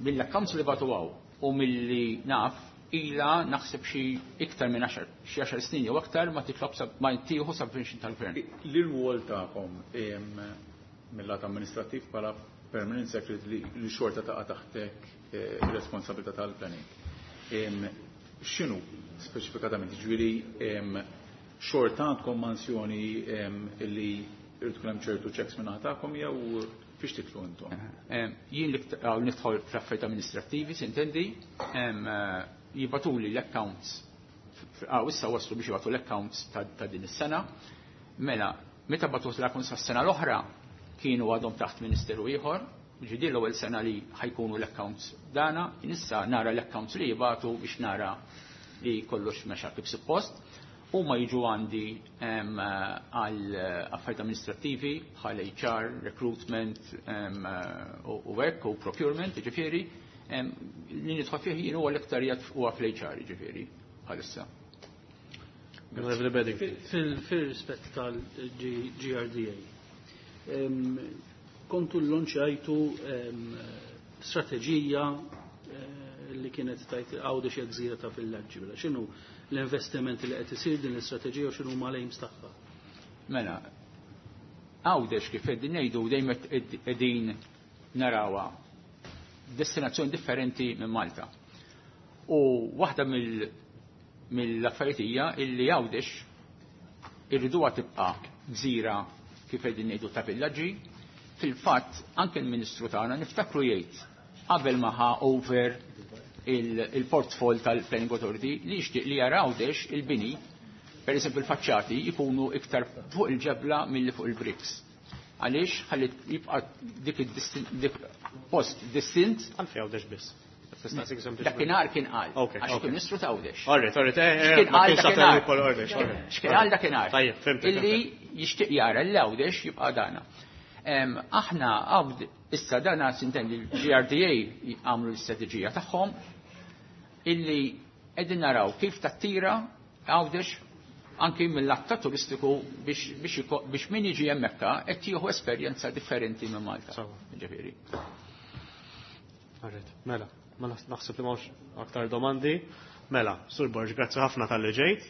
mill-accounts li bagħtu hawn u milli naf ila naħseb xi iktar minn għaxar, xi għaxar snin jew aktar ma titlob ma tieħu subvention tal-gvern. L-irwol tagħkom mill-lat amministrattiv bħala permanent secretary li xorta taqa' taħtek ir-responsabilità tal-planning. X'inhu speċifikatament? Ġifieri Xorta għandkom mansjoni illi irid tkun hemm ċertu checks minn tagħkom jew fiex titlu intom? Jien nidħol fl-affarijiet amministrattivi, sintendi, jibatuli l-accounts, issa waslu biex jibatu l-accounts ta' din is-sena. Mela, meta batu l-accounts tas-sena l-oħra kienu għadhom taħt ministeru ieħor, ġidi l-ewwel sena li ħajkunu l-accounts dana, issa nara l-accounts li jibatu biex nara li kollox mexa kif suppost. Huma jiġu għandi għal affarijiet amministrattivi bħal H R, recruitment u hekk u procurement, jiġifieri, li nidħol fih jien huwa l-iktar huwa fl-H R, jiġifieri, bħalissa. Fil-rispett tal-G R D A, kontu l-lonċajtu strateġija li kienet tajt Għawdex hija gżira ta' villaġġi. Mela x'inhu l-investiment li qed isir din l-istrateġija u x'inhu huma l-aims tagħha? Mela, Għawdex kif qegħdin ngħidu dejjem qegħdin narawha destinazzjoni differenti minn Malta. U waħda mill-affarijiet hija illi Għawdex irriduha tibqa' gżira kif qegħdin ngħidu ta' villaġġi. Fil-fatt anke l-Ministru tagħna niftakru jgħid qabel ma ħa over il-portfol tal-Planning Authority li jixtieq li jara Għawdex il-bini, per eżempju il-faċċati jkunu iktar fuq il-ġebla milli fuq il-bricks. Għaliex ħalli jibqa' dik dik post distint. Għalfejn Għawdex biss. Dakinhar kien qal. Għax kien Ministru ta' Għawdex. Alright, alright, ma kienx għal Għawdex. X'kien qal dakinhar? Tajjeb, fhimt. Illi jixtieq jara l Għawdex jibqa' dana. Aħna għawd issa dana sintendi l-G R D A għamlu l-istrateġija tagħhom illi qegħdin naraw kif tattira Għawdex anki mill-att turistiku biex, biex, biex min jiġi hemmhekk qed jieħu esperjenza differenti minn Malta. Ġifieri. Alright, mela, ma naħseb li m'hawnx aktar domandi. Mela, Sur Borg, grazzi ħafna tal-li ġejt.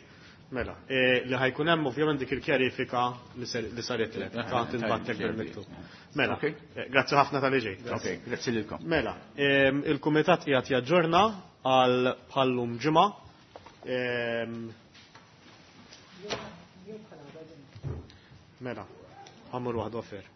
Mela, li ħajkun hemm ovvjament dik il-kjarifika li saret lek, ta' tinbattek bil-miktub. Mela, grazzi ħafna tal-li ġejt. Ok, grazzi lilkom. Mela, il-kumitat qiegħed jaġġorna għal bħallum ġimgħa. Mela, ħammur waħda offer.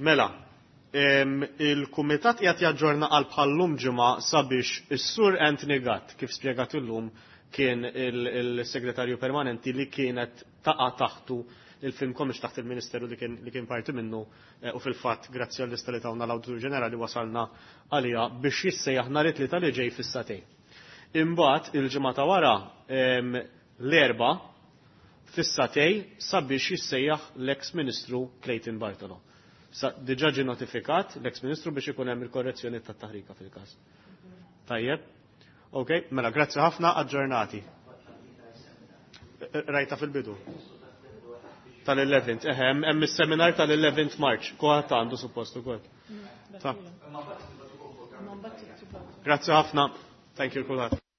Mela, Il-kumitat qiegħed jaġġorna għal bħallum ġimgħa sabiex is-Sur Anthony Gatt, kif spjegat illum, kien il-segretarju permanenti li kienet taqa' taħtu il-Film Commission taħt il-Ministeru li kien, li kien parti minnu eh, u fil-fatt grazzi għall-lista li tawna l-Awditur Ġenerali wasalna għalija biex jissejjaħ nhar it-Tlieta li ġej fis-sagħtejn. Imbagħad il-ġimgħa ta' wara l-Erbgħa fis-sagħtejn sabiex jissejjaħ l-ex Ministru Clayton Bartolo. Sa diġà ġie notifikat l-ex Ministru biex ikun hemm il-korrezzjoni tat-taħrika fil-każ. Tajjeb. Ok, mela grazzi ħafna, aġġornati. Rajta fil-bidu. Tal-eleventh, eħe, hemm is-seminar tal-eleventh March, kulħadd għandu suppost ukoll. Ta. Grazzi ħafna. Thank you kulħadd.